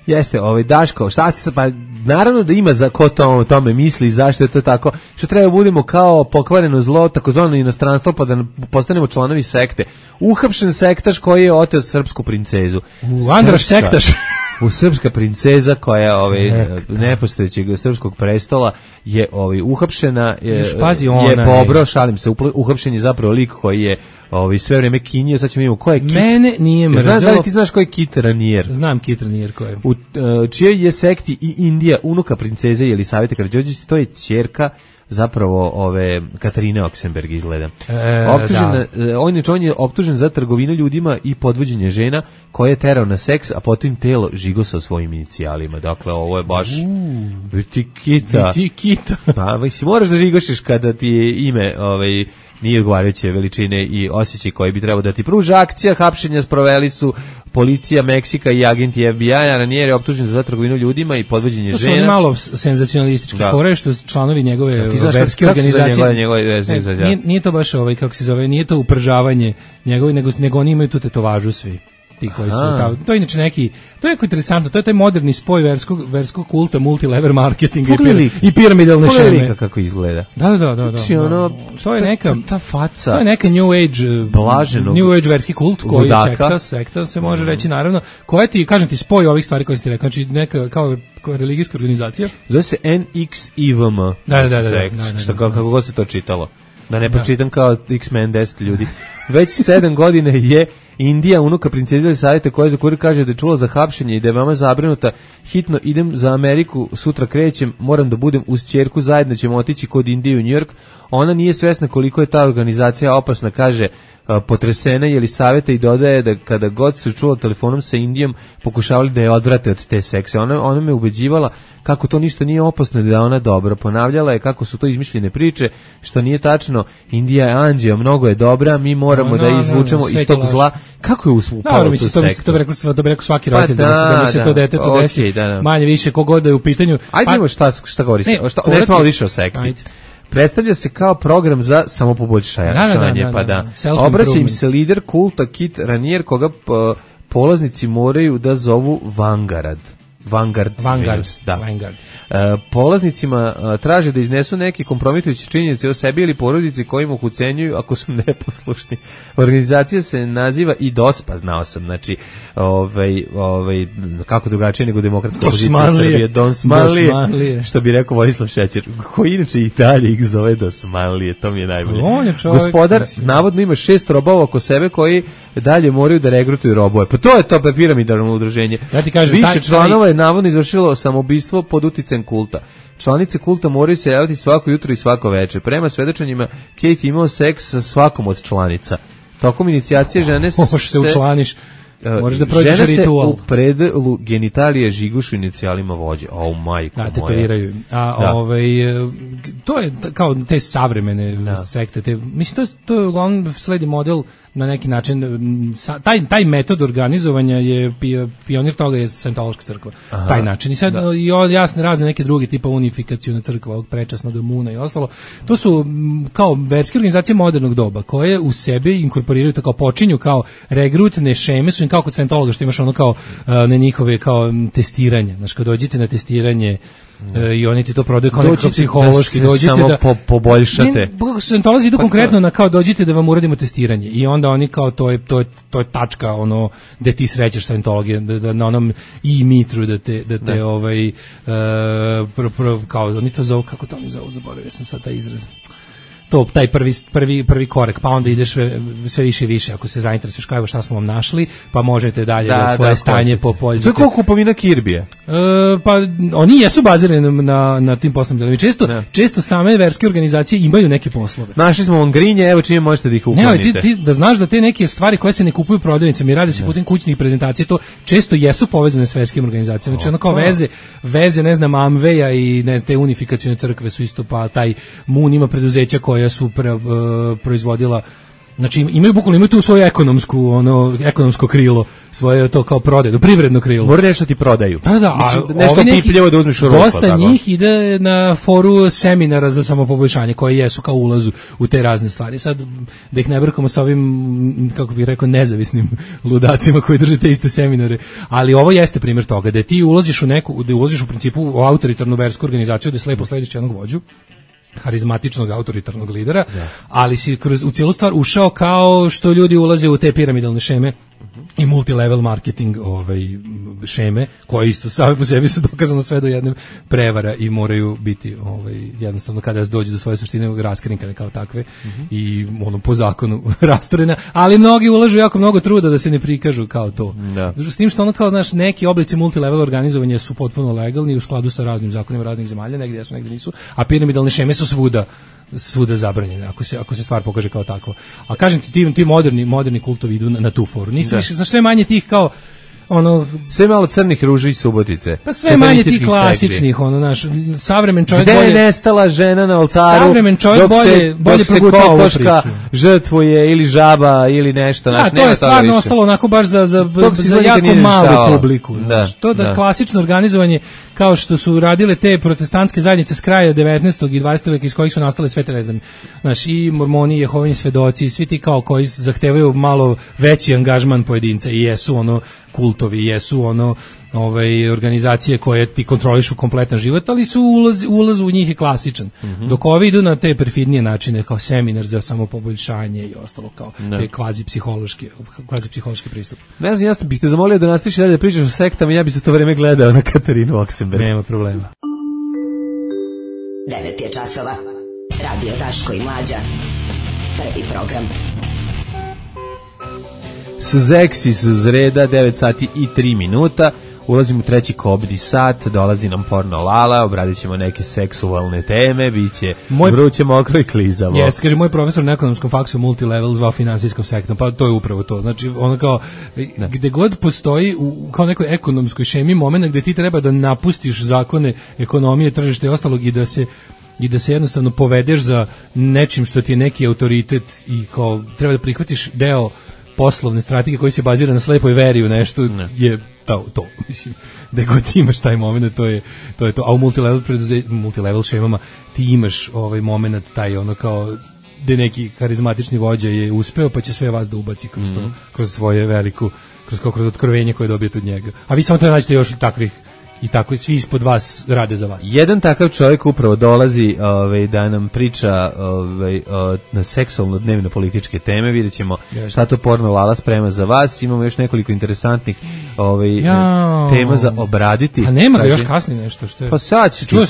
Jeste, ovaj Daško, šta se pa naravno da ima za ko to o tome misli i zašto je to tako. Što treba budemo kao pokvareno zlo, takozvano inostranstvo, pa da postanemo članovi sekte. Uhapšen sektaš koji je oteo srpsku princezu. U Andraš sektaš. U srpska princeza koja je ovaj nepostojećeg srpskog prestola je ovaj uhapšena je, je pobro, šalim se, uhapšen je zapravo lik koji je ovaj sve vrijeme kinio, sad ćemo vidimo ko je Kit. Mene nije mrzelo. Znaš da li ti znaš ko je Kit Ranier? Znam Kit Ranier ko je. U uh, čijoj je sekti i Indija unuka princeze Jelisavete Karađorđević, to je ćerka zapravo ove Katarine Oksenberg izgleda. E, optužen, on, je, on je optužen za trgovinu ljudima i podvođenje žena koje je terao na seks, a potom telo žigosao svojim inicijalima. Dakle, ovo je baš viti kita. Viti kita. Pa, si moraš da žigošiš kada ti je ime ovaj, nije odgovarajuće veličine i osjećaj koji bi trebao da ti pruža. Akcija hapšenja sproveli su policija Meksika i agenti F B I-a. Ranier je optužen za trgovinu ljudima i podvođenje žena. To su malo senzacionalistički fore, što članovi njegove verske organizacije. Njegove verske, ne, nije, nije to baš ovaj, kako se zove, nije to upržavanje njegove, nego, nego oni imaju tu tetovažu svi. Ti koji su, kao, to je inače neki, to je jako interesantno, to je taj moderni spoj verskog, verskog kulta, multilevel marketinga i, i piramidalne šeme. Pogledaj kako izgleda. Da, da, da. da, da. Ono, to je neka, ta faca. To je neka New Age, blaženog, New Age verski kult koji je sekta, sekta se može mm. reći naravno, koja ti, kažem ti, spoj ovih stvari koje si ti rekao, znači neka, kao, kao religijska organizacija. Zove se N X I V M. Da, da, da. da, sekt, da, da, da što, kako god se to čitalo. Da ne pročitam kao X-Men deset ljudi. Već sedam godine je Indija, unuka princeze Savete koja za kurir kaže da je čula za hapšenje i da je veoma zabrinuta. Hitno idem za Ameriku, sutra krećem, moram da budem uz ćerku, zajedno ćemo otići kod Indije u New York. Ona nije svesna koliko je ta organizacija opasna, kaže potresena Jelisaveta i dodaje da kada god se čula telefonom sa Indijom pokušavali da je odvrate od te sekse. Ona, ona me ubeđivala kako to ništa nije opasno, da je ona dobra. Ponavljala je kako su to izmišljene priče, što nije tačno. Indija je anđeo, mnogo je dobra, mi moramo no, no, da izvučemo no, no, iz tog zla. Kako je upalo no, tu sektu? To bi rekao, to bi rekao svaki roditelj, pa, da, da, da mi se da, to dete to desi, okay, da, da. Manje više kogod da je u pitanju. Ajde imamo šta, šta govori se, šta, ne malo više o sekti. Ajde. Predstavlja se kao program za samopoboljšanje, da, da, da, pa da. da. Obraća im se lider kulta Kit Ranier, koga polaznici moraju da zovu Vanguard. Vanguard, Vanguard, da. Vanguard. Uh, polaznicima uh, traže da iznesu neke kompromitujuće činjenice o sebi ili porodici kojima ih ucenjuju ako su neposlušni. Organizacija se naziva i D O S, pa znao sam, znači, ovaj, ovaj, kako drugačije nego demokratska opozicija Srbije, Dosmanlije, što bi rekao Vojislav Šećer, koji inače i dalje ih zove Dosmanlije, to mi je najbolje. Je čovjek, Gospodar mislim. Navodno ima šest robova oko sebe koji dalje moraju da regrutuju robove. Pa to je to piramidalno udruženje. Ja ti kažem, više taj, članova je navodno izvršilo samoubistvo pod uticajem kulta. Članice kulta moraju se javiti svako jutro i svako večer. Prema svedočenjima, Kate imao seks sa svakom od članica. Tokom inicijacije žene se... Možeš se učlaniš. Možeš da prođeš ritual. Žene se u predelu genitalije žigušu inicijalima vođe. O, majko moja. Da, tetoviraju. A, da. Ovaj, to je kao te savremene da. sekte. Te, mislim, to je, to je uglavnom sledi model na neki način, taj, taj metod organizovanja je pionir toga je Scientološka crkva. Aha, taj način. I sad da. i jasne razne neke druge tipa unifikacione crkva, ovog prečasnog Muna i ostalo. To su kao verske organizacije modernog doba koje u sebi inkorporiraju to kao počinju kao regrutne šeme, su im kao kod Scientologa što imaš ono kao na njihove kao testiranje. Znači kad dođete na testiranje E, i oni ti to prodaju kao nekako psihološki, dođite samo da po, poboljšate. Scientolozi idu pa konkretno na kao dođite da vam uradimo testiranje i onda oni kao to je to je to je tačka ono gde ti srećeš Scientologije da, da na onom i mitru da te da te ne. ovaj uh, pro, pro, kao oni to zovu kako to oni zovu, zaboravio sam sad taj izraz. To taj prvi prvi prvi korak, pa onda ideš sve, sve više i više ako se zainteresuješ kao šta smo vam našli, pa možete dalje da, da svoje da, stanje po polju. To je kao kupovina Kirbija. E, pa oni jesu bazirani na na tim poslovnim delima. Često ne. često same verske organizacije imaju neke poslove. Našli smo on grinje, evo čime možete da ih uklonite. Ne, ti, ti da znaš da te neke stvari koje se ne kupuju prodavnicama i rade se putem kućnih prezentacija, to često jesu povezane s verskim organizacijama. Znači ono kao veze, veze ne znam Amveja i ne znam te unifikacione crkve su isto, pa taj Mun ima preduzeća koje koja su pre, uh, proizvodila. Znači imaju bukvalno imaju tu svoju ekonomsku ono ekonomsko krilo, svoje to kao prodaju, privredno krilo. Mora nešto ti prodaju. Da, da, mislim, nešto pipljevo da uzmeš u ruku. Dosta tako. Njih ide na foru seminara za samopoboljšanje koji jesu kao ulazu u te razne stvari. Sad da ih ne brkamo sa ovim, kako bih rekao, nezavisnim ludacima koji drže te iste seminare, ali ovo jeste primjer toga da ti ulaziš u neku, da ulaziš u principu u autoritarnu versku organizaciju da slepo slediš jednog vođu, harizmatičnog autoritarnog lidera, da. Ali si kroz u cijelu stvar ušao kao što ljudi ulaze u te piramidalne šeme i multilevel marketing ovaj šeme koje isto same po sebi su dokazano sve do jedne prevara i moraju biti ovaj jednostavno kada se dođe do svoje suštine raskrinkane kao takve mm-hmm. i ono po zakonu rasturena, ali mnogi ulažu jako mnogo truda da se ne prikažu kao to. Da. S tim što ono kao znaš neki oblici multilevel organizovanja su potpuno legalni u skladu sa raznim zakonima raznih zemalja, negdje su, negdje nisu, a piramidalne šeme su svuda svuda zabranjene ako se ako se stvar pokaže kao takva. A kažem ti ti, ti moderni moderni kultovi idu na, na tu foru. Nisu više znaš sve manje tih kao ono sve malo crnih ruži i Subotice. Pa sve manje tih klasičnih segli. Ono naš savremen čovjek gde bolje. Gde je nestala žena na oltaru? Savremen čovjek bolje bolje progutao ovu priču. Žrtvuje ili žaba ili nešto, naš nema. To je stvarno ostalo onako baš za za, za jako malu publiku. Da, to da, da klasično organizovanje kao što su radile te protestantske zajednice s kraja devetnaestog i dvadesetog veka iz kojih su nastale sve te ne znam, znaš, i mormoni, Jehovini svedoci, svi ti kao koji zahtevaju malo veći angažman pojedinca i jesu ono kultovi, jesu ono ovaj organizacije koje ti kontrolišu kompletan život, ali su ulaz, ulaz u njih je klasičan. Mm-hmm. Dok ovi idu na te perfidnije načine kao seminar za samopoboljšanje i ostalo kao ne. Te kvazi psihološki, kvazi psihološki pristup. Ne znam, ja bih te zamolio da nastaviš dalje da pričaš o sektama, ja bih za to vreme gledao na Katarinu Oksenberg. Nema problema. devet je časova. Radio Daško i Mlađa. Prvi program. Zeksi s zreda, devet sati i tri minuta. Ulazimo u treći kobdi sat, dolazi nam porno Lala, obradit ćemo neke seksualne teme, bit će moj... vruće, mokro i klizavo. Jeste, kaže, moj profesor na ekonomskom faksu multilevel zvao finansijskom sektorom, pa to je upravo to. Znači, ono kao, ne. Gde god postoji u kao nekoj ekonomskoj šemi momena gde ti treba da napustiš zakone ekonomije, tržišta i ostalog i da se i da se jednostavno povedeš za nečim što ti je neki autoritet i kao treba da prihvatiš deo poslovne strategije koji se bazira na slepoj veri u nešto ne. Je to, to mislim da god ti imaš taj momenat to je to je to, a u multilevel preduze, multilevel šemama ti imaš ovaj momenat taj ono kao da neki karizmatični vođa je uspeo pa će sve vas da ubaci kroz to, mm. kroz svoje veliku kroz kroz otkrovenje koje dobijete od njega, a vi samo treba naći još takvih i tako svi ispod vas rade za vas. Jedan takav čovjek upravo dolazi ovaj, da nam priča ovaj, na seksualno dnevno političke teme, vidjet ćemo šta to porno Lala sprema za vas, imamo još nekoliko interesantnih ovaj, tema za obraditi. A nema ga još kasnije nešto što je? Pa sad će čuo,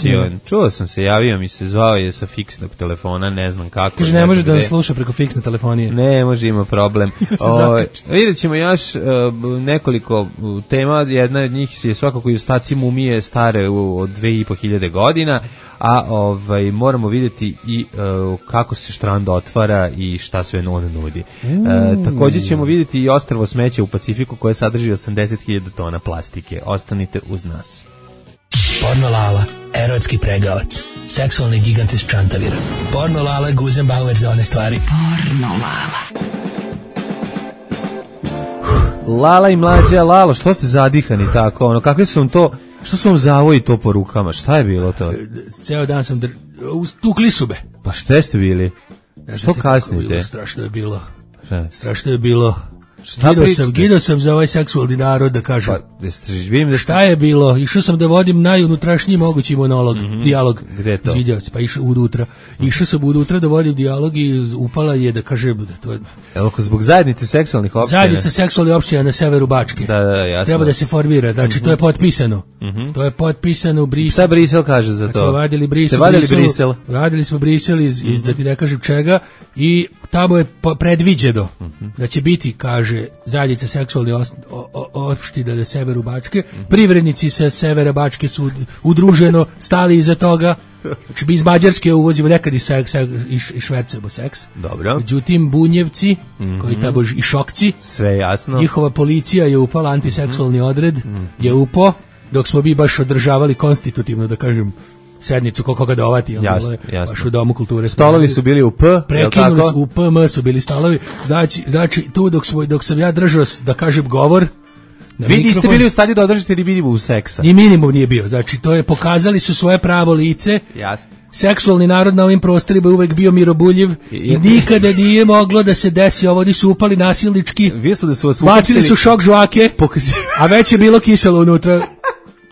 čuo sam se, javio mi se, zvao je sa fiksnog telefona, ne znam kako. Kaže ne može da nas sluša preko fiksne telefonije. Ne može, ima problem. o, vidjet ćemo još uh, nekoliko tema, jedna od njih je svakako i ostaci mumije stare od dve i po hiljade godina, a ovaj moramo vidjeti i uh, kako se štrand otvara i šta sve on nudi. Mm. Uh, također ćemo vidjeti i ostrvo smeća u Pacifiku koje sadrži osamdeset hiljada tona plastike. Ostanite uz nas. Porno Lala, erotski pregavac, seksualni gigant iz Čantavira. Porno Lala, Guzenbauer za one stvari. Porno Lala. Lala i Mlađa, Lalo, što ste zadihani tako, ono, kakve su vam to, što su vam zavoji to po rukama, šta je bilo to? Ceo dan sam dr... tukli su be. Pa šta ste bili? Ja, što kasnite? Strašno je bilo, šta? Strašno je bilo. Gido sam, gido sam za ovaj seksualni narod da kažem. Pa, jeste, vidim da ste... Šta je bilo? Išao sam da vodim najunutrašnji mogući monolog, mm-hmm. dijalog. Gde je to? Izviđao se, pa išao unutra. Išao sam unutra da vodim dijalog i upala je da kažem da to je... Evo, zbog zajednice seksualnih opština. Zajednice seksualnih opština na severu Bačke. Da, da, jasno. Treba da se formira, znači mm-hmm. to je potpisano. Mm-hmm. To je potpisano u Briselu. Šta Brisel kaže za to? Smo vadili Brisel, Brisel, Brisel. Radili smo Brisel iz, iz mm-hmm. da ti ne kažem čega i tamo je predviđeno mm-hmm. da će biti, kaže, zajednica seksualne opština na severu Bačke. Privrednici sa severa Bačke su udruženo stali iza toga. Znači, mi iz Mađarske uvozimo nekad i, seks, i, i švercujemo seks. Dobro. Međutim, bunjevci, mm-hmm. koji tamo i šokci, sve jasno. Njihova policija je upala, antiseksualni odred mm-hmm. je upo, dok smo mi baš održavali konstitutivno, da kažem, sednicu ko koga dovati, jasno, jasno. Baš u Domu kulture. Stolovi su bili u P, prekinuli su u P M su bili stolovi. Znači, znači tu dok svoj dok sam ja držao da kažem govor, vi niste bili u stanju da održite ni minimum seksa. Ni minimum nije bio. Znači to je pokazali su svoje pravo lice. Jasno. Seksualni narod na ovim prostorima je uvek bio mirobuljiv i, i nikada nije moglo da se desi ovo, oni su upali nasilnički. Vi su da su vas bacili su šok žvake, a već je bilo kiselo unutra.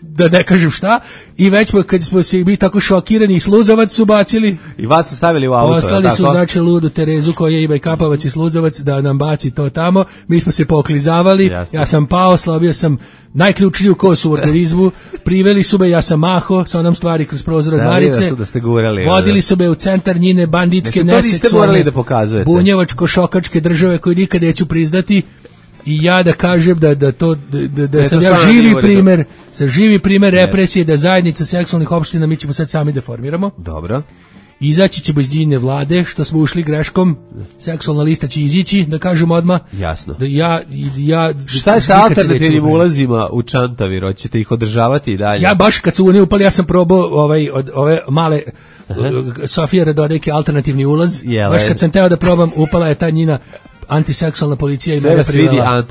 Da ne kažem šta, i već smo, kad smo se bili tako šokirani, i sluzavac su bacili. I vas su stavili u auto, poslali su, znači, ludu Terezu koja ima i kapavac i sluzavac da nam baci to tamo. Mi smo se poklizavali, jasno. Ja sam pao, slabio sam najključniju kosu u organizmu, priveli su me, ja sam maho sa onom stvari kroz prozor od Marice, da ste gurali, vodili su me u centar njine banditske neseksualne bunjevačko-šokačke države koju nikad neću priznati. I ja da kažem da da to da, da sam ja živi primer, sa živi primer represije, da zajednica seksualnih opština mi ćemo sad sami da formiramo. Dobro. Izaći ćemo iz njene vlade, što smo ušli greškom, seksualna lista će izići, da kažem odmah. Jasno. Da ja, ja, šta je sa alternativnim ulazima u Čantavir? Hoćete ih održavati i dalje? Ja baš kad su oni upali, ja sam probao ovaj, od ove male Sofija Radodejke alternativni ulaz. Jele. Baš kad sam teo da probam, upala je ta njina antiseksualna policija i mene privela.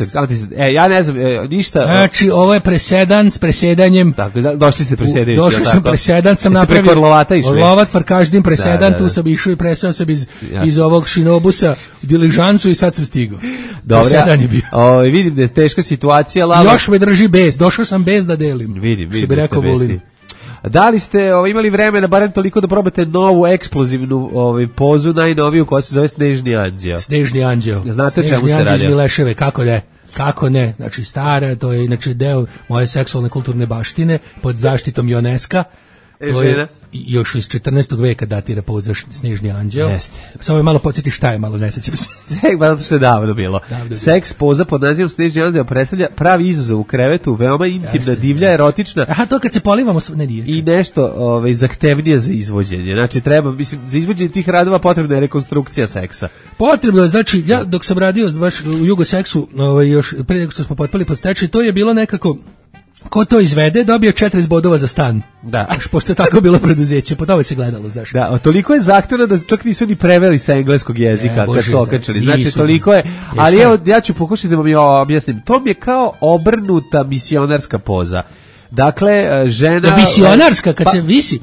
E, ja ne znam, e, ništa. Znači, ovo je presedan s presedanjem. Tako, došli ste presedajući. Došli sam tako? Presedan, sam napravio. Preko Orlovata išli? Orlovat, Farkaždin, presedan, da, da, da. Tu sam išao i presao sam iz, iz ovog šinobusa u diližansu i sad sam stigao. Dobro, presedan je bio. O, vidim da je teška situacija. Lala. Još me drži bez, došao sam bez da delim. Vidim, vidim. Što bi rekao Vulin. Da li ste ovaj, imali vremena barem toliko da probate novu eksplozivnu ovaj, pozu, najnoviju, koja se zove Snežni anđeo? Snežni anđeo. Znate Snežni čemu se radi? Snežni anđeo iz Mileševe, kako ne? Kako ne? Znači stara, to je inače deo moje seksualne kulturne baštine pod zaštitom UNESCO. E, to je još iz četrnaestog veka datira poza Snežni anđeo. Jeste. Samo je malo podsjeti šta je, malo ne sećam se. Seks, zato što je davno bilo. Davno Seks poza pod nazivom Snežni anđeo predstavlja pravi izazov u krevetu, veoma intimna, Jeste, divlja, erotična. Aha, to kad se polivamo, ne nije. I nešto ovaj, zahtevnije za izvođenje. Znači, treba, mislim, za izvođenje tih radova potrebna je rekonstrukcija seksa. Potrebno je, znači, ja dok sam radio baš u Jugoseksu, ovaj, još pre nego što smo potpali pod stečaj, to je bilo nekako... Ko to izvede, dobio četrdeset bodova za stan. Da. Až, pošto je tako bilo preduzeće, po tome se gledalo, znaš. Da, toliko je zahtevno da čak nisu ni preveli sa engleskog jezika e, Bože, kad su okačili. Znači, nisu, toliko je, ali evo, ja ću pokušati da vam je objasnim. To mi je kao obrnuta misionarska poza. Dakle, žena... Da, misionarska, kad pa, se visi...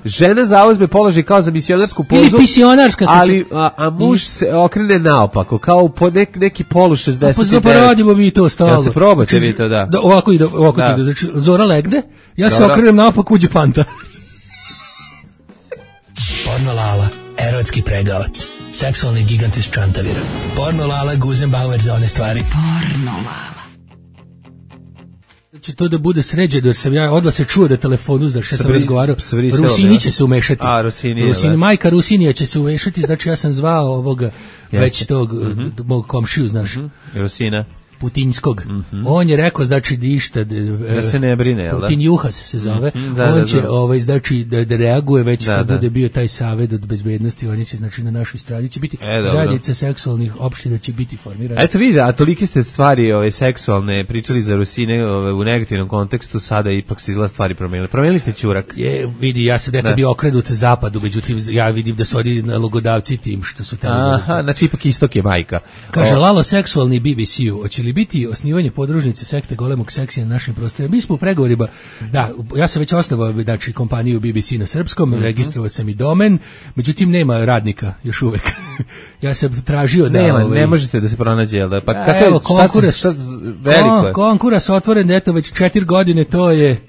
Žena zauzme položaj kao za misionarsku pozu, ili misionarska, ali a, a muž se okrene naopako, kao po nek, neki polu šezdeset devet. Pa zaporadimo mi to stalo. Ja se probate vi to, da. da ovako ide, ovako da. Ide, znači Zora legne, ja Dobro. Se okrenem naopako, uđe Panta. Porno Lala, erotski pregavac, seksualni gigant iz Čantavira. Porno Lala, Guzenbauer za one stvari. Porno Lala. Će to da bude sređeno, jer sam ja odla se čuo da telefonu, znaš, ja sam razgovarao, Rusini će se umešati. A, Rusini, Rusini, majka Rusinija će se umešati, znači ja sam zvao ovoga, već tog, mm-hmm. mog komšiju, znaš. Mm-hmm. Rusina. Putinskog. Mm-hmm. On je rekao, znači, da išta... Da se ne brine, jel da? Putinjuhas se zove. Mm-hmm. Da, on da, će, da. Ovaj, znači, da, da reaguje već da, kad da. Bude bio taj savjet od bezbednosti, on će, znači, na našoj strani će biti e, zajednica seksualnih opština će biti formirana. Eto vidi, a tolike ste stvari ove, seksualne pričali za Rusine ove, u negativnom kontekstu, sada ipak se izgleda stvari promenili. Promenili ste ćurak. Je, vidi, ja sam nekad bio okrenut zapadu, međutim, ja vidim da su oni nalogodavci tim što su tamo. Aha, znači ipak istok je majka. Kaže, o... Lalo seksualni B B C-u, hoće li biti osnivanje podružnice sekte golemog seksija na našim prostorima? Mi smo u pregovorima, da, ja sam već osnovao, znači, kompaniju B B C na srpskom, mm-hmm. registrovao sam i domen, međutim nema radnika još uvek. Ja sam tražio da... Nema, ovaj, ne možete da se pronađe, jel da? Pa a, evo, konkuras, šta, šta, veliko je. Konkuras otvoren, eto, već četiri godine, to je...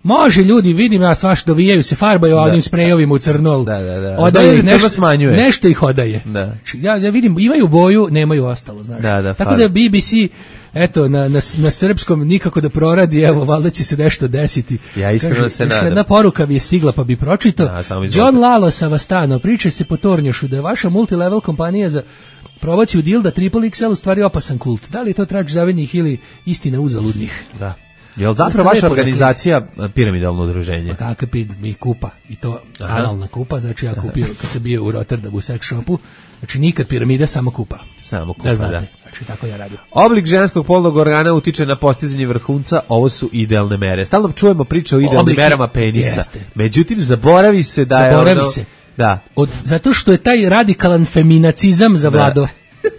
Može, ljudi, vidim ja svaš dovijaju se, farbaju onim sprejovima u crnol. Da, da, da. Odaje nešto, nešto ih odaje. Da. Ja, ja vidim, imaju boju, nemaju ostalo, znaš. Da, da, tako da B B C, eto, na, na, na srpskom nikako da proradi, evo, valjda će se nešto desiti. Ja iskreno Kaže, se nadam. Jedna poruka mi je stigla, pa bi pročitao. Da, John Lalo Savastano, priča se po Tornjošu da je vaša multilevel kompanija za promociju dilda Triple X L u stvari opasan kult. Da li je to trač zavednih ili istina uzaludnih? Da. Jel zapravo vaša organizacija piramidalno udruženje? Pa kakav pid, mi kupa, i to Aha. analna kupa, znači ja kupio, kad sam bio u Rotterdamu u sex shopu, znači nikad piramida, samo kupa. Samo kupa, da. Znate, da. Znači tako ja radim. Oblik ženskog polnog organa utiče na postizanje vrhunca, ovo su idealne mere. Stalno čujemo priče o idealnim Obliki, merama penisa. Jeste. Međutim, zaboravi se da zaboravi je ono... se. Da. Od, zato što je taj radikalan feminacizam zavladao.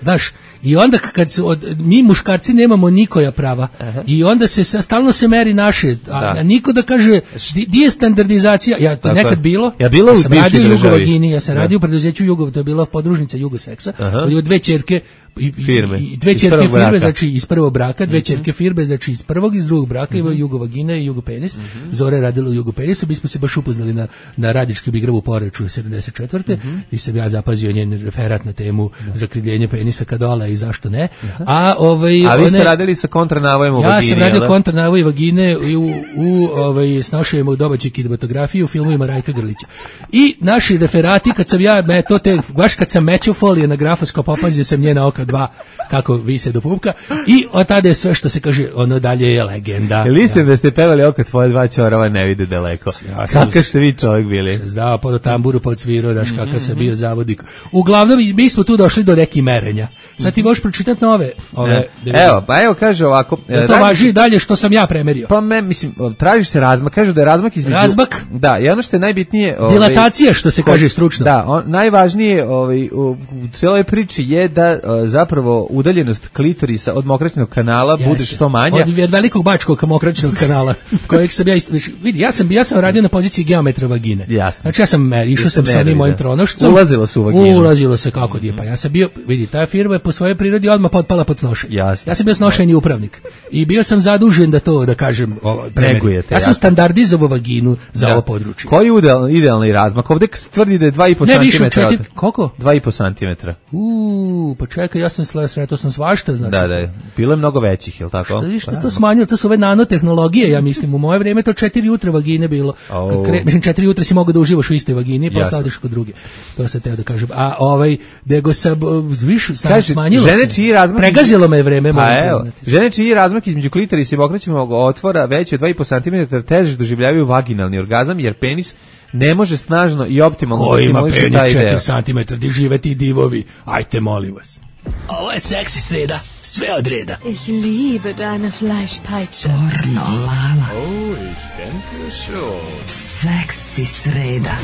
Znaš, i onda kad su od, mi muškarci nemamo nikoja prava. Aha. I onda se stalno se meri naše, a, a niko da kaže di, di je standardizacija. Ja to tako nekad bilo. Ja bilo ja u sam radio u Jugovagini, ja sam da. radio u preduzeću Jugov, to je bila podružnica Jugoseksa. Od dve ćerke i, firme. I dve ćerke firme, znači iz prvog braka, dve ćerke firme, znači iz prvog i iz drugog braka, mm-hmm. Jugovagina i Jugopenis. Mm-hmm. Zora je radila u Jugopenisu, mi smo se baš upoznali na, na Radički igravu u Poreču sedamdeset četvrte Mm-hmm. i sam ja zapazio njen referat na temu da. zakrivljenje penisa kadola i zašto ne. Aha. A ovaj A vi ste one, radili sa kontranavojem u ja vagini. Ja sam radio kontranavoj vagine u, u, u ovaj snošajemo domaću kinematografiju u filmovima Rajka Grlića. I naši referati kad sam ja me to te baš kad sam mečio folije na grafoskop opazio sam njena oka dva kako vise do pupka i od tada je sve što se kaže ono dalje je legenda. Jel istina ja. da ste pevali oka tvoje dva ćorava ne vide daleko? Ja kakav ste vi čovjek bili? Zdao pod tamburu pod svirao daš kakav mm-hmm. sam bio zavodnik. Uglavnom mi smo tu došli do nekih merenja. Sad ti možeš pročitati nove ove. Ne. Evo, pa evo kaže ovako. Da to radi... važi dalje što sam ja premerio. Pa me mislim tražiš se razmak, kažu da je razmak između razmak. Da, i ono što je najbitnije, ovaj, dilatacija što se ko... kaže stručno. Da, on, najvažnije ovaj u, u celoj priči je da o, zapravo udaljenost klitorisa od mokraćnog kanala Jeste. bude što manja. Od, od velikog bačkog mokraćnog kanala, kojeg sam ja isto, vidi, ja sam ja sam radio na poziciji geometra vagine. Jasno. Znači ja sam išao sam sa onim mojim tronošcem. Ulazilo se u vaginu. Ulazilo se kako je, pa ja sam bio, vidi, ta firma je po svojoj prirodi odmah potpala pod snošenje. Jasno. Ja sam bio snošajni upravnik i bio sam zadužen da to, da kažem, negujete. Ja sam standardizovao vaginu za da. ovo područje. Koji je idealni, idealni razmak? Ovdje tvrdi da je dva i po santimetra. Koliko? dva i po santimetra. Uuu, pa čekaj, ja sam sretao sam svašta, znači. Da, da, bilo je mnogo većih, je li tako? Što vi što to smanjilo, to su ove nanotehnologije, ja mislim, u moje vrijeme to četiri jutra vagine bilo. Oh. Kad kre, mislim, četiri jutra si mogao da uživaš u istoj vagini, pa ostao odeš kod druge. To se teo da kažem. A ovaj, nego sam, viš, sam smanjilo žene čiji razmak pregazilo iz... me vreme, moram priznati. Žene čiji razmak između klitorisa i mokraćnog otvora veći od dva i po santimetra teže doživljavaju vaginalni orgazam, jer penis ne može snažno i optimalno ko ima penis četiri santimetra, di žive ti divovi, ajte molim vas. Ovo je seksi sreda, sve od reda. Ich liebe deine Fleischpeitsche. Pornolala. Oh, ich denke schon. Seksi sreda.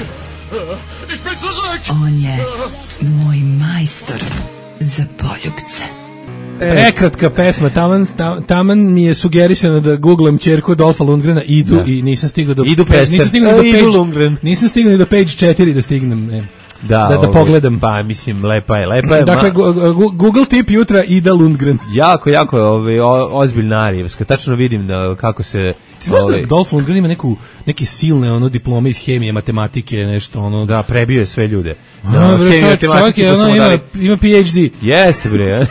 Ich bin zurück. On je moj majstor za poljubce. Prekratka pesma, taman, taman mi je sugerisano da googlam ćerku Dolfa Lundgrena, idu da. i nisam stigao do idu pester. Nisam stigao do page, nisam stigao ni do page četiri da stignem. Ne. Da, da, da ovaj, pogledam. Pa mislim lepa je, lepa je. Dakle ma... Google tip jutra Ida Lundgren. Jako, jako je ovaj ozbiljna arijevska. Tačno vidim da kako se ti znaš ovaj... da Dolph Lundgren ima neku neke silne ono diplome iz hemije, matematike, nešto ono. Da, prebio je sve ljude. Da, no, bre, čovjek, čovjek je, ono, ima, ima P H D. Jeste bre.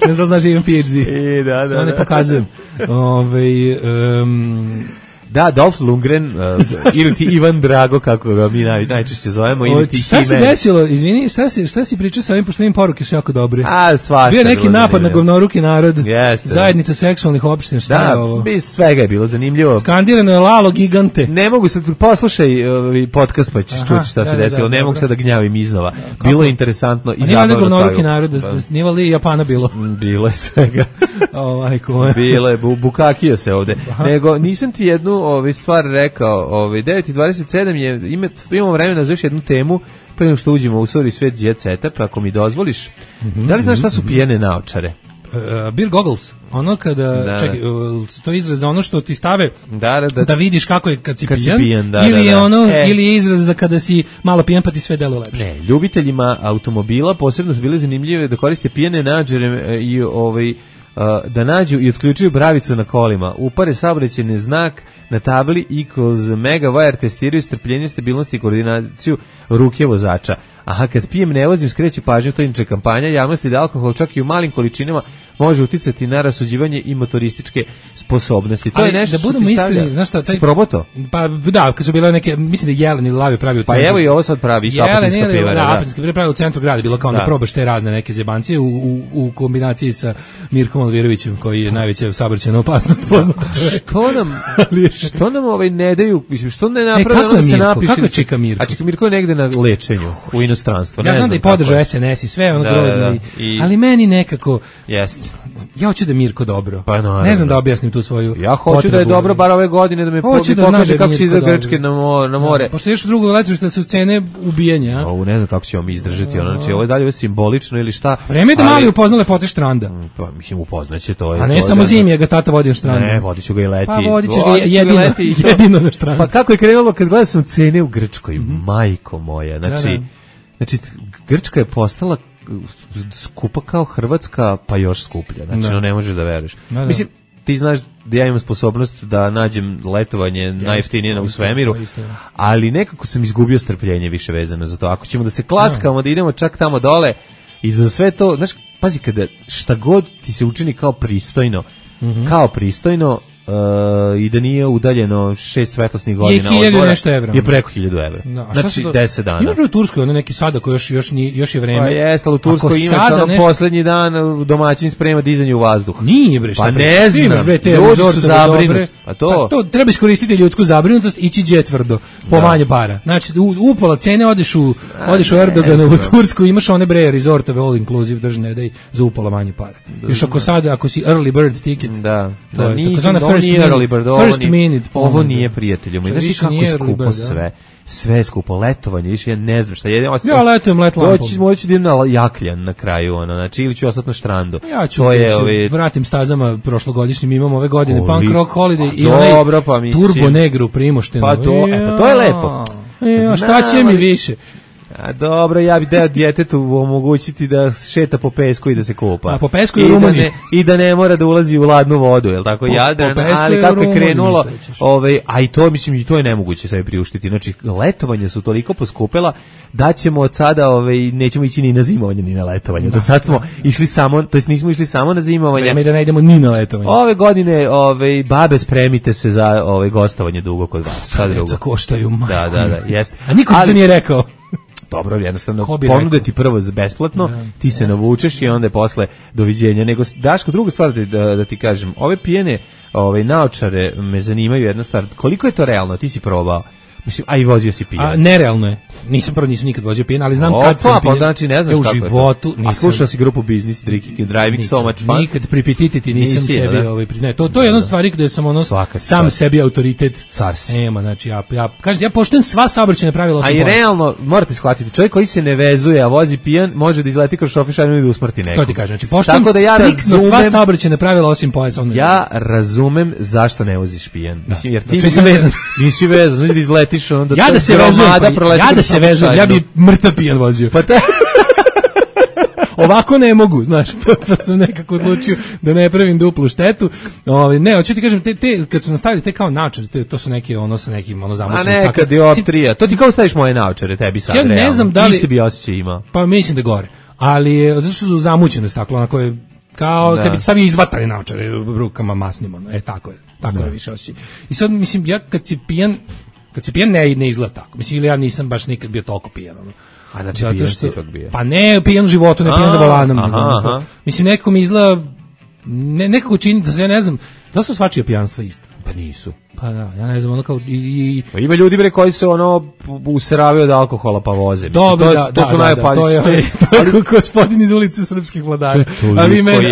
Ne znam, znaš da imam P H D. I, da, da, Samo ne pokazujem. Ove, um, da, Dolph Lundgren, uh, ili ti Ivan Drago, kako ga mi naj, najčešće zovemo, ili ti šta Hime. Se desilo, izvini, šta si, šta si pričao sa ovim, pošto im poruke su jako dobre. A, svašta. Bio neki napad na govnoruki narod, Jeste. zajednica seksualnih opština, šta da, je ovo? Da, svega je bilo zanimljivo. Skandirano je Lalo gigante. Ne mogu sad, poslušaj uh, podcast pa ćeš čuti šta da, se desilo, da, da, ne mogu sad da gnjavim iznova. Kako? Bilo je interesantno i zabavno. Nije govnoruki narod, da snima li Japana bilo? Bilo je svega. Ovaj ko. Bilo je, bu, bukakio se ovde. Aha. Nego, nisam ti jednu ovaj, stvar rekao, ovaj, devet i dvadeset sedam je, ima, imamo vremena za još jednu temu, pre nego što uđemo u svoj svet jet seta, pa ako mi dozvoliš, mm-hmm, da li znaš šta su pijene naočare? Uh, beer goggles, ono kada, da, čekaj, uh, to je izraz za ono što ti stave da, da, da, da vidiš kako je kad si kad pijan, si pijan da, ili, da, da. Ono, e. ili je izraz za kada si malo pijan pa ti sve delo lepše. Ne, ljubiteljima automobila posebno su bile zanimljive da koriste pijene naočare i ovaj da nađu i otključuju bravicu na kolima, upare saobraćajni znak na tabli i kroz megawire testiraju strpljenje, stabilnost i koordinaciju ruke vozača. Aha, kad pijem ne vozim, skreće pažnju, to je inače kampanja javnosti da alkohol čak i u malim količinama može uticati na rasuđivanje i motorističke sposobnosti. To ali je nešto da budemo iskreni, znaš šta, taj proboto? Pa da, kad su bile neke, mislim da Jelen ili Lavi pravi u centru. Pa evo i ovo sad pravi isto apatinska pivara. Da, apatinska pivara pravi u centru grada, bilo kao da, da probaš te razne neke zebancije u, u, u kombinaciji sa Mirkom Alvirovićem, koji je najveća saobraćajna opasnost poznata čovjek. Što nam, što nam ovaj ne daju, mislim, što ne naprave, e, ono da se napiše. Kako je Čika Mirko? A Čika Mirko je negde na lečenju u inostranstvu. Ja znam da je podržao S N S i sve ono da, grozno, da, da. I, ali meni nekako jeste. Ja hoću da Mirko dobro. Pa no, ne znam da objasnim tu svoju. Ja hoću potrebu. Da je dobro bar ove godine da me hoću da pokaže kako se ide Grčke na more, na more. Da, pošto još drugo letište su cene ubijanja, a? O, ne znam kako ćemo mi izdržati, ono, znači ovo je dalje simbolično ili šta. Vreme je da mali upozna lepote štranda. Pa mislim upoznaće to je. A ne to, samo da, zimi, ga tata vodi na štrand. Ne, vodiću ga i leti. Pa vodićeš ga jedino, leti, jedino na štrand. Pa kako je krenulo kad gledao sam cene u Grčkoj, mm-hmm. majko moja, znači, da, da. znači Grčka je postala skupa kao Hrvatska, pa još skuplja. Znači, no, ne možeš da veruješ. Da, da. Mislim, ti znaš da ja imam sposobnost da nađem letovanje ja, najjeftinije u svemiru, ali nekako sam izgubio strpljenje više vezano za to. Ako ćemo da se klackamo, da idemo čak tamo dole i za sve to, znaš, pazi, kada šta god ti se učini kao pristojno, mm-hmm. kao pristojno, Uh, i da nije udaljeno šest svetlosnih godina od mora, nešto evra. Je preko hiljadu evra. No, znači deset dana. Imaš u Turskoj ono neki sada koji još, još, nije, još je vreme. Pa jeste, ali u Turskoj imaš ono nešto... poslednji dan domaćin sprema dizanje u vazduh. Nije bre, šta pa bre. ne znam, imaš bre te ljudi su zabrinuti. Pa to. Pa to treba iskoristiti ljudsku zabrinutost, ići džetvrdo, po da. Manje para. Znači, u, upola cene odeš u, odeš u Erdoganovu Tursku, imaš one bre rezortove all inclusive držne, daj za upola manje para. Još ako sada, ako si early bird ticket, da, to da, je nisam early bird. First minute. Ovo nije prijatelju moj. Znaš kako je skupo sve. Sve je skupo. Letovanje, više ja ne znam šta. Ja, ja letujem let lampom. Doći, moći da idem na Jakljan na kraju, ono, znači, ili ću ostati na štrandu. Ja ću, to je, ove... vratim stazama prošlogodišnjim, imamo ove godine Punk Rock Holiday i onaj dobro, pa Turbo Negru primošteno. Pa to, e, pa to je lepo. Ja, šta će mi više? A dobro, ja bih deo djetetu omogućiti da šeta po pesku i da se kupa. A po pesku i u Rumuniji. Da I da ne mora da ulazi u ladnu vodu, je l' tako? Po, Jadran, po ali kako je krenulo, ovaj, a i to, mislim, i to je nemoguće sebi priuštiti. Znači, letovanja su toliko poskupela da ćemo od sada, ovaj, nećemo ići ni na zimovanje, ni na letovanje. Da, do sad smo išli samo, to jest nismo išli samo na zimovanje. Vreme da ne idemo ni na letovanje. Ove godine, ovaj, babe, spremite se za ovaj gostovanje dugo kod vas. Šta drugo? Za koštaju, majko. Da, da, da, jest. A niko ali, to nije rekao. Dobro, jednostavno ponude ti prvo besplatno, da, ti se jasno. Navučeš i onda je posle doviđenja. Nego, Daško, druga stvar da, da ti kažem, ove pijene ove naočare me zanimaju jedna stvar, koliko je to realno, ti si probao? Mislim, a i vozio si pijan. A nerealno je. Nisam prvo nisam nikad vozio pijan, ali znam Opa, kad sam pijan. Pa znači ne znaš u kako životu, je to. A slušao si grupu Business Drinking and Driving nikad, so much fun? Nikad pripititi nisam Nisi, sebi da? Ovaj ne. To to je jedna stvar gde sam ono Svaka sam stvar. Sebi autoritet. Ema, znači ja ja kažem ja poštujem sva saobraćajna pravila. A i realno morate shvatiti, čovjek koji se ne vezuje, a vozi pijan, može da izleti kroz šofišajnu i da usmrti nekog. To ti kažem, znači poštujem da ja razumem sva saobraćajna pravila osim pojasa. Ja razumem zašto ne voziš pijan. Mislim jer ti nisi vezan. Nisi vezan, znači da izletiš onda ja da se vezujem, ja da se vezujem, ja bi mrtav pijan vozio. Pa te... Ovako ne mogu, znaš, pa, pa sam nekako odlučio da ne pravim duplu štetu. Ovaj ne, hoću ti kažem, te, te kad su nastavili te kao naočare, te, to su neki ono sa nekim ono zamućenim staklom. A neka dioptrija, to ti kao staviš moje naočare, tebi sad. Ja ne realno. Znam da li isti bi osjećaj ima. Pa mislim da gore. Ali zato što su zamućene staklo, onako je kao da. Kad bi stavio izvatane naočare rukama masnim, ono, e tako je, tako da. Je više osjećaj. I sad mislim ja kad si pijan, kad si pijan ne, ne izgleda tako. Mislim ili ja nisam baš nikad bio toliko pijan, ono. A znači zato pijan što, ipak bio. Pa ne pijan u životu, ne pijan za volanom. Aha, aha. Mislim nekako mi izgleda, ne, nekako čini da se ja ne znam, da su svačija pijanstva isto. Pa nisu. Pa da, ja ne znam, ono kao i, i... Pa ima ljudi bre koji se ono useravaju od alkohola pa voze. Mislim, dobro, to, da, to da, su da, najopasniji. to je, to je, to je gospodin iz ulice Srpskih vladara. A vi meni,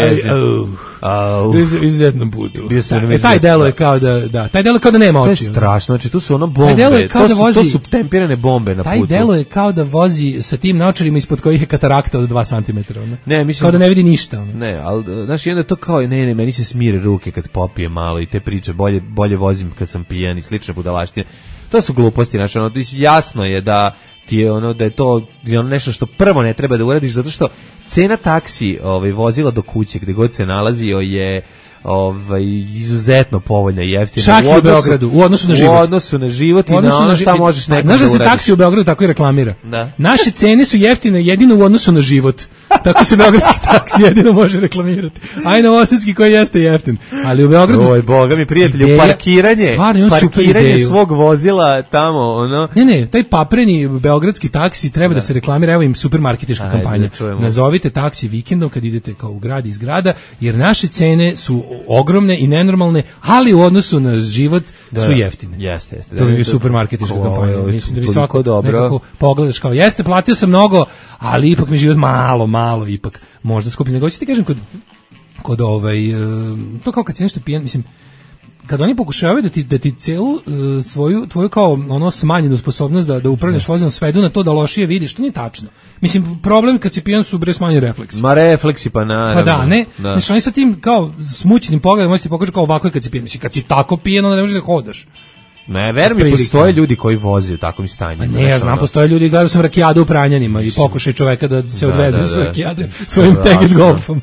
izuzetnom putu. Da, e, taj delo je kao da, da, taj delo je kao da nema oči. To je strašno, znači tu su ono bombe, to, su, vozi, to su tempirane bombe na taj putu. Taj delo je kao da vozi sa tim naočarima ispod kojih je katarakta od dva centimetra. Ono. Ne, mislim, kao da ne vidi ništa. Ono. Ne, ali, znaš, onda to kao, ne, ne, meni se smire ruke kad popije malo i te priče, bolje, bolje vozim kad sam pijan i slične budalaštine. To su gluposti, znači, ono, jasno je da ti je ono, da je to ono nešto što prvo ne treba da uradiš, zato što cena taksi ovaj, vozila do kuće, gde god se nalazio, je ovaj, izuzetno povoljna i jeftina. Čak i u Beogradu, u odnosu na život. U odnosu na život i na ono šta možeš nekom da uradiš. Znaš da se taksi u Beogradu tako i reklamira? Da. Naše cene su jeftine jedino u odnosu na život. Tako se beogradski taksi jedino može reklamirati. Aj novosadski koji jeste jeftin. Ali u Beogradu... Oj, boga mi prijatelju, ideja, parkiranje, parkiranje svog vozila tamo, ono... Ne, ne, taj papreni beogradski taksi treba da, da se reklamira, evo im supermarketička Ajde, kampanja. Da nazovite taksi vikendom kad idete kao u grad iz grada, jer naše cene su ogromne i nenormalne, ali u odnosu na život da, su jeftine. Jeste, jeste. To je supermarketička kampanja. Mislim da bi svako dobro. Nekako pogledaš kao, jeste, platio sam mnogo, ali ipak mi život malo, malo ipak možda skuplje. Nego ću ti kažem kod, kod ovaj, to kao kad si nešto pijan, mislim, kad oni pokušavaju da ti, da ti celu uh, svoju, tvoju kao ono smanjenu sposobnost da, da upravljaš vozilom svedu na to da lošije vidiš, to nije tačno. Mislim, problem kad si pijan su bre smanjeni refleksi. Ma refleksi pa naravno. Pa da, ne, da. Znači oni sa tim kao smućenim pogledom, možeš ti pokažu kao ovako je kad si pijan. Mislim, kad si tako pijan, onda ne možeš da hodaš. Ne, verujem mi, postoje ljudi koji voze u takvom stanju. Pa ne, ja znam, postoje ljudi, gledao sam rakijadu u Pranjanima i pokušaj čoveka da se da, odveze da, da, s rakijade svojim Teget golfom.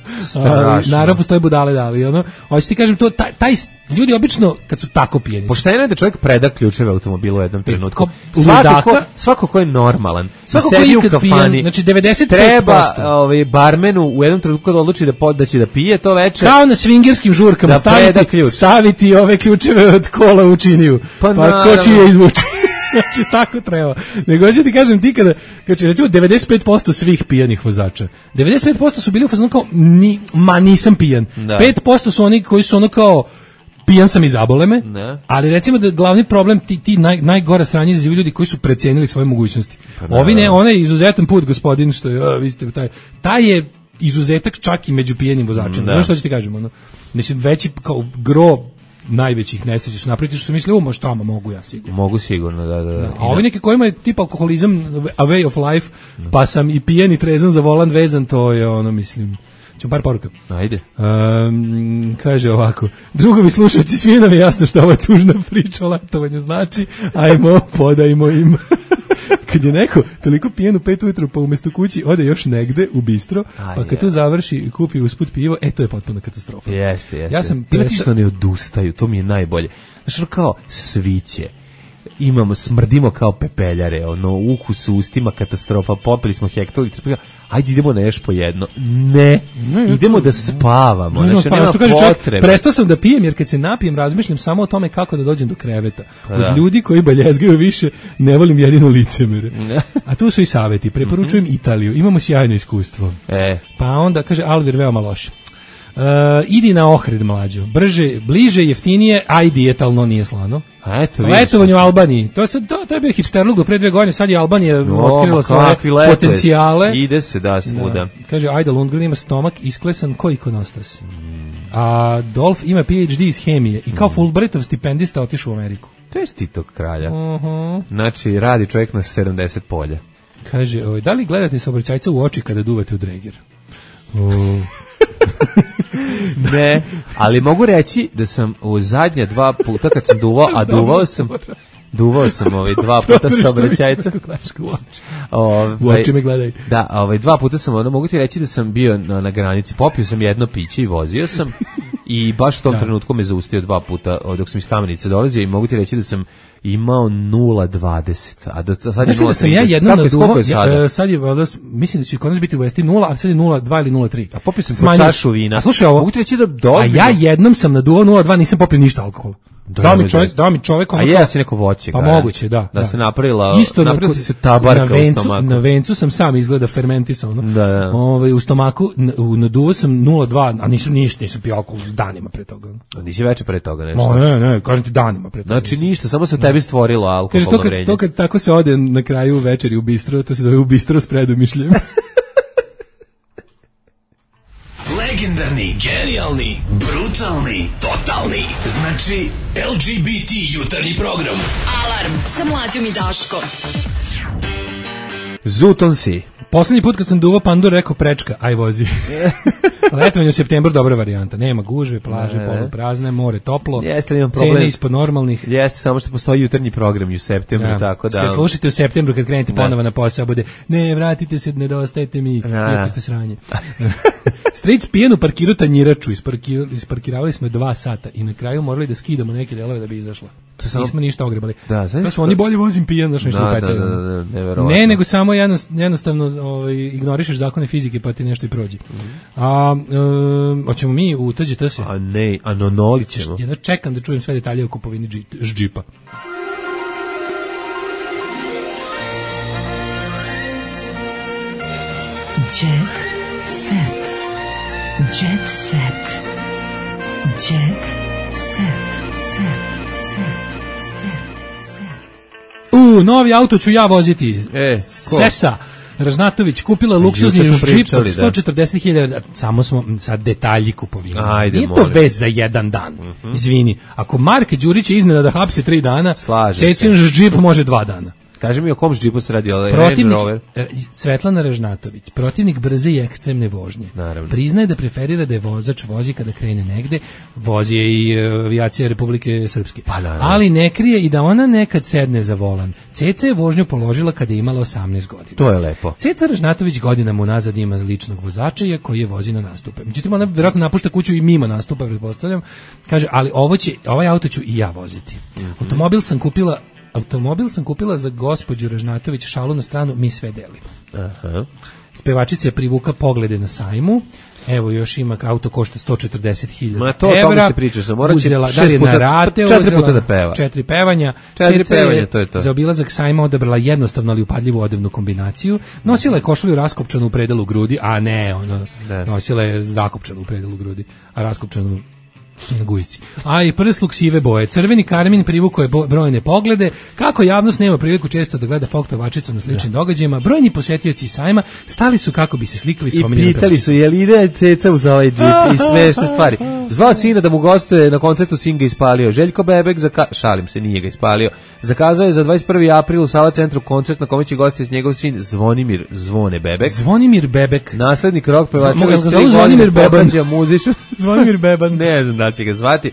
Naravno, postoje budale dali, ono. Hoće ti kažem, to, taj, taj, ljudi obično, kad su tako pijeni. Pošteno je da čovjek preda ključeve automobilu u jednom trenutku. Svako, svako ko je normalan, svako ko je ikad pijen, znači devedeset pet posto. Treba ovaj, barmenu u jednom trenutku kad odluči da, da će da pije to večer. Kao na swingerskim žurkama, da staviti, staviti ove ključeve od kola u činiju. Pa, pa ko će je izvući. Znači, tako treba. Nego ću ti kažem, ti kada, kada recimo devedeset pet posto svih pijanih vozača, devedeset pet posto su bili u fazonu kao, ni, ma nisam pijan. Da. pet posto su oni koji su ono kao, pijan sam i zabole me, ne. Ali recimo da glavni problem ti, ti naj, najgora sranje izazivaju ljudi koji su precenili svoje mogućnosti. Pa, ovi ne, onaj izuzetan put, gospodin, što je, a, vi ste, taj, taj je izuzetak čak i među pijenim vozačima. Znaš što ću ti kažem? Ono? Mislim, veći kao gro najvećih nesreća su napraviti što su mislili, u možda tamo mogu ja sigurno. Mogu sigurno, da, da. da. A ovi neki kojima je tip alkoholizam a way of life, pa sam i pijen i trezan za volan vezan, to je ono, mislim... Ćemo par poruka. Ajde. Um, kaže ovako, drugovi slušalci, svi nam je jasno što ova tužna priča o letovanju znači, ajmo, podajmo im. Kad je neko toliko pijen u pet ujutru, pa umjesto kući ode još negde u bistro, A, pa kad je. tu završi i kupi usput pivo, e, to je potpuno katastrofa. Jeste, jeste. Ja sam presta... što ne odustaju, to mi je najbolje. Znači, kao sviće. Imamo, smrdimo kao pepeljare, ono, ukus u ustima, katastrofa, popili smo hektolitra, ajde idemo na još po jedno. Ne, ne idemo da spavamo, ne, znači, nema potrebe. Prestao sam da pijem, jer kad se napijem, razmišljam samo o tome kako da dođem do kreveta. Od da. ljudi koji baljezgaju više, ne volim jedino licemere. A tu su i saveti, preporučujem mm-hmm. Italiju, imamo sjajno iskustvo. E. Pa onda, kaže, Alvir, veoma loše. Uh, idi na Ohrid, mlađo. Brže, bliže, jeftinije, a i dijetalno nije slano. A eto, letovanje u Albaniji. To, se, to, to je bio hipsterluk do pre dve godine, sad je Albanija no, otkrila svoje potencijale. Ide se da svuda. Da. Kaže, Ajda Lundgren ima stomak isklesan ko ikonostas. Mm. A Dolph ima P H D iz hemije i kao mm. Fulbrightov stipendista otišao u Ameriku. To je Titog kralja. Uh-huh. Znači, radi čovjek na sedamdeset polja. Kaže, oj, da li gledate saobraćajca u oči kada duvate u dreger? Uh. Ne, ali mogu reći da sam u zadnja dva puta kad sam duvao, a duvao sam duvao sam ovaj dva puta saobraćajca. U oči me gledaj. Da, ovaj dva puta sam, ono, mogu ti reći da sam bio na, na granici, popio sam jedno piće i vozio sam i baš u tom da. trenutku me zaustio dva puta dok sam iz Kamenice dolazio i mogu ti reći da sam imao nula dvadeset, a do sad je nula trideset. Sam ja jednom naduvao, ja, sad je, valjda, mislim da će kod nas biti u Vesti nula, ali sad je nula dva ili nula tri. A popio sam po čašu vina. A slušaj ovo, mogu ti reći da dobro. A ja jednom sam naduvao nula dva, nisam popio ništa alkohola. Da mi čovjek, da mi čovjek ono. A je si neko voće. Pa moguće, da. Da, da. se napravila, isto napravila ti se tabarka na vencu, u stomaku. Na vencu sam sam izgleda fermentisano. Da, da. Ovaj u stomaku naduvao sam nula dva, a nisam ništa, nisam pio alkohol danima pre toga. A nisi veče pre toga nešto. No, ne, ne, kažem ti danima pre toga. Znači ništa, samo se tebi stvorilo alkoholno vrenje. Kaže to kad tako se ode na kraju večeri u bistro, to se zove u bistro s predomišljem. Legendarni, genijalni, brutalni, totalni. Znači L G B T jutarnji program. Alarm sa Mlađom i Daškom. Zutonsi. Poslednji put kad sam duvao pandur rekao prečka, aj vozi. Letovanje u septembru dobra varijanta. Nema gužve, plaže ne, ne. poluprazne, more toplo. Jeste, imam problem. Cene ispod normalnih. Jeste, samo što postoji jutarnji program u septembru, ja. tako da. Kad slušate u septembru kad krenete ponovo na posao, bude ne, vratite se, nedostajete mi, iako ste sranje. Stric pijenu parkiru tanjiraču, isparkir, isparkiravali smo je dva sata i na kraju morali da skidamo neke delove da bi izašla. To samo... Nismo ništa ogrebali. Da, znači smo oni bolje vozim pijan, znaš nešto da, da, da, da, da, ne, nego samo jednostavno ovaj, ignorišeš zakone fizike pa ti nešto i prođe. Mm-hmm. A um, hoćemo mi u T G T se? A ne, a nonoli ćemo. Ja da čekam da čujem sve detalje o kupovini džipa. Jet set. Jet set. Jet set. U, novi auto ću ja voziti. E, ko? Sesa Ražnatović kupila luksuzni džip od sto četrdeset hiljada. Samo smo sad detalji kupovine. Ajde, nije to vez za jedan dan. Mm-hmm. Izvini, ako Marke Đurić je iznena da hapse tri dana, Cecin džip može dva dana. Kaži mi o kom džipu se radi, ovaj Range Rover. Svetlana Ražnatović, protivnik brze i ekstremne vožnje. Naravno. Priznaje da preferira da je vozač vozi kada krene negde, vozi je i avijacija Republike Srpske. Pa, ali ne krije i da ona nekad sedne za volan. Ceca je vožnju položila kada je imala osamnaest godina. To je lepo. Ceca Ražnatović godinama unazad ima ličnog vozača koji je vozi na nastupe. Međutim, ona vjerojatno napušta kuću i mimo nastupa, pretpostavljam. Kaže, ali ovo će, ovaj auto ću i ja voziti. Mm-hmm. Automobil sam kupila Automobil sam kupila za gospođu Ražnatović, šalu na stranu, mi sve delimo. Aha. Spevačica je privuka poglede na sajmu. Evo još ima, auto košta sto četrdeset hiljada evra. Ma to o tome se priča, sam morat će šest puta, rate, četiri puta da peva. Četiri pevanja. Četiri pevanja, to je to. Za obilazak sajma odabrala jednostavno ali upadljivu odevnu kombinaciju. Nosila je košulju raskopčanu u predelu grudi, a ne, ono, ne. Nosila je zakopčanu u predelu grudi, a raskopčanu na gujici. A i prsluk sive boje. Crveni karmin privukao je brojne poglede. Kako javnost nema priliku često da gleda folk pevačicu na sličnim da. događajima, brojni posjetioci sajma stali su kako bi se slikali s omiljenom I pitali su, je li ide Ceca uz ovaj džip i smešne stvari. Zvao sina da mu gostuje na koncertu, sin ga ispalio. Željko Bebek, zaka... šalim se, nije ga ispalio. Zakazao je za dvadeset prvi april u Sava centru koncert na kome će gostiti njegov sin Zvonimir Zvone Bebek. Zvonimir Bebek. Naslednik rock pevača. Mogu ga zove Zvonimir Beban. Zvonimir Beban. Ne znam da će ga zvati.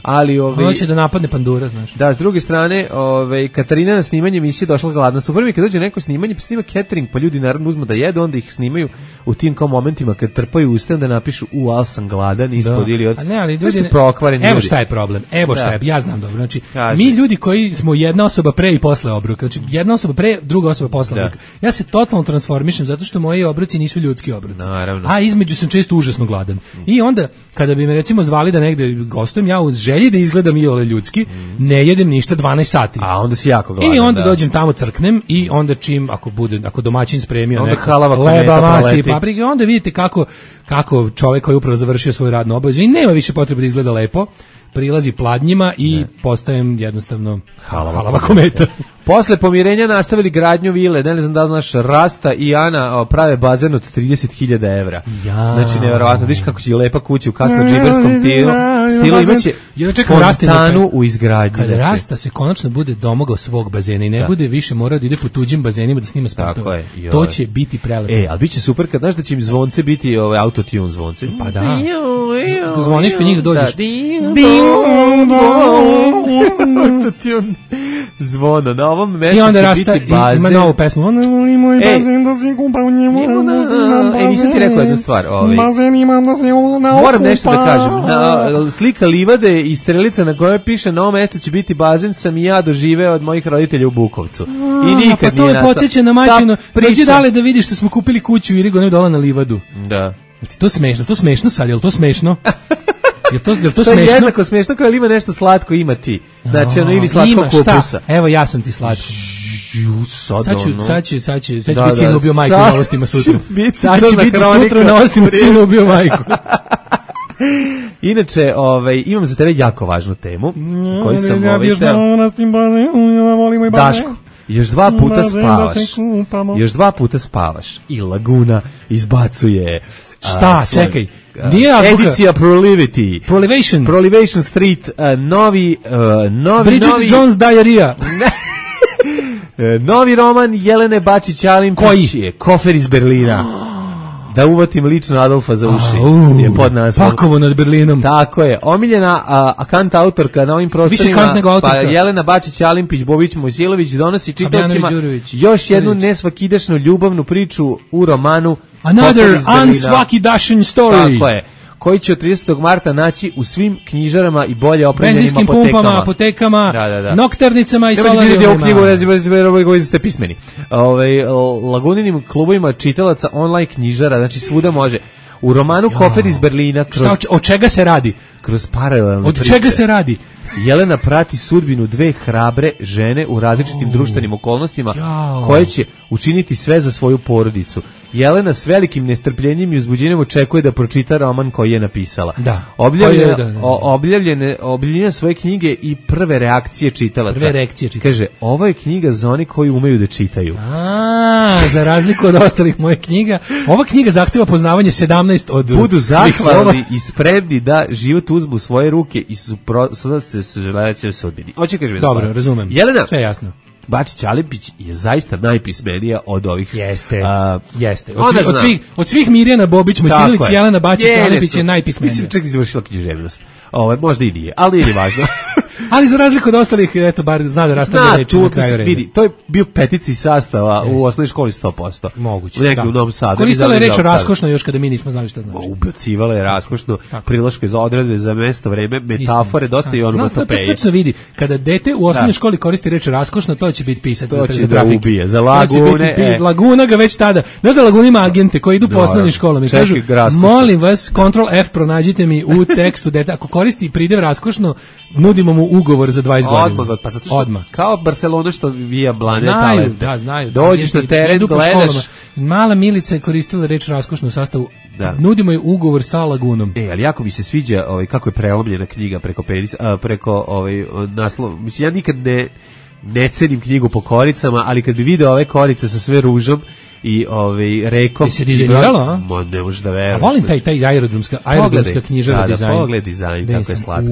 Ali ovaj hoće da napadne pandura, znaš. Da, s druge strane, ovaj Katarina na snimanje emisije došla gladna. Super mi kad dođe neko snimanje, pa snima catering, pa ljudi naravno uzmu da jedu, onda ih snimaju u tim kao momentima kad trpaju usta da napišu u al sam gladan ispod ili od. A ne, ali ljudi ne... prokvareni. Evo šta je problem. Evo šta je, ja znam dobro. Znači, Kaži. mi ljudi koji smo jedna osoba pre i posle obroka, znači jedna osoba pre, druga osoba posle obroka. Ja se totalno transformišem zato što moji obroci nisu ljudski obroci. Naravno. A između sam često užasno gladan. I onda kada bi me recimo zvali da negde gostujem, ja uz želji da izgledam i ole ljudski, mm. ne jedem ništa dvanaest sati. A onda si jako gladan. I onda da. dođem tamo, crknem i onda čim, ako bude, ako domaćin spremio onda neko leba, masti i paprike, onda vidite kako, kako čovjek koji je upravo završio svoju radnu obavezu i nema više potrebe da izgleda lepo, prilazi pladnjima i ne. postajem jednostavno halava, halava kometa. Posle pomirenja nastavili gradnju vile, ne znam da li naš Rasta i Ana prave bazen od trideset hiljada evra. Ja. Znači, nevjerovatno, viš kako će lepa kuća u kasno džiberskom stilu, stilu imaće fontanu u izgradnji. Kada znači. Rasta se konačno bude domogao svog bazena i ne da. bude više morao da ide po tuđim bazenima da snima spotove. To će biti prelepo. E, ali bit će super kad znaš da će im zvonce biti ovaj autotune zvonce. Pa da. Zvoniš kad njih dođeš. Autotune zvono, na ovom mestu i onda će Rasta biti bazen. Ima novu pesmu. Ona voli moj bazen da se kupa u njemu. E, nisam ti rekao jednu stvar. Ovaj. Bazen imam da se ona okupa. Moram nešto da kažem. Na, slika livade i strelica na kojoj piše na ovom mestu će biti bazen sam i ja doživeo od mojih roditelja u Bukovcu. I nikad pa to nije me podsjeća na majčino. Dođi dale da vidiš što smo kupili kuću ili go dole na livadu. Da. To smešno, to smešno sad, je li to smešno? Je to, je to, to smešno? je jednako smešno kao ili ima nešto slatko ima ti. Znači ono ili slatko ima, kupusa. Evo ja sam ti slatko. Sad, sad ću, sad će, sad će, sad će da, biti sin ubio majku na novostima sutra. Sad će biti sutra na novostima sin ubio majku. Inače, ovaj, imam za tebe jako važnu temu koju sam ovaj teo. Daško, još dva puta spavaš. Još dva puta spavaš i Laguna izbacuje. Šta, a, svoj, čekaj. Nije azbuka. Edicija Prolivity. Prolivation. Prolivation Street, uh, novi, uh, novi, Bridget novi... Jones Diarrhea. E, novi roman Jelene Bačić-Alimpić je Kofer iz Berlina. Da uvatim lično Adolfa za uši. Uh, je pod naslovom. Pakovo nad Berlinom. Tako je. Omiljena a, a kant autorka na ovim prostorima, pa Jelena Bačić-Alimpić, Bobić Mojsilović donosi čitaocima još jednu nesvakidašnu ljubavnu priču u romanu Another unsvakidašan story. Tako je. Koji će od tridesetog marta naći u svim knjižarama i bolje opremljenim apotekama. Benzinskim pumpama, apotekama, da, da, da. nokternicama i solarijumima. Ne možete knjigu, koji ste pismeni. Ove, Laguninim klubovima čitalaca online knjižara, znači svuda može. U romanu jo. Kofer iz Berlina. Kroz, Šta, od čega se radi? Kroz paralelne Od priče. čega se radi? Jelena prati sudbinu dve hrabre žene u različitim oh. društvenim okolnostima jo. koje će učiniti sve za svoju porodicu. Jelena s velikim nestrpljenjem i uzbuđenjem očekuje da pročita roman koji je napisala. Da. Objavljene, da, da, da. Objavljene, objavljene svoje knjige i prve reakcije čitalaca. Prve reakcije čitalaca. Kaže, ovo je knjiga za oni koji umeju da čitaju. A, za razliku od ostalih moje knjiga, ova knjiga zahteva poznavanje sedamnaest od Budu svih slova. zahvalni i spremni da život uzmu u svoje ruke i suprotno se želeće sudbini. Hoće kaže mi. Dobro, razumem. Jelena. Sve jasno. Bačić-Alimpić je zaista najpismenija od ovih. Jeste, a, jeste. Od, svi, od, svih, od svih Mirjana Bobić, Mojsilović, Jelena Bačić-Alimpić je najpismenija. Mislim, čak izvršila književnost. Ovo, možda i nije, ali nije važno. Ali za razliku od ostalih, eto, bar zna da rastavlja reči na kraju reda. Vidi, to je bio petici sastava Jeste. u osnovnoj školi sto posto. Moguće, negdje da. u Novom Sadu. Koristila je reč raskošno još kada mi nismo znali šta znači. Ubacivala je raskošno, priloške za odredbe, za mesto, vreme, metafore, dosta Isto. i onomatopeje. Znači, vidi, kada dete u osnovnoj da. školi koristi reč raskošno, to će biti pisac to za, će za da trafike. ubije, za lagune. E. Laguna ga već tada. Znaš da Laguna ima agente koji idu po osnovnim školama i kažu, molim vas, kontrol F pronađite mi u tekstu dete. Ako koristi pridev raskošno, nudimo mu ugovor za dvadeset godina. Odmah, pa zato što Odmah. Kao Barcelona što vija blane znaju, talente. Da, znaju. Dođeš na teren, gledaš. Mala Milica je koristila reč raskošno u sastavu. Da. Nudimo je ugovor sa Lagunom. E, ali jako mi se sviđa ovaj, kako je prelomljena knjiga preko, peris, a, preko ovaj, naslov. Mislim, ja nikad ne, ne cenim knjigu po koricama, ali kad bi video ove korice sa sve ružom i ovaj rekom i se dizajniralo, a? Mo, ne možeš da veruješ. A volim taj taj aerodromska aerodromska knjižara da, dizajn. Da, pogled dizajn, kako je slatka.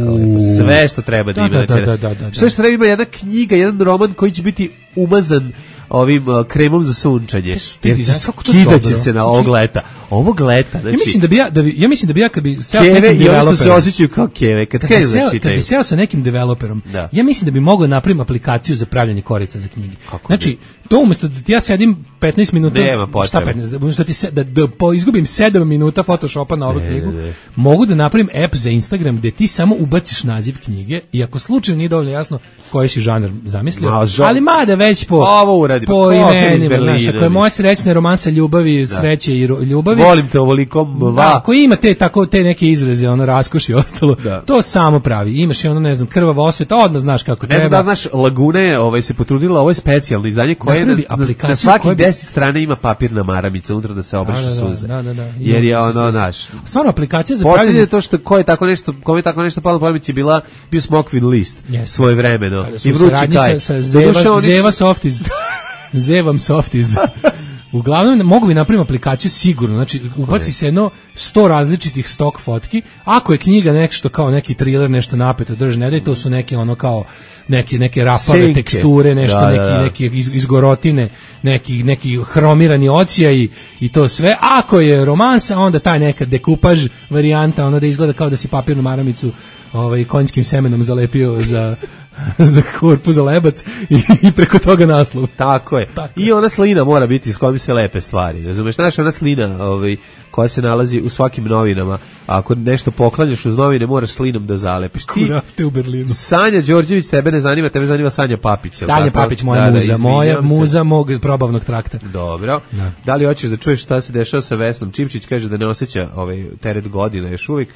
Sve što treba da, da ima. Da, da, da, da, da. Sve što treba ima jedna knjiga, jedan roman koji će biti umazan ovim uh, kremom za sunčanje. Jer će skidaće se na ovog leta. Ovog leta, znači. Ja mislim da bi ja da bi ja mislim da bi ja kad bi seo sa nekim developerom, se osjećaju kao keve, kad krenu da čitaju. Kad bi seo sa nekim developerom, da. ja mislim da bi mogao napraviti aplikaciju za pravljenje korica za knjige. Kako znači, bi? to umjesto da ti ja sedim petnaest minuta, šta petnaest, umjesto da ti se, da, da po, izgubim sedam minuta Photoshopa na ovu ne, knjigu, ne. mogu da napravim app za Instagram gde ti samo ubaciš naziv knjige i ako slučajno nije dovoljno jasno koji si žanr zamislio, Ma, žan... ali mada već po ovo uradi, po imenima, znaš, ako je moja srećna romansa ljubavi, da. sreće i ro, ljubavi. Volim te ovoliko, da, ako ima te tako te neke izraze, ono raskoš i ostalo, da. to samo pravi. Imaš i ono, ne znam, krvava osveta, odmah znaš kako ne treba. Ne znam da znaš, Lagune ovaj, se potrudila, ovo je specijalno izdanje koje na, na svaki deset strane ima papirna maramica unutra da se obrišu da, suze. Da, da, da. Jer je ono, naš. Stvarno, aplikacija za pravljenje. Posljednje to što ko je tako nešto, kome je tako nešto palo na pamet je bila, bio Smokvin list yes. svoje vremeno. I vrući kaj. Sa, sa Zeva, Zeva Softiz. Zevam Softiz. Uglavnom, mogu bi napraviti aplikaciju sigurno, znači ubaci se jedno sto različitih stok fotki, ako je knjiga nešto kao neki thriller, nešto napeto drži, ne da je to su neke ono kao neke neke rapave Senke. teksture, nešto da, neki da, da. neki iz, izgorotine, neki neki hromirani ocijaj i to sve. Ako je romansa, onda taj neka dekupaž varijanta, ono da izgleda kao da si papirnu maramicu ovaj konjskim semenom zalepio za za korpu, za lebac i, i preko toga naslov. Tako je. Tako. I ona slina mora biti s kojom se lepe stvari. Razumeš, znaš, ona slina ovaj, koja se nalazi u svakim novinama. Ako nešto poklanjaš uz novine, moraš slinom da zalepiš. Ti, Kurafte u Berlinu. Sanja Đorđević tebe ne zanima, tebe zanima Sanja Papić. Sanja tako? Papić, moja da, muza. Da, moja muza mog probavnog trakta. Dobro. Da. da li hoćeš da čuješ šta se dešava sa Vesnom Čipčić? Kaže da ne osjeća ovaj teret godina još uvijek.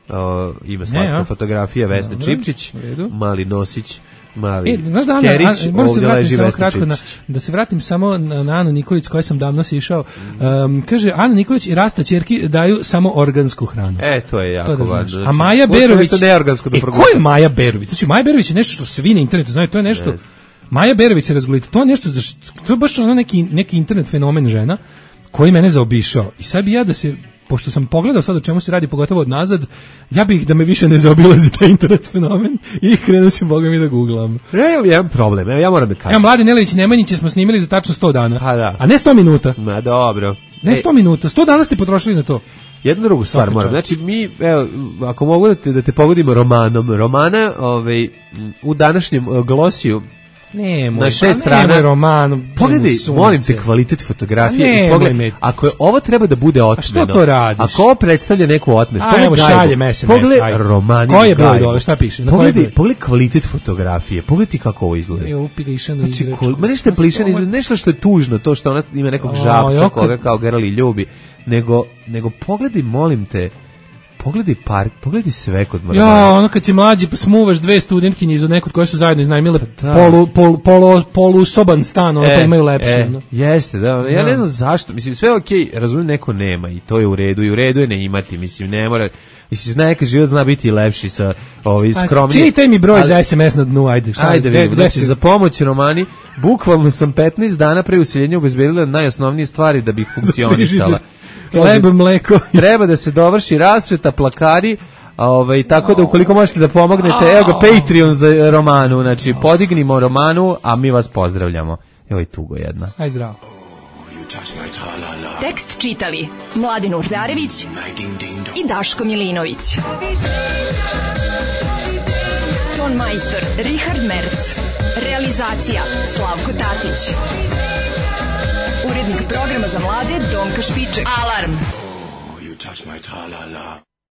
Uh, ima slatka fotografija Vesne no, Čipčić, mali nosić, mali e, znaš da, Kerić, Ana, a, ovdje leži Vesna Čipčić. Na, da se vratim samo na, na Anu Nikolić koja sam davno sišao. Um, kaže, Ana Nikolić i Rasta ćerki daju samo organsku hranu. E, to je jako to važno. Znači, a Maja Berović, e, ko je Maja Berović? Znači, Maja Berović je nešto što svi na internetu znaju, to je nešto, yes. Maja Berović se razgoliti, to je nešto, to je baš ono neki, neki internet fenomen žena koji mene zaobišao. I sad bi ja da se pošto sam pogledao sad o čemu se radi, pogotovo od nazad, ja bih da me više ne zaobilazi taj internet fenomen i krenuo sam, boga mi, da googlam. Evo jedan problem, evo ja moram da kažem. Evo, Mladen Nelević Nemanjića smo snimili za tačno sto dana, pa da. A ne sto minuta. Ma dobro. Ne sto minuta, sto dana ste potrošili na to. Jednu drugu stvar moram, znači mi, evo, ako mogu da te, da te pogodimo romanom, romana ovaj, u današnjem glosiju, Ne, moj, na šest strana roman. Pogledaj, molim te, kvalitet fotografije i pogledaj, ako je ovo treba da bude otmeno. A što to radiš? Ako ovo predstavlja neku otmes, pogledaj šalje es em es. Pogledaj romani. Koji je broj dole, šta piše? Na pogledaj, pogledaj kvalitet fotografije. Pogledaj kako ovo izgleda. Je uplišano znači, izrečko. Ma nešto je plišano izgleda, nešto što je tužno, to što ona ima nekog žabca koga kao Gerali ljubi, nego, nego pogledaj, molim te, pogledaj park, pogledaj sve kod Moravana. Ja, ono kad si mlađi, pa smuvaš dve studentkinje iz nekog koje su zajedno iznajmile polu, polu, polu, polu soban stan, ono e, pa imaju lepše. E, no. Jeste, da, ja ne znam zašto, mislim, sve okej, okay, razumijem, neko nema i to je u redu, i u redu je ne imati, mislim, ne mora, mislim, zna neka život zna biti lepši sa ovi skromni. Čitaj mi broj ali, za es em es na dnu, ajde. Šta, ajde, vidim, znači, za pomoć romani, bukvalno sam petnaest dana pre useljenja obezbedila najosnovnije stvari da bih funkcionisala. Hleb, mleko. Treba da se dovrši rasveta, plakari, ovaj, tako da ukoliko možete da pomognete, evo ga Patreon za Romanu, znači podignimo Romanu, a mi vas pozdravljamo. Evo i tugo jedna. Aj zdravo. Tekst čitali Mladin Urdarević i Daško Milinović. Ton majstor Richard Merc. Realizacija Slavko Tatić. Urednik programa za mlade Donka Špiček. Alarm! Oh, you touch my tra-la-la.